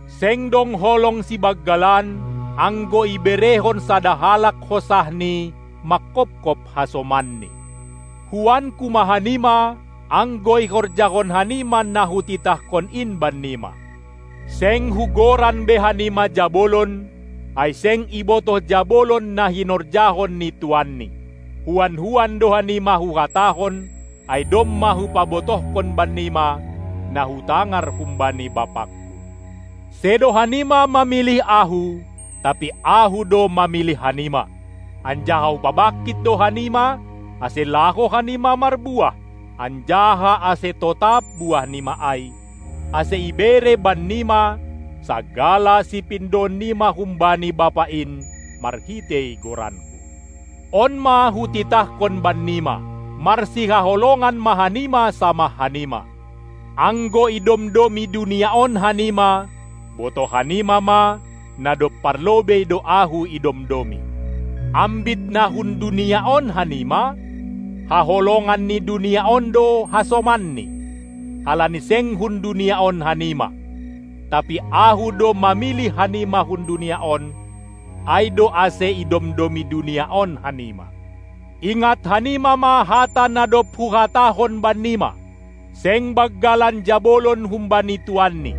Seng dong holong sibanggalan, anggo iberehon sada halak hosahni mangkopkop hasomanni. Huanku ma hanima, anggo ihorjahon hanima na Hutitahkon in bannima. Seng Hugoran be hanima jabolon, ai seng ibotoh jabolon na hinorjahon ni tuanni. Huan-huan do hanima Huhatahon, ai domma Hupabotohkon bannima, na Hutangar humbani BapangKu. Sedo hanima mamilih Ahu, tapi Ahu do mamilih hanima. Anjaha Hupabangkit do hanima, ase laho hanima marbuah, anjaha ase totap buahnima ai, ase ibere bannima sagala sipindoonnima humbani Bapa in marhitei goranKu. On ma Hutitahkon bannima, marsihaholongan ma hanima samah hanima. Anggo idomdomi dunia on hanima, botoh hanima ma, na dob parlobei do Ahu idomdomi. Ambit na hun dunia on hanima, haholongan ni dunia on do hasomanni, halani seng hun dunia on hanima. Tapi Ahu do mamilih hanima hun dunia on, ai do ase idomdomi dunia on hanima. Ingat hanima ma hata na dob Huhatahon bannima: Seng banggalan jabolon humbani tuanni.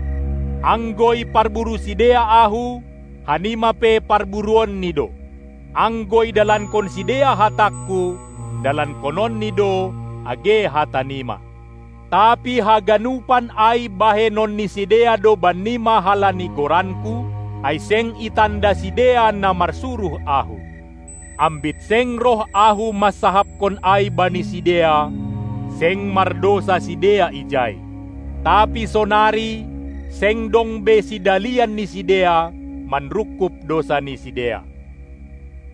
Anggo iparburu sidea Ahu, hanima pe parburuonNi do. Anggo idalankon sidea hatangKu, dalankononNi do age hatanima. Tapi haganupan ai bahenon ni sidea do bannima halani goranKu, ai seng itanda sidea na marsuruh Ahu. Ambit seng roh Ahu mansahapkon ai bani sidea, seng mardousa sidea ijai. Tapi sonari seng dong be sidalian ni sidea manrungkub dousa ni sidea.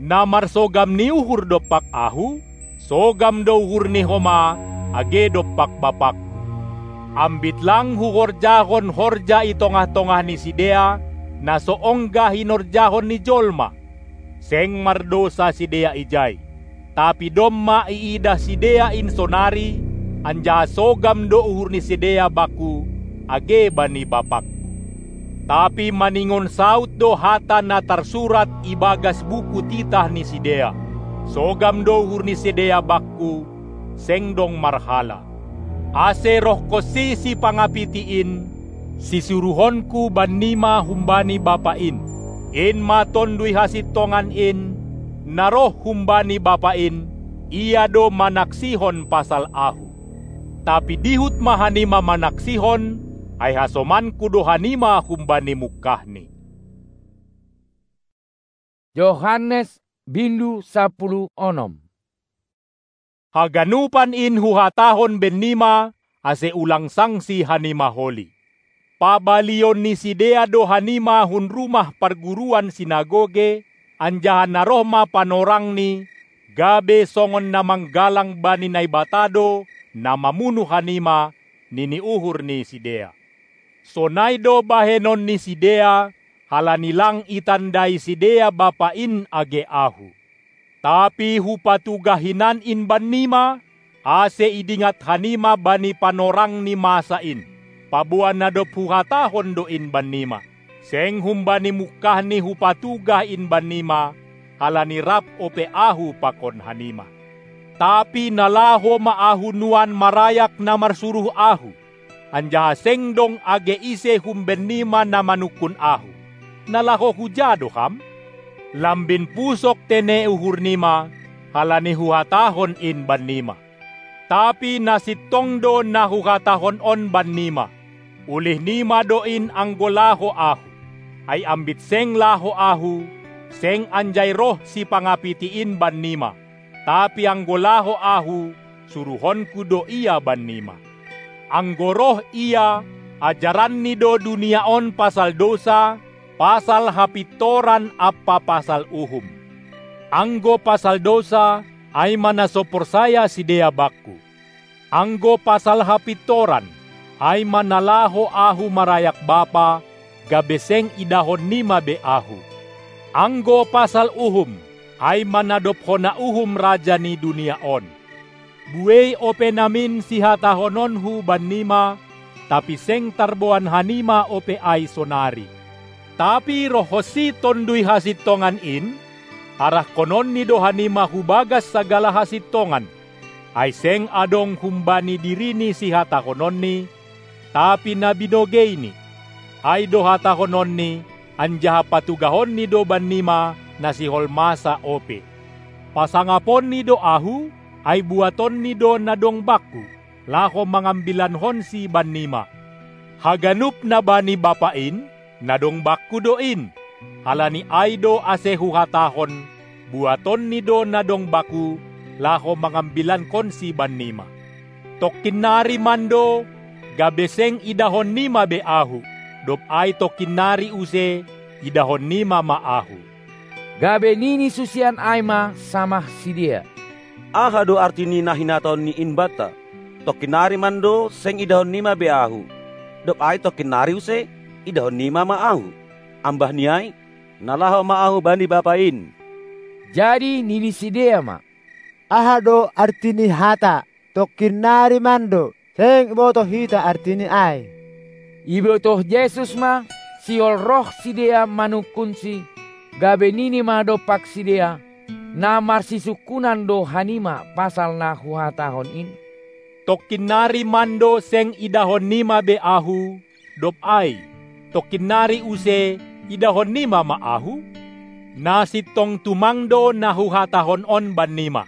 Na marsogam ni uhur dompak Ahu, sogam do uhur ni homa age dompak BapangKu. Ambit lang Huhorjahon horja i tongah-tongah ni sidea, na so ongga hinorjahon ni jolma. Seng mardousa sidea ijai. Tapi domma iidah sidea in sonari, anjaha sogam do uhur ni sidea Bakku, age bani BapangKu. Tapi maningon saud do hata na tarsurat ibagas buku titah ni sidea: Sogam do uhur ni sidea Bakku, seng dong marhala. Ase rohkonsi Sipangapiti in, sisuruhonKu bannima humbani Bapa in, in ma Tonduy Hasintongan in, na roh humbani Bapa in, ia do manaksihon pasal Ahu. Tapi dihut ma hanima manaksihon, ai hasomanKu do hanima humbani mungkahni. Johannes bindu sapuluh onom. Haganupan in Huhatahon bennima, ase ulang sangsi hanima holi. Pabalion ni sidea do hanima hun rumah parguruan sinagoge, anjaha na roh ma panorangni, gabe songon na manggalang bani Naibata do na mamunu hanima, nini uhur ni sidea. Sonai do bahenon ni sidea, halani lang itandai sidea Bapa in age Ahu. Tapi hupatugah hinan in bannima, ase idingat hanima bani panorang ni masa in, paboa na dob huhatahon do in bannima. Seng humbani mungkahni hupatugah in bannima, halani rap ope ahu pakon hanima. Tapi na laho ma ahu nuan marayak na marsuruh ahu, anjaha seng dong age ise humbennima na manungkun ahu. Na laho huja do ham? Lambin pusok tene uhurnima, halani huhatahon in bannima. Tapi na sintong do na huhatahon on bannima: Ulihnima do in anggo laho ahu. Ai ambit seng laho ahu, seng anjai roh sipangapiti in bannima, tapi anggo laho ahu, suruhonku do ia bannima. Anggo roh ia, ajaranni do dunia on pasal dousa, pasal hapintoran ampa pasal uhum. Anggo pasal dousa, ai ma na so porsaya sidea bakku. Anggo pasal hapintoran, ai ma na laho ahu marayak Bapa, gabe seng idahonnima be ahu. Anggo pasal uhum, ai ma na dob hona uhum raja ni dunia on. Buei ope namin sihatahononku bannima, tapi seng tarboan hanima ope ai sonari. Tapi rohhonsi Tonduy Hasintongan in, arahkononni do hanima hu bagas sagala hasintongan, ai seng adong humbani dirini sihatahononni, tapi na binogeini, ai do hatahononni, anjaha patugahonni do bannima na sihol masa ope. Pasangaponni do ahu, ai buatonni do na dong bakku, laho mangambilankonsi bannima. Haganup na bani Bapa in, na dong bakku do in. Halani ai do ase huhatahon, buatonni do na dong bakku, laho mangambilankonsi bannima. Tongkin nari mando, gabe seng idahonnima be ahu, dob ai tongkin nari use, idahonnima ma ahu. Gabe nini susian ai ma samah sidea: Aha do arti ni na hinatahon ni in banta: Tongkin nari mando seng idahonnima be ahu, dob ai tongkin nari use, idahonnima ma ahu? Ambah ni ai, na laho ma ahu bani Bapa in. Jadi nini sidea ma: Aha do arti ni hata: Tongkin nari mando, seng ibotoh hita artini ai? Ibotoh Jesus ma, sihol roh sidea manungkunsi, gabe nini ma dompak sidea: Na marsisungkunan do hanima pasal na huhatahon in? Tongkin nari mando seng idahonnima be ahu, dob ai, tongkin nari use, idahonnima ma ahu? Na sintong tumang do na huhatahon on bannima: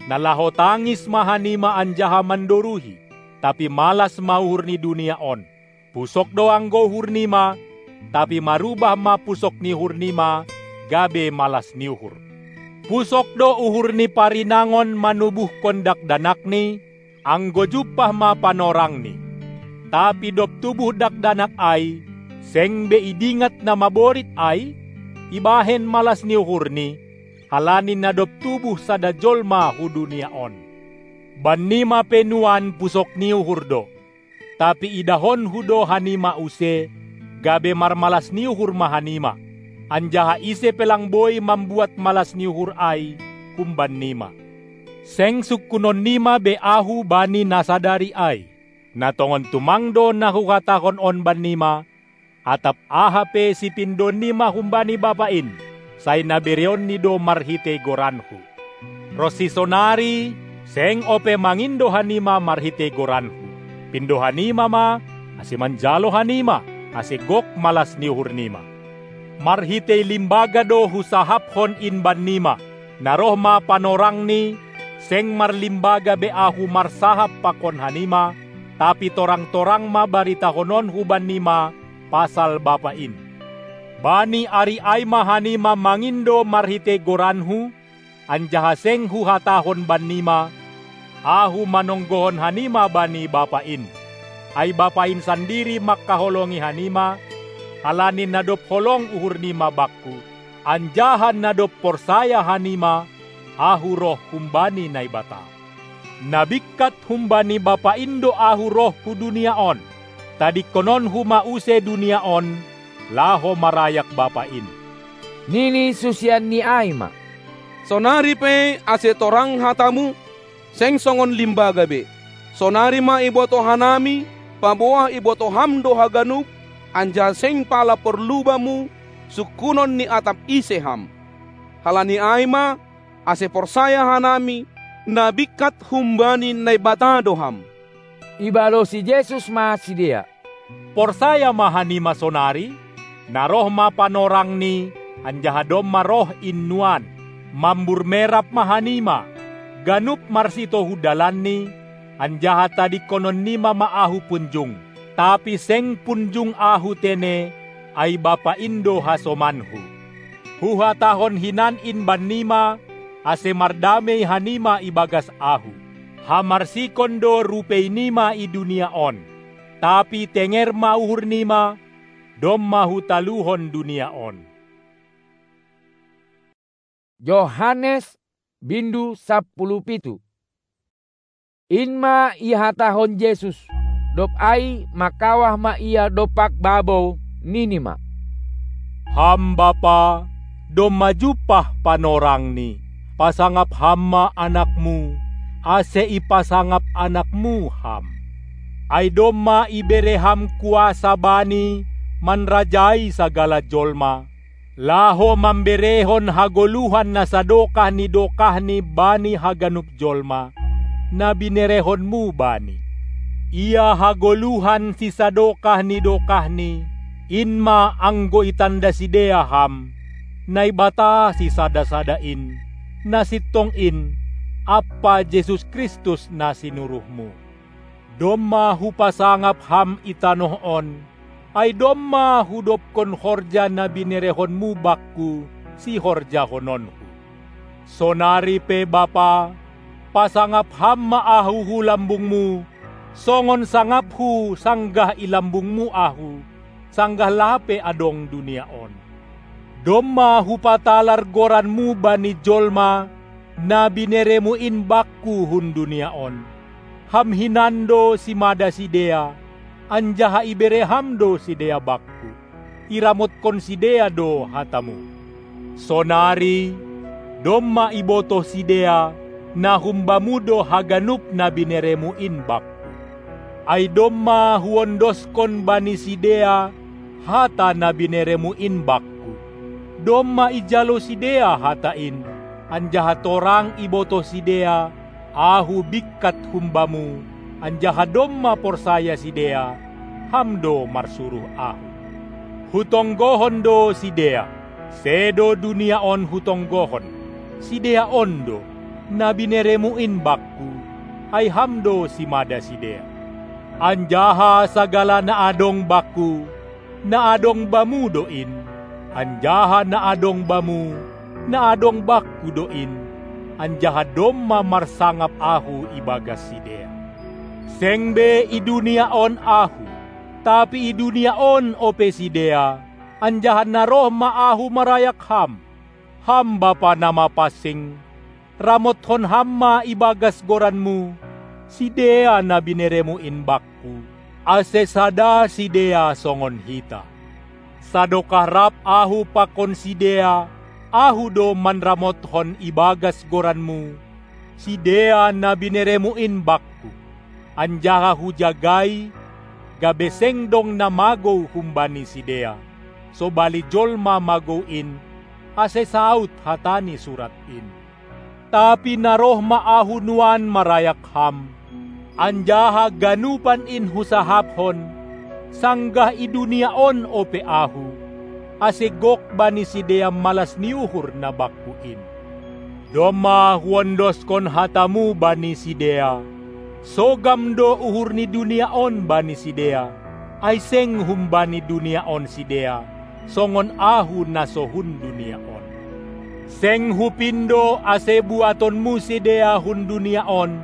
Na laho tangis ma hanima anjaha mandoruhi, tapi malas ma uhur ni dunia on. Pusok do anggo uhurnima, tapi marubah ma pusok ni uhurnima gabe malas ni uhur. Pusok do uhur ni parinangon manubuhkon dakdanakni, anggo jumpah ma panorangni. Tapi dob tubuh dakdanak ai, seng be idingat na maborit ai, ibahen malas ni uhurni, halani na dob tubuh sada jolma hu dunia on. Bannima pe nuan pusok ni uhur do. Tapi idahonku do hanima use, gabe marmalas ni uhur ma hanima, anjaha ise pe lang boi mambuat malas ni uhur ai humbannima. Seng sungkunonnima be ahu bani na sadari ai. Na tongon tumang do na huhatahon on bannima, atap aha pe sipindoonnima humbani Bapa in, sai na bereonni do marhitei goranku. Ronsi sonari, seng ope mangindo hanima marhitei goranku. Pindo hanima ma, ase manjalo hanima, ase gok malas ni uhurnima. Marhitei limbaga do husahapkon in bannima. Na roh ma panorangni, seng marlimbaga be ahu marsahap pakon hanima, tapi torang-torang ma baritahononku bannima pasal Bapa in. Bani ari ai ma hanima mangindo marhitei goranku, anjaha seng huhatahon bannima: Ahu manonggohon hanima bani Bapa in. Ai Bapa in sandiri mangkaholongi hanima, halani na dob holong uhurnima bakku, anjaha na dob porsaya hanima, ahu roh humbani Naibata. Na bingkat humbani Bapa in do ahu roh hu dunia on. Tadingkononku ma use dunia on, laho marayak Bapa in. Nini susianni ai ma: Sonari pe ase torang hatamu, seng songon limbaga be. Sonari ma ibotoh hanami, paboa ibotoh ham do haganup, anjaha seng pala porlu bamu sungkunon ni atap ise ham. Halani ai ma, ase porsaya hanami, na bingkat humbani Naibata do ham." Ibalosi Jesus ma sidea, "Porsaya ma hanima sonari? Na roh ma panorangni, anjaha domma roh in nuan. Mambur merap ma hanima, ganup marsitohu dalanni, anjaha tadingkononnima ma Ahu punjung. Tapi seng punjung Ahu tene, ai Bapa in do hasomanHu. Huhatahon hinan in bannima, ase mardamei hanima ibagas Ahu. Hamarsikon do rupeinima i dunia on. Tapi tenger ma uhurnima, domma Hutaluhon dunia on." Johannes, bindu sampulu pitu. In ma ihatahon Jesus, dob ai mangkawah ma Ia dompak babou, nini ma, "Ham Bapa, domma jumpah panorangni, pasangap Ham ma Anakmu, ase ipasangap Anakmu Ham. Ai domma ibere Ham kuasa Bani manrajai sagala jolma, laho mamberehon hagoluhan na sadokah ni dokahni bani haganup jolma, na binerehonmu Bani. Ia hagoluhan sisadokah ni dokahni, in ma anggo itanda sidea Ham, Naibata sisada-sada in, na sintong in, ampa Jesus Kristus na sinuruhMu. Domma Hupasangap Ham i tanoh on, ai domma hudobkon horja na binerehonMu Bakku sihorjahononHu. Sonari pe Bapa, pasangap Ham ma Ahu hu lambungMu, songon sangapHu sanggah i lambungMu Ahu, sanggah lape adong dunia on. Domma Hupatalar goranMu bani jolma, na binereMu in Bakku hun dunia on. Ham hinan do simada sidea, anjaha ibere Ham do sidea Bakku. Iramotkon sidea do hataMu. Sonari, domma ibotoh sidea, na hum-Bamu do haganup na binereMu in Bakku. Ai domma Huondoskon bani sidea hata na binereMu in Bakku. Domma ijalo sidea hata in, anjaha torang ibotoh sidea, Ahu bingkat hum-Bamu, anjaha domma porsaya sidea, Ham do marsuruh Ahu. Hutonggohon do sidea, sedo dunia on Hutonggohon, sidea on do, na binereMu in Bakku, ai Ham do simada sidea. Anjaha sagala na adong Bakku, na adong Bamu do in, anjaha na adong Bamu, na adong Bakku do in, anjaha domma marsangap Ahu ibagas sidea. Seng be i dunia on Ahu, tapi i dunia on ope sidea, anjaha na roh ma Ahu marayak Ham. Ham Bapa na mapansing, ramothon Ham ma ibagas goranMu sidea na binereMu in Bakku, ase sada sidea songon hita. Sadokah rap Ahu pakon sidea, Ahu do manramothon ibagas goranMu sidea na binereMu in Bakku, anjaha Hujagai, gabe seng dong na magou humbani sidea, sobali jolma magou in, ase saut hata ni surat in. Tapi na roh ma Ahu nuan marayak Ham, anjaha ganupan in Husahapkon, sanggah i dunia on ope Ahu, ase gok bani sidea malas ni uhur na Bakku in. Domma Huondoskon hataMu bani sidea, sogam do uhur ni dunia on bani sidea, ai seng humbani dunia on sidea, songon Ahu na so hun dunia on. Seng Hupindo ase buatonMu sidea hun dunia on,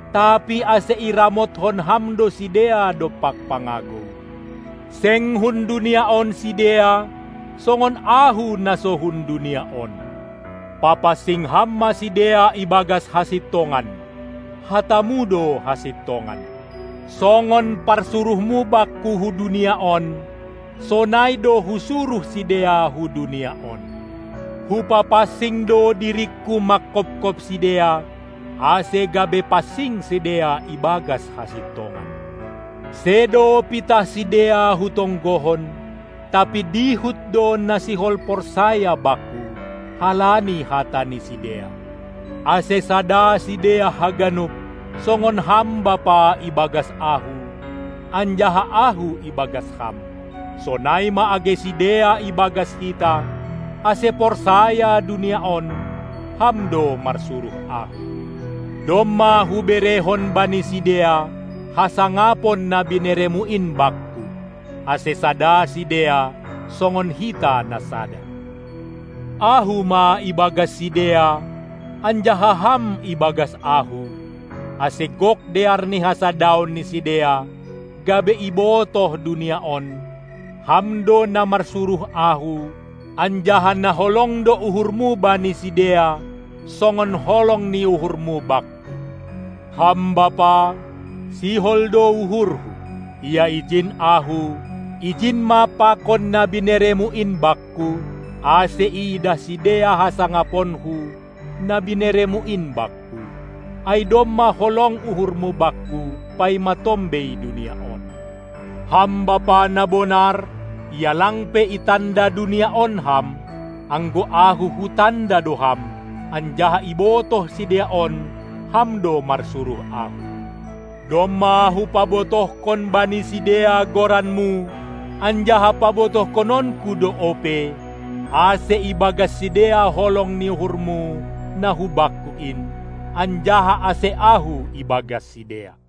tapi ase iramothon Ham do sidea dompak pangagou. Seng hun dunia on sidea, songon Ahu na so hun dunia on. Papansing Ham ma sidea ibagas hasintongan, hataMu do hasintongan. Songon parsuruhMu Bakku hu dunia on, sonai do Husuruh sidea hu dunia on. Hupapansing do diringKu mangkopkop sidea, ase gabe pansing sidea ibagas hasintongan. Sedo pitah sidea Hutonggohon, Tapi dihut do na sihol porsaya Bakku, halani hata ni sidea. Ase sada sidea haganup, songon Ham Bapa ibagas Ahu, anjaha Ahu ibagas Ham. Sonai ma age sidea ibagas hita, ase porsaya dunia on, Ham do marsuruh Ahu. Domma Huberehon bani sidea hasangapon na binereMu in Bakku, ase sada sidea songon hita na sada. Ahu ma ibagas sidea, anjaha Ham ibagas Ahu, ase gok dear ni hasadaon ni sidea, gabe ibotoh dunia on, Ham do na marsuruh Ahu, anjaha na holong do uhurMu bani sidea, songon holong ni uhurMu Bakku. Ham Bapa, sihol do uhurHu, ia ijin Ahu, ijin ma pakon na binereMu in Bakku, ase iidah sidea hasangaponHu, na binereMu in Bakku. Ai domma holong uhurMu Bakku, paima tombei dunia on. Ham Bapa na bonar, ia lang pe itanda dunia on Ham, anggo Ahu Hutanda do Ham, anjaha ibotoh sidea on, Ham do marsuruh Ahu. Domma Hupabotohkon bani sidea goranMu, anjaha pabotohkononKu do ope, ase ibagas sidea holong ni uhurMu na hu Bakku in, anjaha ase Ahu ibagas sidea.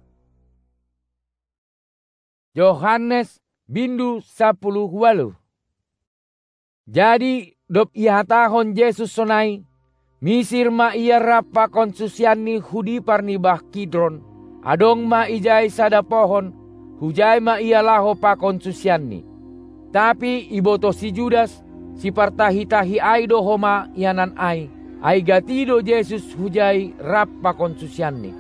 Johannes bindu sapuluh ualuh. Jadi, dob ihatahon Jesus sonai, misir ma Ia rap pakon susianNi hu dipar ni bah Kidron, adong ma ijai sada pohon, hujai ma Ia laho pakon susianNi. Tapi ibotoh si Judas, sipartahi-tahi ai do homa ianan ai, ai gati do Jesus hujai rap pakon susianNi.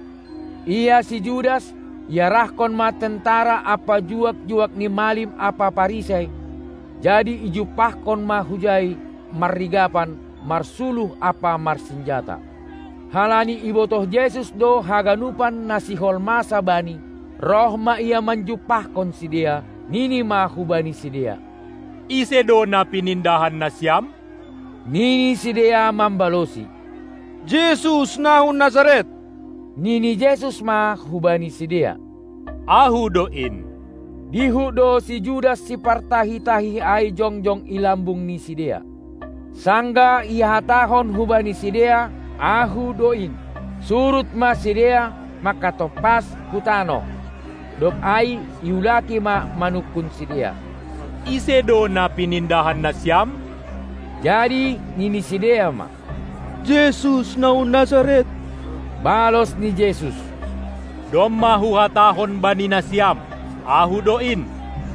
Ia si Judas iarahkon ma tentara ampa juak-juak ni malim ampa Parisei, jadi ijumpahkon ma hujai marrigapan, marsuluh ampa marsinjata. Halani ibotoh Jesus do haganupan na sihol masa Bani, roh ma Ia manjumpahkon sidea, nini ma hubani sidea: Ise do na pinindahan nasiam? Nini sidea mambalosi: Jesus na hu Nasaret. Nini Jesus ma hubani sidea: Ahu do in. Dihut do si Judas sipartahi-tahi ai jongjong i lambung ni sidea. Sanggah ihatahon hubani sidea: Ahu do in, surut ma sidea mangkatompas hu tanoh. Dob ai iulaki ma manungkun sidea: Ise do na pinindahan nasiam? Jadi nini sidea ma: Jesus na hu Nasaret. Balos ni Jesus: Domma Huhatahon bani nasiam: Ahu do in.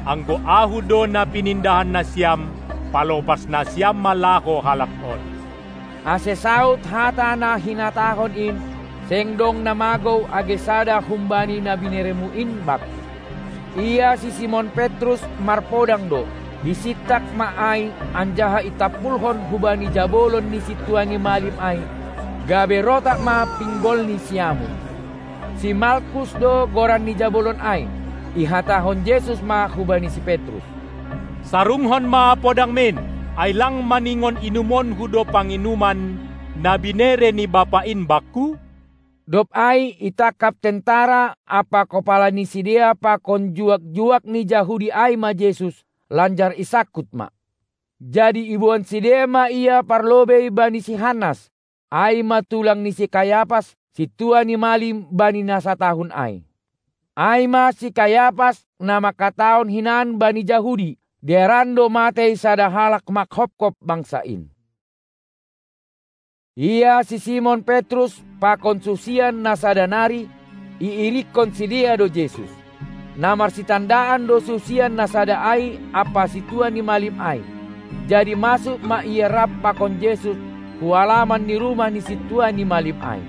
Anggo Ahu do na pinindahan nasiam, palopas nasiam ma laho halak on. Ase saut hata na hinatahon in, seng dong na magou age sada humbani na binereMu in Bakku. Ia si Simon Petrus marpodang do, isintak ma ai, anjaha itampulhon hubani jabolon ni sintua ni malim ai, gabe rotak ma pinggol ni siamun. Si Malkus do goran ni jabolon ai. Ihatahon Jesus ma hubani si Petrus: Sarunghon ma podangmin, ai lang maningon inumonHu do panginuman na binere ni Bapa in Bakku? Dob ai itangkap tentara ampa kopala ni sidea pakon juak-juak ni Jahudi ai ma Jesus, lanjar isangkut ma. Jadi iboan sidea ma Ia parlobei bani si Hannas, ai ma tulang ni si Kayapas, sintua ni malim bani na satahun ai. Ai ma si Kayapas na mangkatahon hinan bani Jahudi, dearan do matei sada halak manghophop bangsa in. Ia si Simon Petrus pakon susian na sada nari, iirikkon sidea do Jesus. Na marsitandaan do susian na sada ai ampa sintua ni malim ai. Jadi masuk ma ia rap pakon Jesus hu alaman ni rumah ni sintua ni malim ai.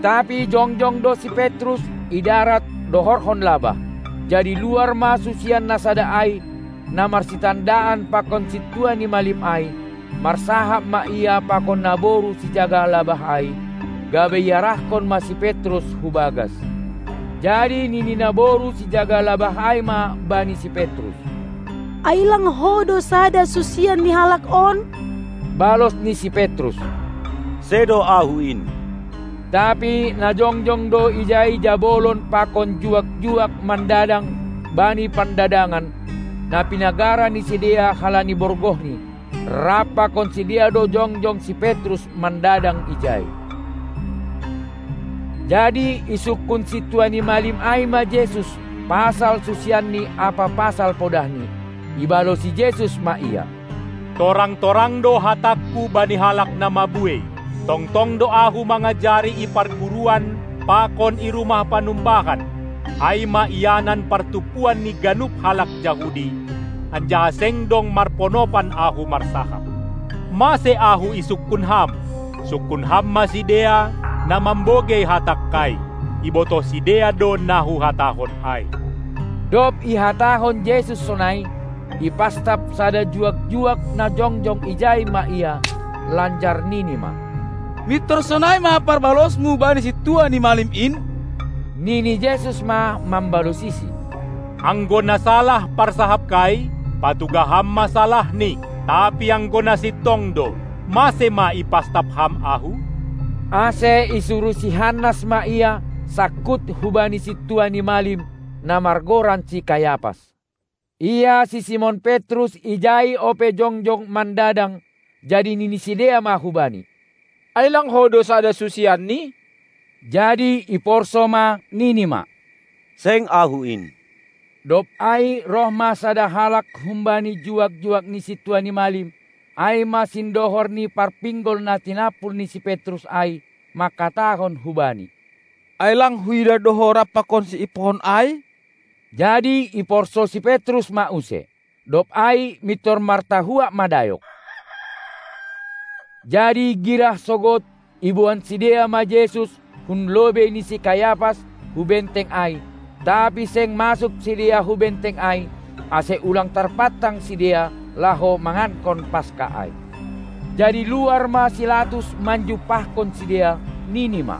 Tapi jongjong do si Petrus i darat dohorhon labah. Jadi luar ma susian na sada ai, na marsitandaan pakon sintua ni malim ai, marsahap ma ia pakon naboru sijaga labah ai, gabe iarahkon ma si Petrus hu bagas. Jadi nini naboru sijaga labah ai ma bani si Petrus: Ai lang ho do sada susian ni halak on? Balos ni si Petrus: Sedo ahu in. Tapi na jongjong do ijai jabolon pakon juak-juak mandadang bani pandadangan, na pinagara ni sidea halani borgohni. Rap pakon sidea do jongjong si Petrus mandadang ijai. Jadi isungkun sintua ni malim ai ma Jesus pasal susianni ampa pasal podahni. Ibalosi Jesus ma ia: Torang-torang do hatangku bani halak na mabuei. Tongtong do ahu mangajari i parguruan pakon i rumah panumbahan, ai ma ianan partumpuan ni ganup halak Jahudi, anjaha seng dong marponopan ahu marsahap. Mase ahu isungkun ham? Sungkun ham ma sidea, na mambogei hatangkai. Ibotoh sidea do na huhatahon ai. Dob ihatahon Jesus sonai, ipastap sada juak-juak na jongjong ijai ma ia, lanjar nini ma: Mintor sonai ma parbalosmu bani sintua ni malim in? Nini Jesus ma mambalosisi: Anggo na salah parsahapkai, patugah ham ma salahni. Tapi anggo na sintong do, mase ma ipastap ham ahu? Ase isuru si Hannas ma ia sangkut hubani sintua ni malim, na margoran si Kayapas. Ia si Simon Petrus ijai ope jongjong mandadang, jadi nini sidea ma hubani: Ai lang ho do sada susianni? Jadi iporso ma nini ma: Seng ahu in. Dob ai roh ma sada halak humbani juak-juak ni sintua ni malim, ai ma sindohor ni parpinggol na tinampul ni si Petrus ai, mangkatahon hubani: Ai lang huida do ho rap pakon si ipuhon ai? Jadi iporso si Petrus ma use. Dob ai mintor martahuak ma dayok. Jadi girah sogot iboan sidea ma Jesus hun lobei ni si Kayapas hu benteng ai, tapi seng masuk sidea hu benteng ai, ase ulang tarpantang sidea laho mangankon Paska ai. Jadi luar ma si Latus manjumpahkon sidea, nini ma: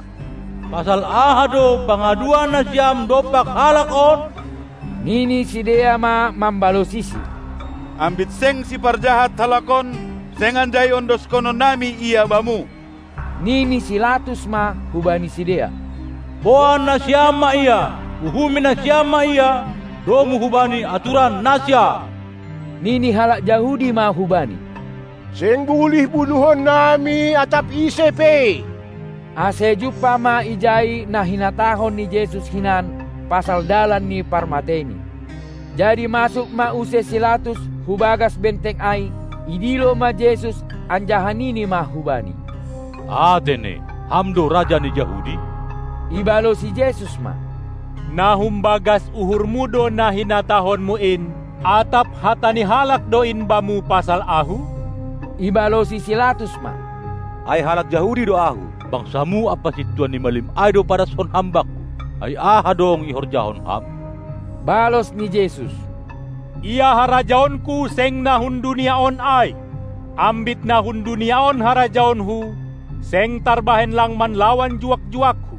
Pasal aha do pangaduan nasiam dompak halak on? Nini sidea ma mambalosisi: Ambit seng siparjahat halak on, seng anjai ondoskononnami ia bamu. Nini si Latus ma hubani sidea: Boan nasiam ma ia, uhumi nasiam ma ia, domu hubani aturan nasiam. Nini halak Jahudi ma hubani: Seng bulih bunuhonnami atap ise pe. Ase jumpah ma ijai na hinatahon ni Jesus hinan pasal dalan ni parmateini. Jadi masuk ma use si Latus hu bagas benteng ai, idilo ma Jesus, anjaha nini ma hubani: Atene, ham do raja ni Jahudi? Ibalosi Jesus ma: Na humbagas uhurmu do na hinatahonmu in, atap hata ni halak do in bamu pasal ahu? Ibalosi si Latus ma: Ai halak Jahudi do ahu. Bangsamu ampa sintua ni malim ai do padaskon ham bakku. Ai aha dong ihorjahon ham? Balos ni Jesus: Ia harajaonku seng na hun dunia on ai. Ambit na hun dunia on harajaonhu, seng tarbahen lang manlawan juak-juakhu,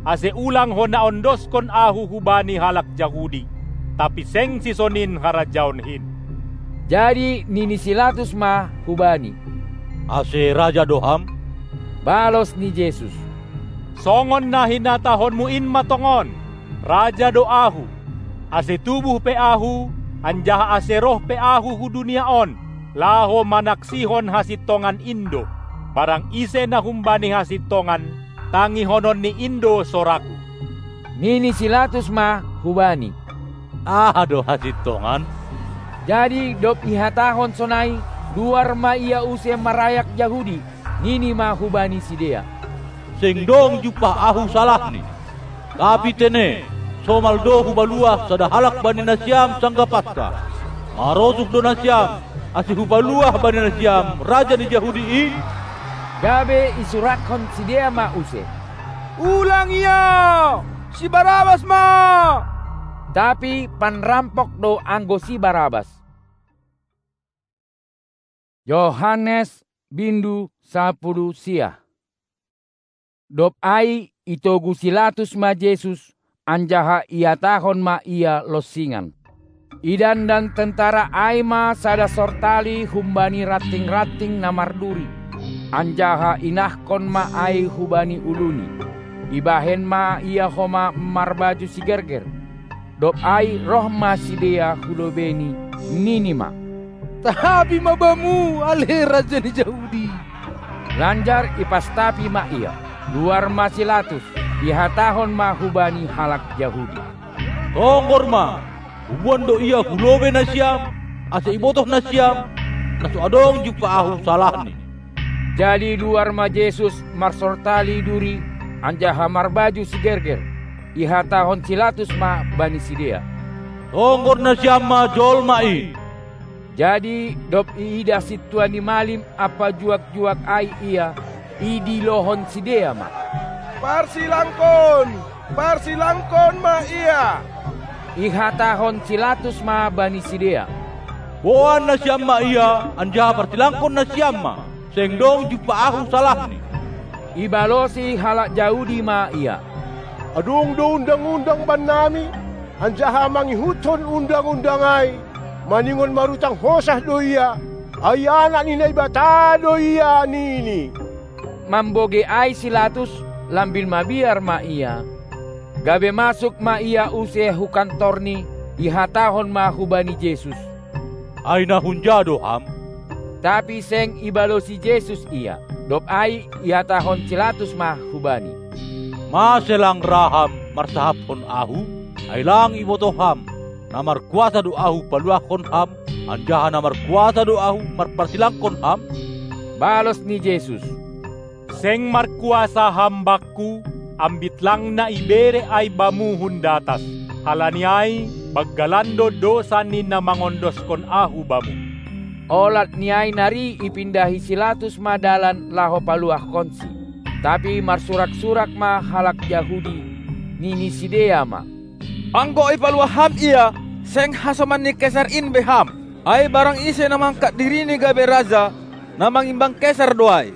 ase ulang hona ondoskon ahu hubani halak Jahudi, tapi seng sisonin harajaon hin. Jadi nini si Latus ma hubani: Ase raja do ham? Balos ni Jesus: Songon na hinatahonmu in ma tongon, raja do ahu, ase tubuh pe ahu, anjaha ase roh pe ahu hu dunia on, laho manaksihon hasintongan in do. Barang ise na humbani hasintongan, tangihononni in do soraku. Nini si Latus ma hubani: Aha do hasintongan? Jadi dob ihatahon sonai, luar ma ia use marayak Jahudi, nini ma hubani sidea: Seng dong jumpah ahu salahni. Tapi tene, somal do hupaluah sada halak bani nasiam sanggah Paska, marosuh do nasiam, ase hupaluah bani nasiam raja ni Jahudi in? Gabe isurathon sidea ma use: Ulang ia! Si Barabas ma! Tapi panrampok do anggo si Barabas. Johannes bindu sapuluh sia. Dob ai itogu si Latus ma Jesus, anjaha iatahon ma ia lonsingan. Idandan tentara ai ma sada sortali humbani ranting-ranting na marduri, anjaha inahkon ma ai hubani uluni. Ibahen ma ia homa marbaju sigerger. Dob ai roh ma sidea hu lobeiNi, nini ma: Tahapi ma Bamu, ale Raja ni Jahudi! Lanjar ipastapi ma Ia. Luar ma si Latus, ihatahon ma hubani halak Jahudi: Tonggor ma! Huboan do Ia hu lobei nasiam, ase ibotoh nasiam, na so adong jumpa Ahu salahni. Jadi luar ma Jesus marsortali duri anjaha marbaju sigerger. Ihatahon si Latus ma bani sidea: Tonggor nasiam ma jolma in! Jadi dob iidah sintua ni malim ampa juak-juak ai Ia, idilohon sidea ma: Parsilangkon! Parsilangkon ma Ia! Ihatahon si Latus ma bani sidea: Boan nasiam ma Ia, anjaha parsilangkon nasiam ma! Seng dong jumpa Ahu salahni. Ibalosi halak Jahudi ma Ia: Adong do undang-undang bannami, anjaha mangihuthon undang-undang ai, maningon marutang hosah do Ia, ai Anak ni Naibata do Ia, nini. Mambogei ai si Latus, lambin mabiar ma ia. Gabe masuk ma ia use hu kantorni, ihatahon ma hubani Jesus: Ai na hunja do Ham? Tapi seng ibalosi Jesus ia. Dob ai ihatahon si Latus ma hu Bani: Mase lang ra Ham marsahapkon Ahu? Ai lang ibotoh Ham, na markuasa do Ahu paluahkon Ham, anjaha na markuasa do Ahu marparsilangkon Ham? Balos ni Jesus: Seng markuasa Ham Bakku, ambit lang na ibere ai Bamu hun datas. Halani ai, banggalan do dousa ni na mangondoskon Ahu Bamu. Olat ni ai nari ipindahi si Latus ma dalan laho paluahkonSi. Tapi marsurak-surak ma halak Jahudi, nini sidea ma: Anggo ipaluah Ham Ia, seng hasoman ni Kesar in be Ham. Ai barang ise na mangkat dirini gabe raja, na mangimbang Kesar do ai.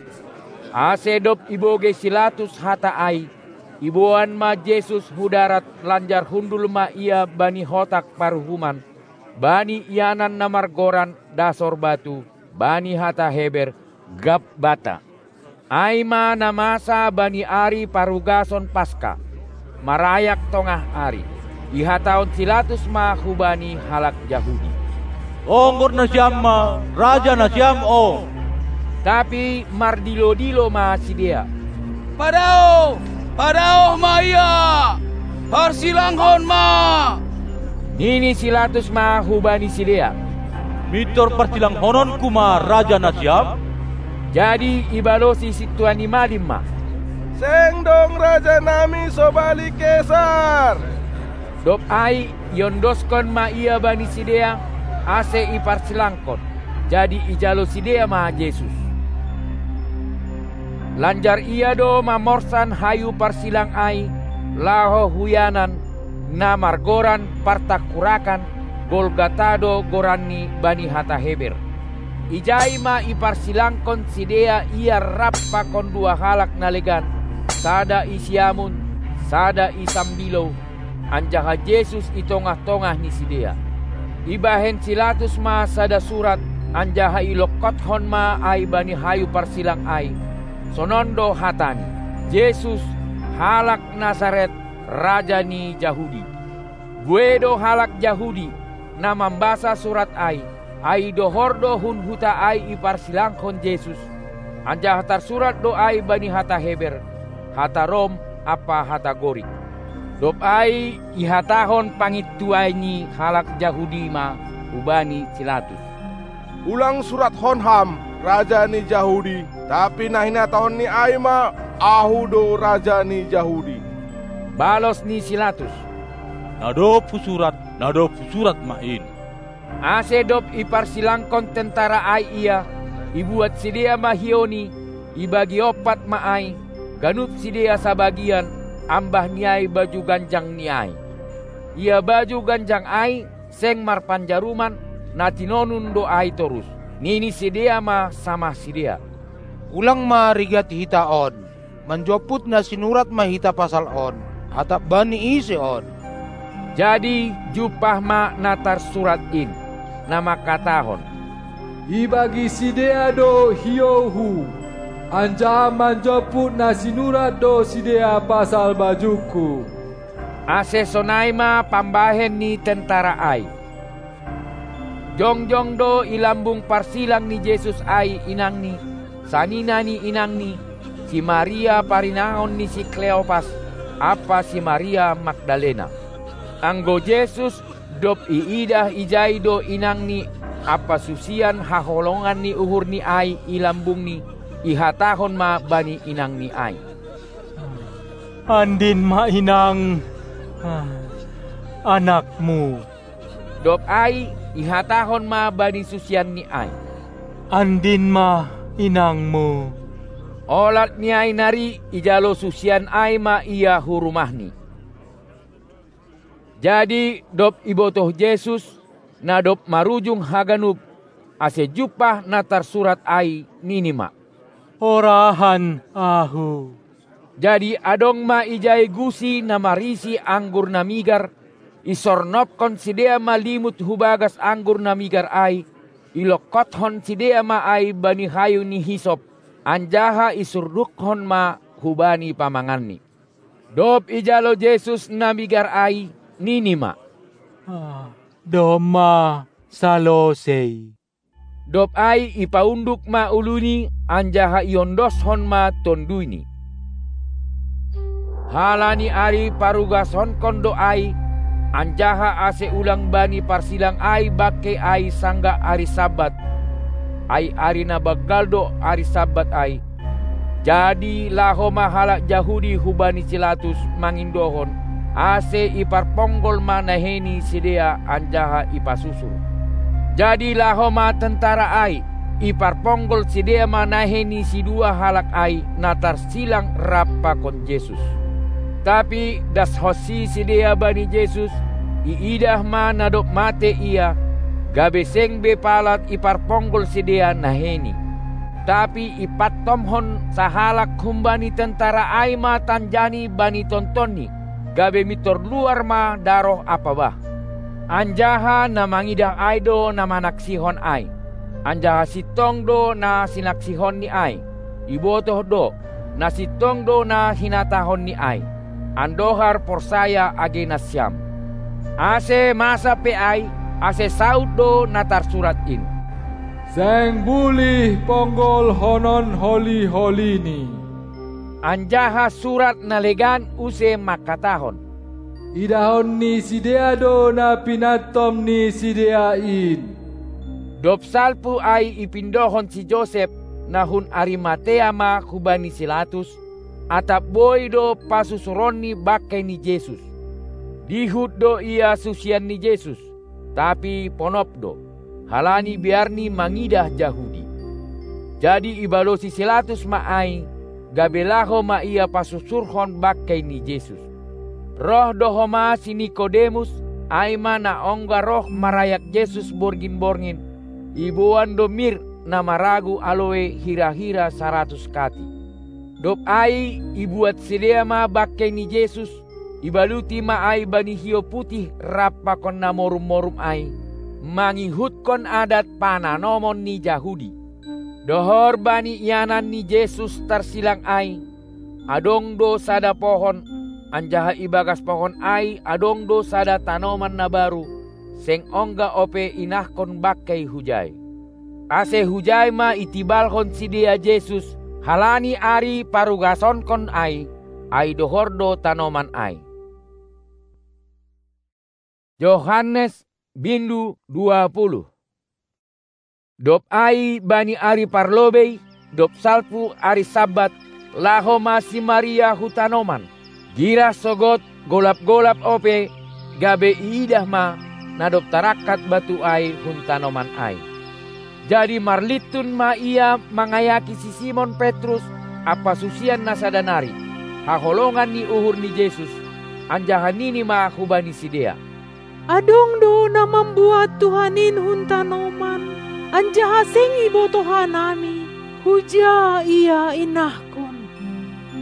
Ase dob ibogei si Latus hata ai, iboan ma Jesus hu darat, lanjar hundul ma Ia bani hotak paruhuman, bani ianan na margoran Dasor Batu, bani hata Heber, Gabbatha. Ai ma na masa bani ari parugason Paska, marayak tongah ari. Ihatahon si Latus ma hubani halak Jahudi: Tonggor nasiam ma, raja nasiam on! Tapi mardilo-dilo ma sidea: Padaoh! Padaoh ma Ia! Parsilanghon ma! Nini si Latus ma hubani sidea: Mintor parsilangkononku ma raja nasiam? Jadi ibalosi sintua ni malim ma: Seng dong rajanami sobali Kesar! Dob ai iondoskon ma Ia bani sidea, ase iparsilangkon. Jadi ijalo sidea ma Jesus. Lanjar Ia do mamorsan hayu parsilang ai laho hu ianan, na margoran Partangkurakan, Golgata do goranni bani hata Heber. Ijai ma iparsilangkon sidea Ia rap pakon dua halak na legan, sada i siamun, sada i sambilou, anjaha Jesus i tongah-tongah ni sidea. Ibahen si Latus ma sada surat, anjaha ilongkothon ma ai bani hayu parsilang ai. Sonon do hatani: Jesus, halak Nasaret, Raja ni Jahudi. Buei do halak Jahudi, na mambasa surat ai, ai dohor do hun huta ai iparsilangkon Jesus, anjaha tarsurat do ai bani hata Heber, hata Rom ampa hata Gorik. Dob ai ihatahon pangintuai ni halak Jahudi ma hubani si Latus: Ulang surathon Ham, Raja ni Jahudi, tapi na hinatahonni ai ma: Ahu do Raja ni Jahudi. Balos ni si Latus: Na dob husurat, na dob husurat ma in. Ase dob iparsilangkon tentara ai Ia, ibuat sidea ma hiouni, ibagi ompat ma ai, ganup sidea sabagian, ambah ni ai baju ganjangni ai. Ia baju ganjang ai seng marpanjaruman, na tinonun do ai torus. Nini sidea ma samah sidea: Ulang ma rigati hita on. Manjomput na sinurat ma hita pasal on, atap bani ise on? Jadi jumpah ma na tarsurat in, na mangkatahon: Ibagi sidea do hiouhu, anjaha manjomput na sinurat do sidea pasal bajungku. Ase sonai ma pambahen ni tentara ai. Jongjong do i lambung parsilang ni Jesus ai inangni, sanina ni inangni, si Maria parinangon ni si Kleopas, ampa si Maria Magdalena. Anggo Jesus, dob iidah ijai do inangni ampa susian haholongan ni uhurni ai i lambungni, ihatahon ma bani inangni ai: Andin ma, inang, anakmu. Dob ai ihatahon ma bani susianni ai: Andin ma, inangmu. Olat ni ai nari ijalo susian ai ma ia hu rumahni. Jadi dob ibotoh Jesus, na dob marujung haganup, ase jumpah na tarsurat ai, nini ma: Horahan ahu. Jadi adong ma ijai gusi na marisi anggur na migar, isornopkon sidea ma limut hu bagas anggur na migar ai, ilongkothon sidea ma ai bani hayu ni hisop, anjaha isurdukhon ma hubani pamanganni. Dob ijalo Jesus na migar ai, nini ma: Domma salosei. Dob ai ipaunduk ma uluni, anjaha iondoshon ma tonduyni. Halani ari parugashonkon do ai, anjaha ase ulang bani parsilang ai bangkei ai sanggah ari Sabbat, ai ari na banggal do ari Sabbat ai, jadi laho ma halak Jahudi hubani si Latus mangindohon, ase iparponggol ma nahei ni sidea anjaha ipasusur. Jadi laho ma tentara ai, iparponggol sidea ma nahei ni sidua halak ai na tarsilang rap pakon Jesus. Tapi dashonsi sidea bani Jesus, iidah ma na dob mate Ia, gabe seng be palat iparponggol sidea naheiNi. Tapi ipantomhon sahalak humbani tentara ai ma tanjaNi bani tontonni, gabe mintor luar ma daroh ampa bah. Anjaha na mangidah ai do na manaksihon ai, anjaha sintong do na sinaksihonNi ai. Ibotoh do, na sintong do na hinatahonNi ai, andohar porsaya age nasiam. Ase masa pe ai, ase saud do na tarsurat in: Seng bulih ponggolhonon holi-holiNi. Anjaha surat na legan use mangkatahon: Idahon ni sidea do na pinantom ni sidea in. Dob salpu ai ipindohon si Josep, na hun Arimatea ma hubani si Latus, atap boi do pasusuronni bangkei ni Jesus. Dihut do ia susian ni Jesus, tapi ponop do, halani biarni mangidah Jahudi. Jadi ibalosi si Latus ma ai, gabe laho ma ia pasusurhon bangkei ni Jesus. Roh do homa si Nikodemus, ai ma na ongga roh marayak Jesus borngin-borngin, iboan do mir na maragu aloe hira-hira saratus kati. Dob ai ibuat sidea ma bangkei ni Jesus, ibaluti ma ai bani hiou putih rap pakon na morum-morum ai, mangihutkon adat pananomon ni Jahudi. Dohor bani ianan ni Jesus tarsilang ai, adong do sada pohon, anjaha ibagas pohon ai adong do sada tanoman na baru, seng ongga ope inahkon bangkei hujai. Ase hujai ma itibalhon sidea Jesus, halani ari parugasonkon ai, ai dohor do tanoman ai. Johannes, bindu dua puluh. Dob ai bani ari parlobei, dob salpu ari Sabbat, laho ma si Maria hu tanoman, girah sogot golap-golap ope, gabe iidah ma, na dob tarangkat batu ai hun tanoman ai. Jadi marlintun ma ia mangayaki si Simon Petrus ampa susian na sada nari, haholongan ni uhur ni Jesus, anjaha nini ma hubani sidea: Adong do na mambuat Tuhan in hun tanoman, anjaha seng ibotoh hanami, huja Ia inahkon.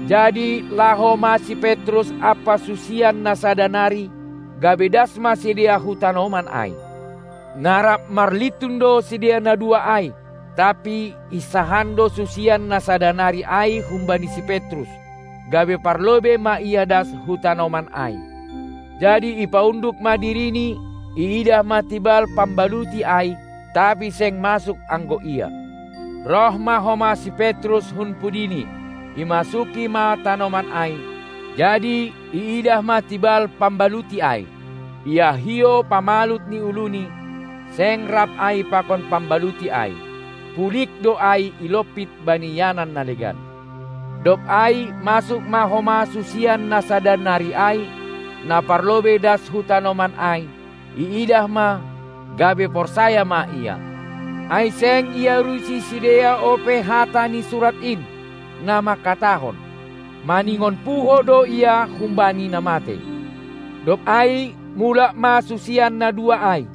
Jadi laho ma si Petrus ampa susian na sada nari, gabe das ma sidea hu tanoman ai. Na rap marlintun do sidea na dua ai, tapi insahan do susian na sada nari ai humbani si Petrus, gabe parlobei ma ia das hu tanoman ai. Jadi ipaunduk ma dirini, iidah ma tibal pambaluti ai, tapi seng masuk anggo ia. Roh ma homa si Petrus hun pudini, imasuki ma tanoman ai, jadi iidah ma tibal pambaluti ai. Ia hiou pamalut ni uluni, seng rap ai pakon pambaluti ai. Pulik do ai ilompit bani ianan na legan. Dob ai masuk ma homa susian na sada nari ai, na parlobei das hu tanoman ai, iidah ma, gabe porsaya ma ia. Ai seng iarusi sidea ope hata ni surat in, na mangkatahon: Maningon puho do ia humbani na matei. Dob ai mulak ma susian na dua ai.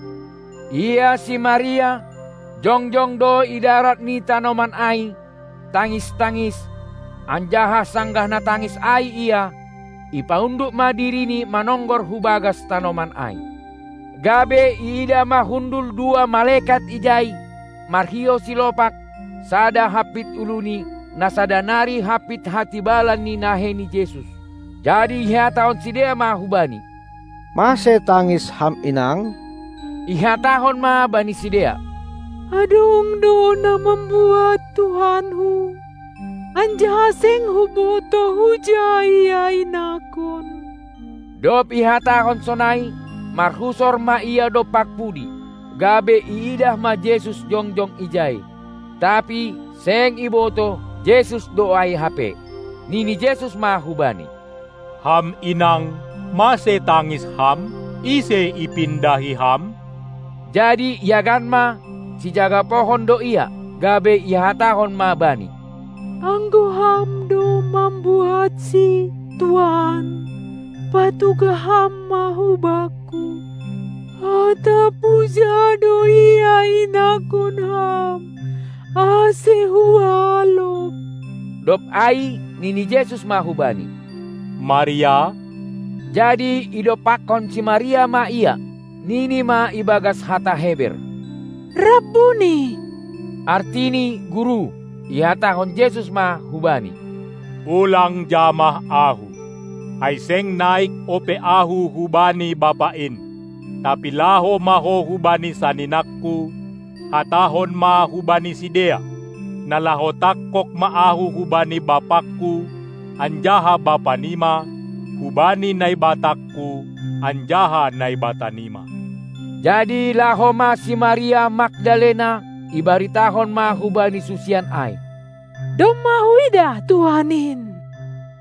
Ia si Maria, jongjong do i darat ni tanoman ai, tangis-tangis, anjaha sanggah na tangis ai ia, ipaunduk ma dirini manonggor hu bagas tanoman ai. Gabe iidah ma hundul dua malekat ijai, marhiou silopak, sada hampit uluni, na sada nari hampit hatibalan ni nahei ni Jesus. Jadi ihatahon sidea ma hubani: Mase tangis ham, inang? Ihatahon ma bani sidea: Adong do na mambuat Tuhanhu, anjaha seng hubotoh huja ia inangkon. Dob ihatahon sonai, marhusor ma ia dompak pudi, gabe iidah ma Jesus jongjong ijai. Tapi seng ibotoh, Jesus do ai hape. Nini Jesus ma hubani: Ham inang, mase tangis ham? Ise ipindahi ham? Jadi iagan ma, sijaga pohon do ia, gabe ihatahon ma bani: Anggo ham do mambuatsi, Tuan, patuga ham ma hu bakku. Atap huja do ia inangkon ham, ase hualop. Dob ai nini Jesus ma hubani: Maria. Jadi idompakkon si Maria ma ia, nini ma ibagas hata Heber: Rabbuni! Artini: Guru. Ihatahon Jesus ma hubani: Ulang jamah Ahu, ai seng naik ope Ahu hubani Bapa in. Tapi laho ma ho hubani saninangku, hatahon ma hubani sidea, na laho tangkog ma Ahu hubani Bapangku, anjaha Bapanima, hubani Naibatangku, anjaha Naibatanima. Jadi laho ma si Maria Magdalena, ibaritahon ma hubani susian ai: Domma huidah Tuhan in.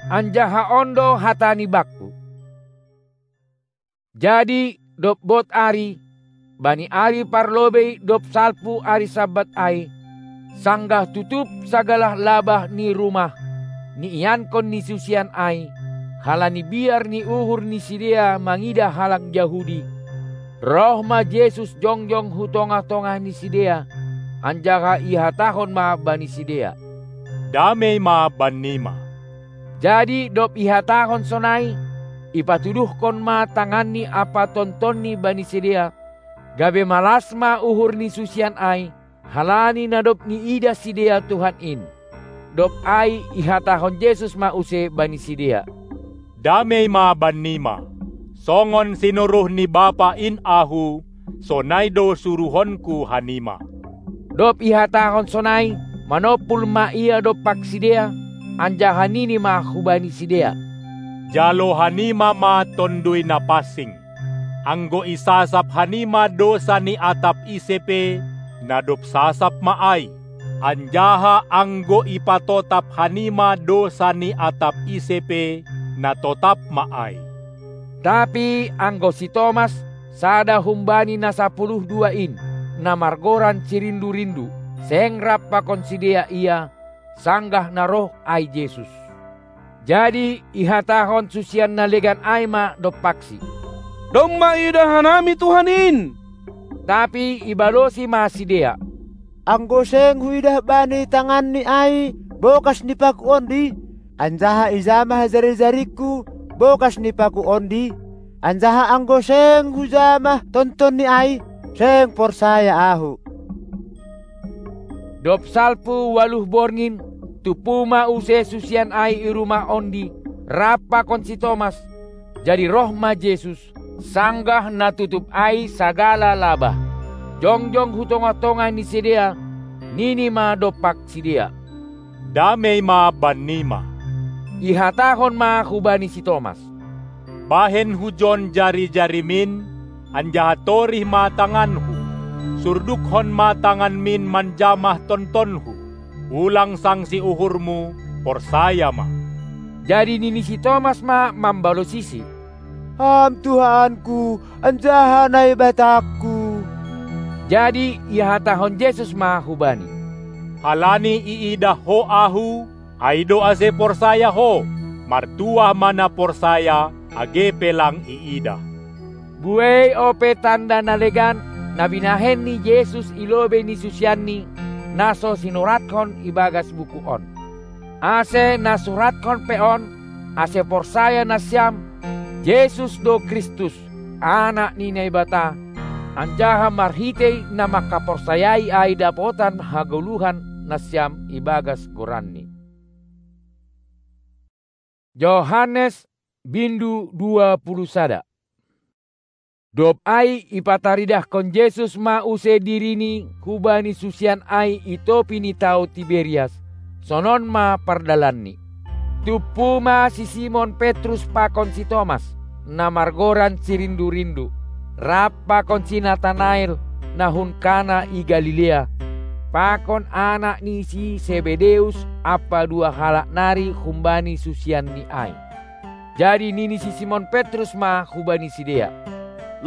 Anjaha on do hatani bakku. Jadi dob bot ari, bani ari parlobei dob salpu ari Sabbat ai, sanggah tutup sagala labah ni rumah niiankon ni susian ai, halani biar ni uhur ni sidea mangidah halak Jahudi, roh ma Jesus jongjong hu tongah-tongah ni sidea, anjaha ihatahon ma bani sidea: Damei ma bannima. Jadi dob ihatahon sonai, ipatuduhkon ma tanganni ampa tontonni bani sidea, gabe malas ma uhur ni susian ai, halani na dob niidah sidea Tuhan in. Dob ai ihatahon Jesus ma use bani sidea: Damei ma bannima. Songon sinuruh ni Bapa in Ahu, sonai do suruhonku hanima. Dob ihatahon sonai, manompul ma ia dompak sidea, anjaha nini ma hubani sidea: Jalo hanima ma Tonduy Napansing. Anggo isasap hanima dousa ni atap ise pe, na dob sasap ma ai. Anjaha anggo ipatotap hanima dousa ni atap ise pe, na totap ma ai. Tapi anggo si Tomas, sada humbani na sapuluh dua in, na margoran si Rindu-rindu, seng rap pakon sidea ia, sanggah na roh ai Jesus. Jadi ihatahon susian na legan ai ma dompaksi: Domma iidah hanami Tuhan in! Tapi ibalosi ma sidea: Anggo seng huidah bani tanganni ai bokas ni paku ondi, anjaha ijamah jari-jaringku bokas ni paku ondi, Anjaha anggo seng hujamah tontonni ai, seng porsaya ahu. Dob salpu ualuh borngin, tumpu ma use susian ai i rumah ondi, rap pakon si Tomas. Jadi roh ma Jesus, sanggah na tutup ai sagala labah. Jongjong hu tongah-tongah ni sidea, nini ma dompak sidea: "Damei ma bannima!" Ihatahon ma hubani si Tomas: "Bahen hujon jari-jarimin, anjaha torih ma tanganhu. Surdukhon ma tanganmin manjamah tontonhu. Ulang sangsi uhurmu, porsaya ma." Jadi nini si Tomas ma mambalosisi: "Ham Tuhanku, anjaha Naibatangku!" Jadi ihatahon Jesus ma hubani: "Halani iidah ho Ahu, ai do ase porsaya ho. Martuah ma na porsaya, age pe lang iidah." Buei ope tanda na legan, na binahen ni Jesus i lobei ni susianni, na so sinurathon ibagas buku on. Ase na surathon pe on, ase porsaya nasiam, Jesus do Kristus, Anak ni Naibata, anjaha marhitei na mangkaporsayai ai dapotan hagoluhan nasiam ibagas goranNi. Johannes, bindu dua puluh sada. Dob ai ipataridahkon Jesus ma use diriNi hubani susian ai i topi ni tao Tiberias, sonon ma pardalanNi. Tumpu ma si Simon Petrus pakon si Tomas, na margoran si Rindu-rindu, rap pakon si Natanael, na hun Kana i Galilea, pakon anak ni si Sebedeus ampa dua halak nari humbani susianNi ai. Jadi nini si Simon Petrus ma hubani sidea: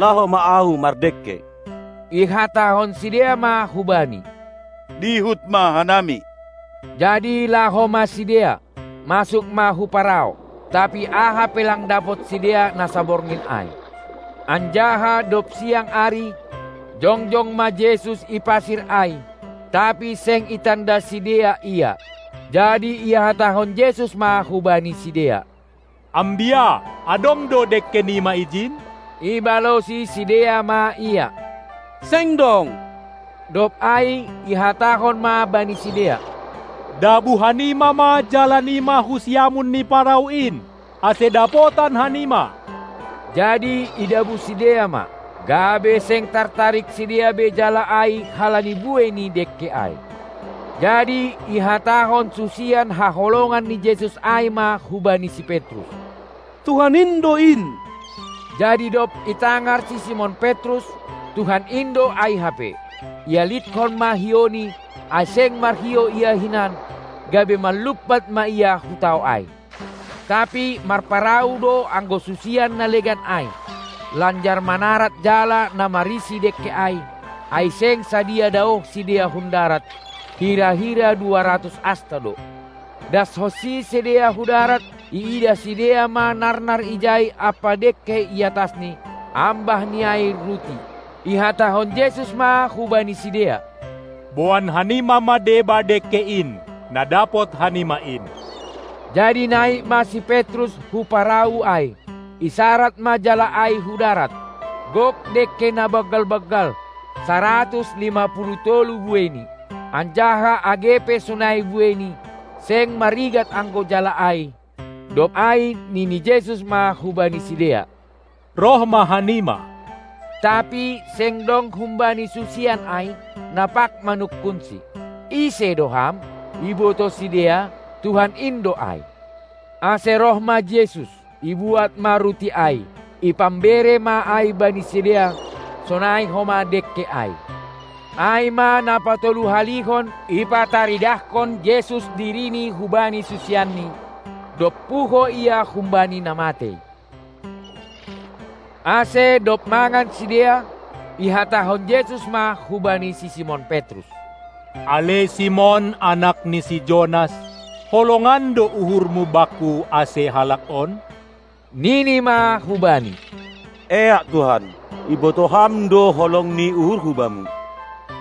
"Laho ma ahu mardengke." Ihatahon sidea ma hu-Bani: "Dihut ma hanami." Jadi laho ma sidea, masuk ma hu parau, tapi aha pe lang dapot sidea na saborngin ai. Anjaha dob siang ari, jongjong ma Jesus i pasir ai, tapi seng itanda sidea Ia. Jadi ihatahon Jesus ma hubani sidea: "Ambia, adong do dengkenima ijin?" Ibalosi sidea ma Ia: "Seng dong." Dob ai ihatahon ma bani sidea: "Dabu hanima ma jalanima hu siamun ni parau in, ase dapotan hanima." Jadi idabu sidea ma, gabe seng tartarik sidea be jala ai halani buei ni dengke ai. Jadi ihatahon susian haholongan ni Jesus ai ma hubani si Petrus: "Tuhan in do in!" Jadi dob itangar si Simon Petrus, Tuhan in do ai hape, ialitkon ma hiouni, ai seng marhio ia hinan, gabe manlumpat ma ia hu tao ai. Tapi marparau do anggo susian na legan ai, lanjar manarat jala na marisi dengke ai, ai seng sadia daoh sidea hun darat, hira-hira dua ratus asta do. Dashonsi sidea hu darat, iidah sidea ma narnar ijai ampa dengke i atasni, ambah ni ai ruti. Ihatahon Jesus ma hubani sidea: "Boan hanima ma deba dengke in, na dapot hanima in." Jadi naik ma si Petrus hu parau ai, isarat ma jala ai hu darat. Gok dengke na banggal-banggal, saratus lima puluh tolu bueini, anjaha age pe sonai bueini, seng marigat anggo jala ai. Dob ai nini Jesus ma hubani sidea: "Roh ma hanima." Tapi seng dong humbani susian ai, na pag manungkunsi: "Ise do Ham?" Iboto sidea, Tuhan in do ai. Ase roh ma Jesus, ibuat ma ruti ai, ipambere ma ai bani sidea, sonai homa dengke ai. Ai ma na patoluhalihon ipataridahkon Jesus diriNi hubani susianNi, dob puho Ia humbani na matei. Ase dob mangan sidea, ihatahon Jesus ma hubani si Simon Petrus: "Ale Simon, anak ni si Jonas, holongan do uhurmu Bakku ase halak on?" Nini ma hu-Bani: "Eak Tuhan, iboto Ham do holong ni uhurhu Bamu."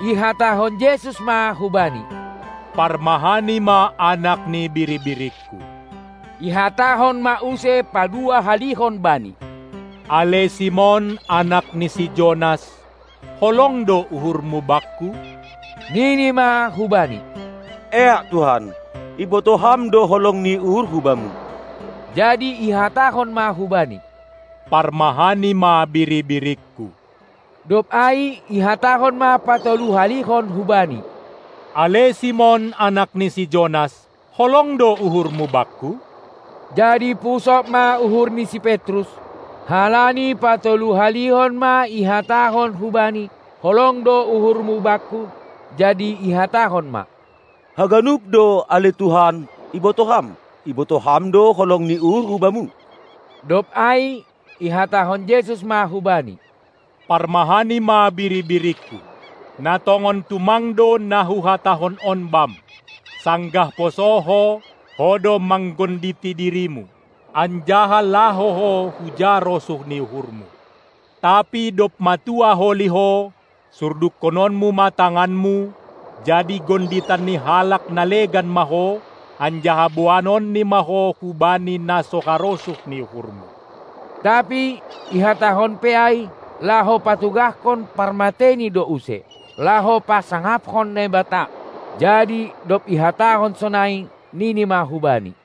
Ihatahon Jesus ma hubani: "Parmahani ma anak ni biri-biringKu." Ihatahon ma use paduahalihon bani: Ale Simon, anak ni si Jonas, holong do uhurmu bakku? Nini ma hubani: Eak Tuhan, ibotoh Ham do holong ni uhurhu bamu. Jadi ihatahon ma hubani: Parmahani ma biri-biringku. Dob ai ihatahon ma patoluhalihon hubani: Ale Simon, anak ni si Jonas, holong do uhurmu bakku? Jadi pusok ma uhur ni si Petrus, halani patoluhalihon ma ihatahon hubani: Holong do uhurmu bakku. Jadi ihatahon ma: Haganup do, ale Tuhan, ibotoh Ham, ibotoh Ham do holong ni uhurhu bamu. Dob ai ihatahon Jesus ma hubani: Parmahani ma biri-biringku. Na tongon tumang do na huhatahon on bam: Sanggah poso ho, ho do manggonditi dirimu, anjaha laho ho hu ja rosuh ni uhurmu. Tapi dob matua holi ho, surdukkononmu ma tanganmu, jadi gonditan ni halak na legan ma ho, anjaha boanonni ma ho hubani na so harosuh ni uhurmu. Tapi ihatahon pe ai, laho patugahkon parmateni do use, laho pasangaphon Naibata. Jadi dob ihatahon sonai, nini ma hubani: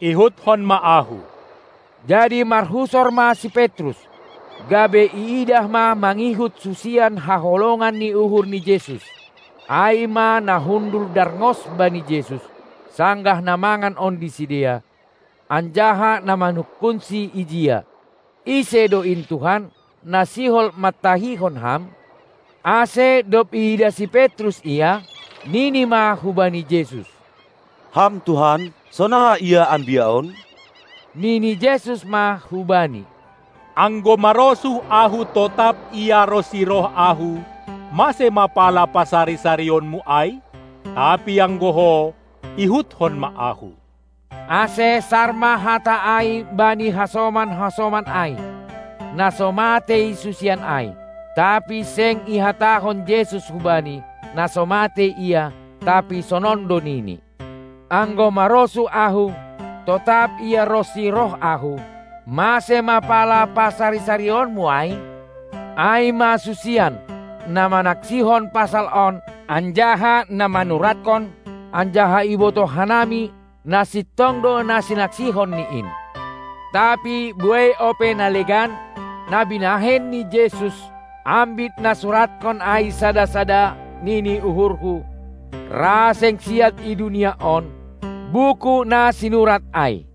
Ihuthon ma Ahu. Jadi marhusor ma si Petrus, gabe iidah ma mangihut susian haholongan ni uhur ni Jesus. Ai ma na hundul darngos bani Jesus, sanggah na mangan on di sidea, anjaha na manungkunsi ijia: Ise do in Tuhan, na sihol mantahihon Ham? Ase dob iidah si Petrus Ia, nini ma hubani Jesus: Ham Tuhan, sonaha ia ambia on? Nini Jesus ma hubani: Anggo marosuh Ahu totap ia ronsi roh Ahu, mase ma pala pasari-sarionmu ai? Tapi anggo ho, ihuthon ma Ahu. Ase sar ma hata ai bani hasoman-hasoman ai, na so matei susian ai. Tapi seng ihatahon Jesus hubani, na so matei ia, tapi sonon do nini: Anggo marosuh Ahu, totap ia ronsi roh Ahu, mase ma pala pasari-sarionmu ai? Ai ma susian, na manaksihon pasal on, anjaha na manuratkon, anjaha ibotoh hanami, na sintong do na sinaksihon ni in. Tapi buei ope na legan, na binahen ni Jesus, ambit na suratkon ai sada-sada nini uhurhu, ra seng siat i dunia on, buku na sinurat ai.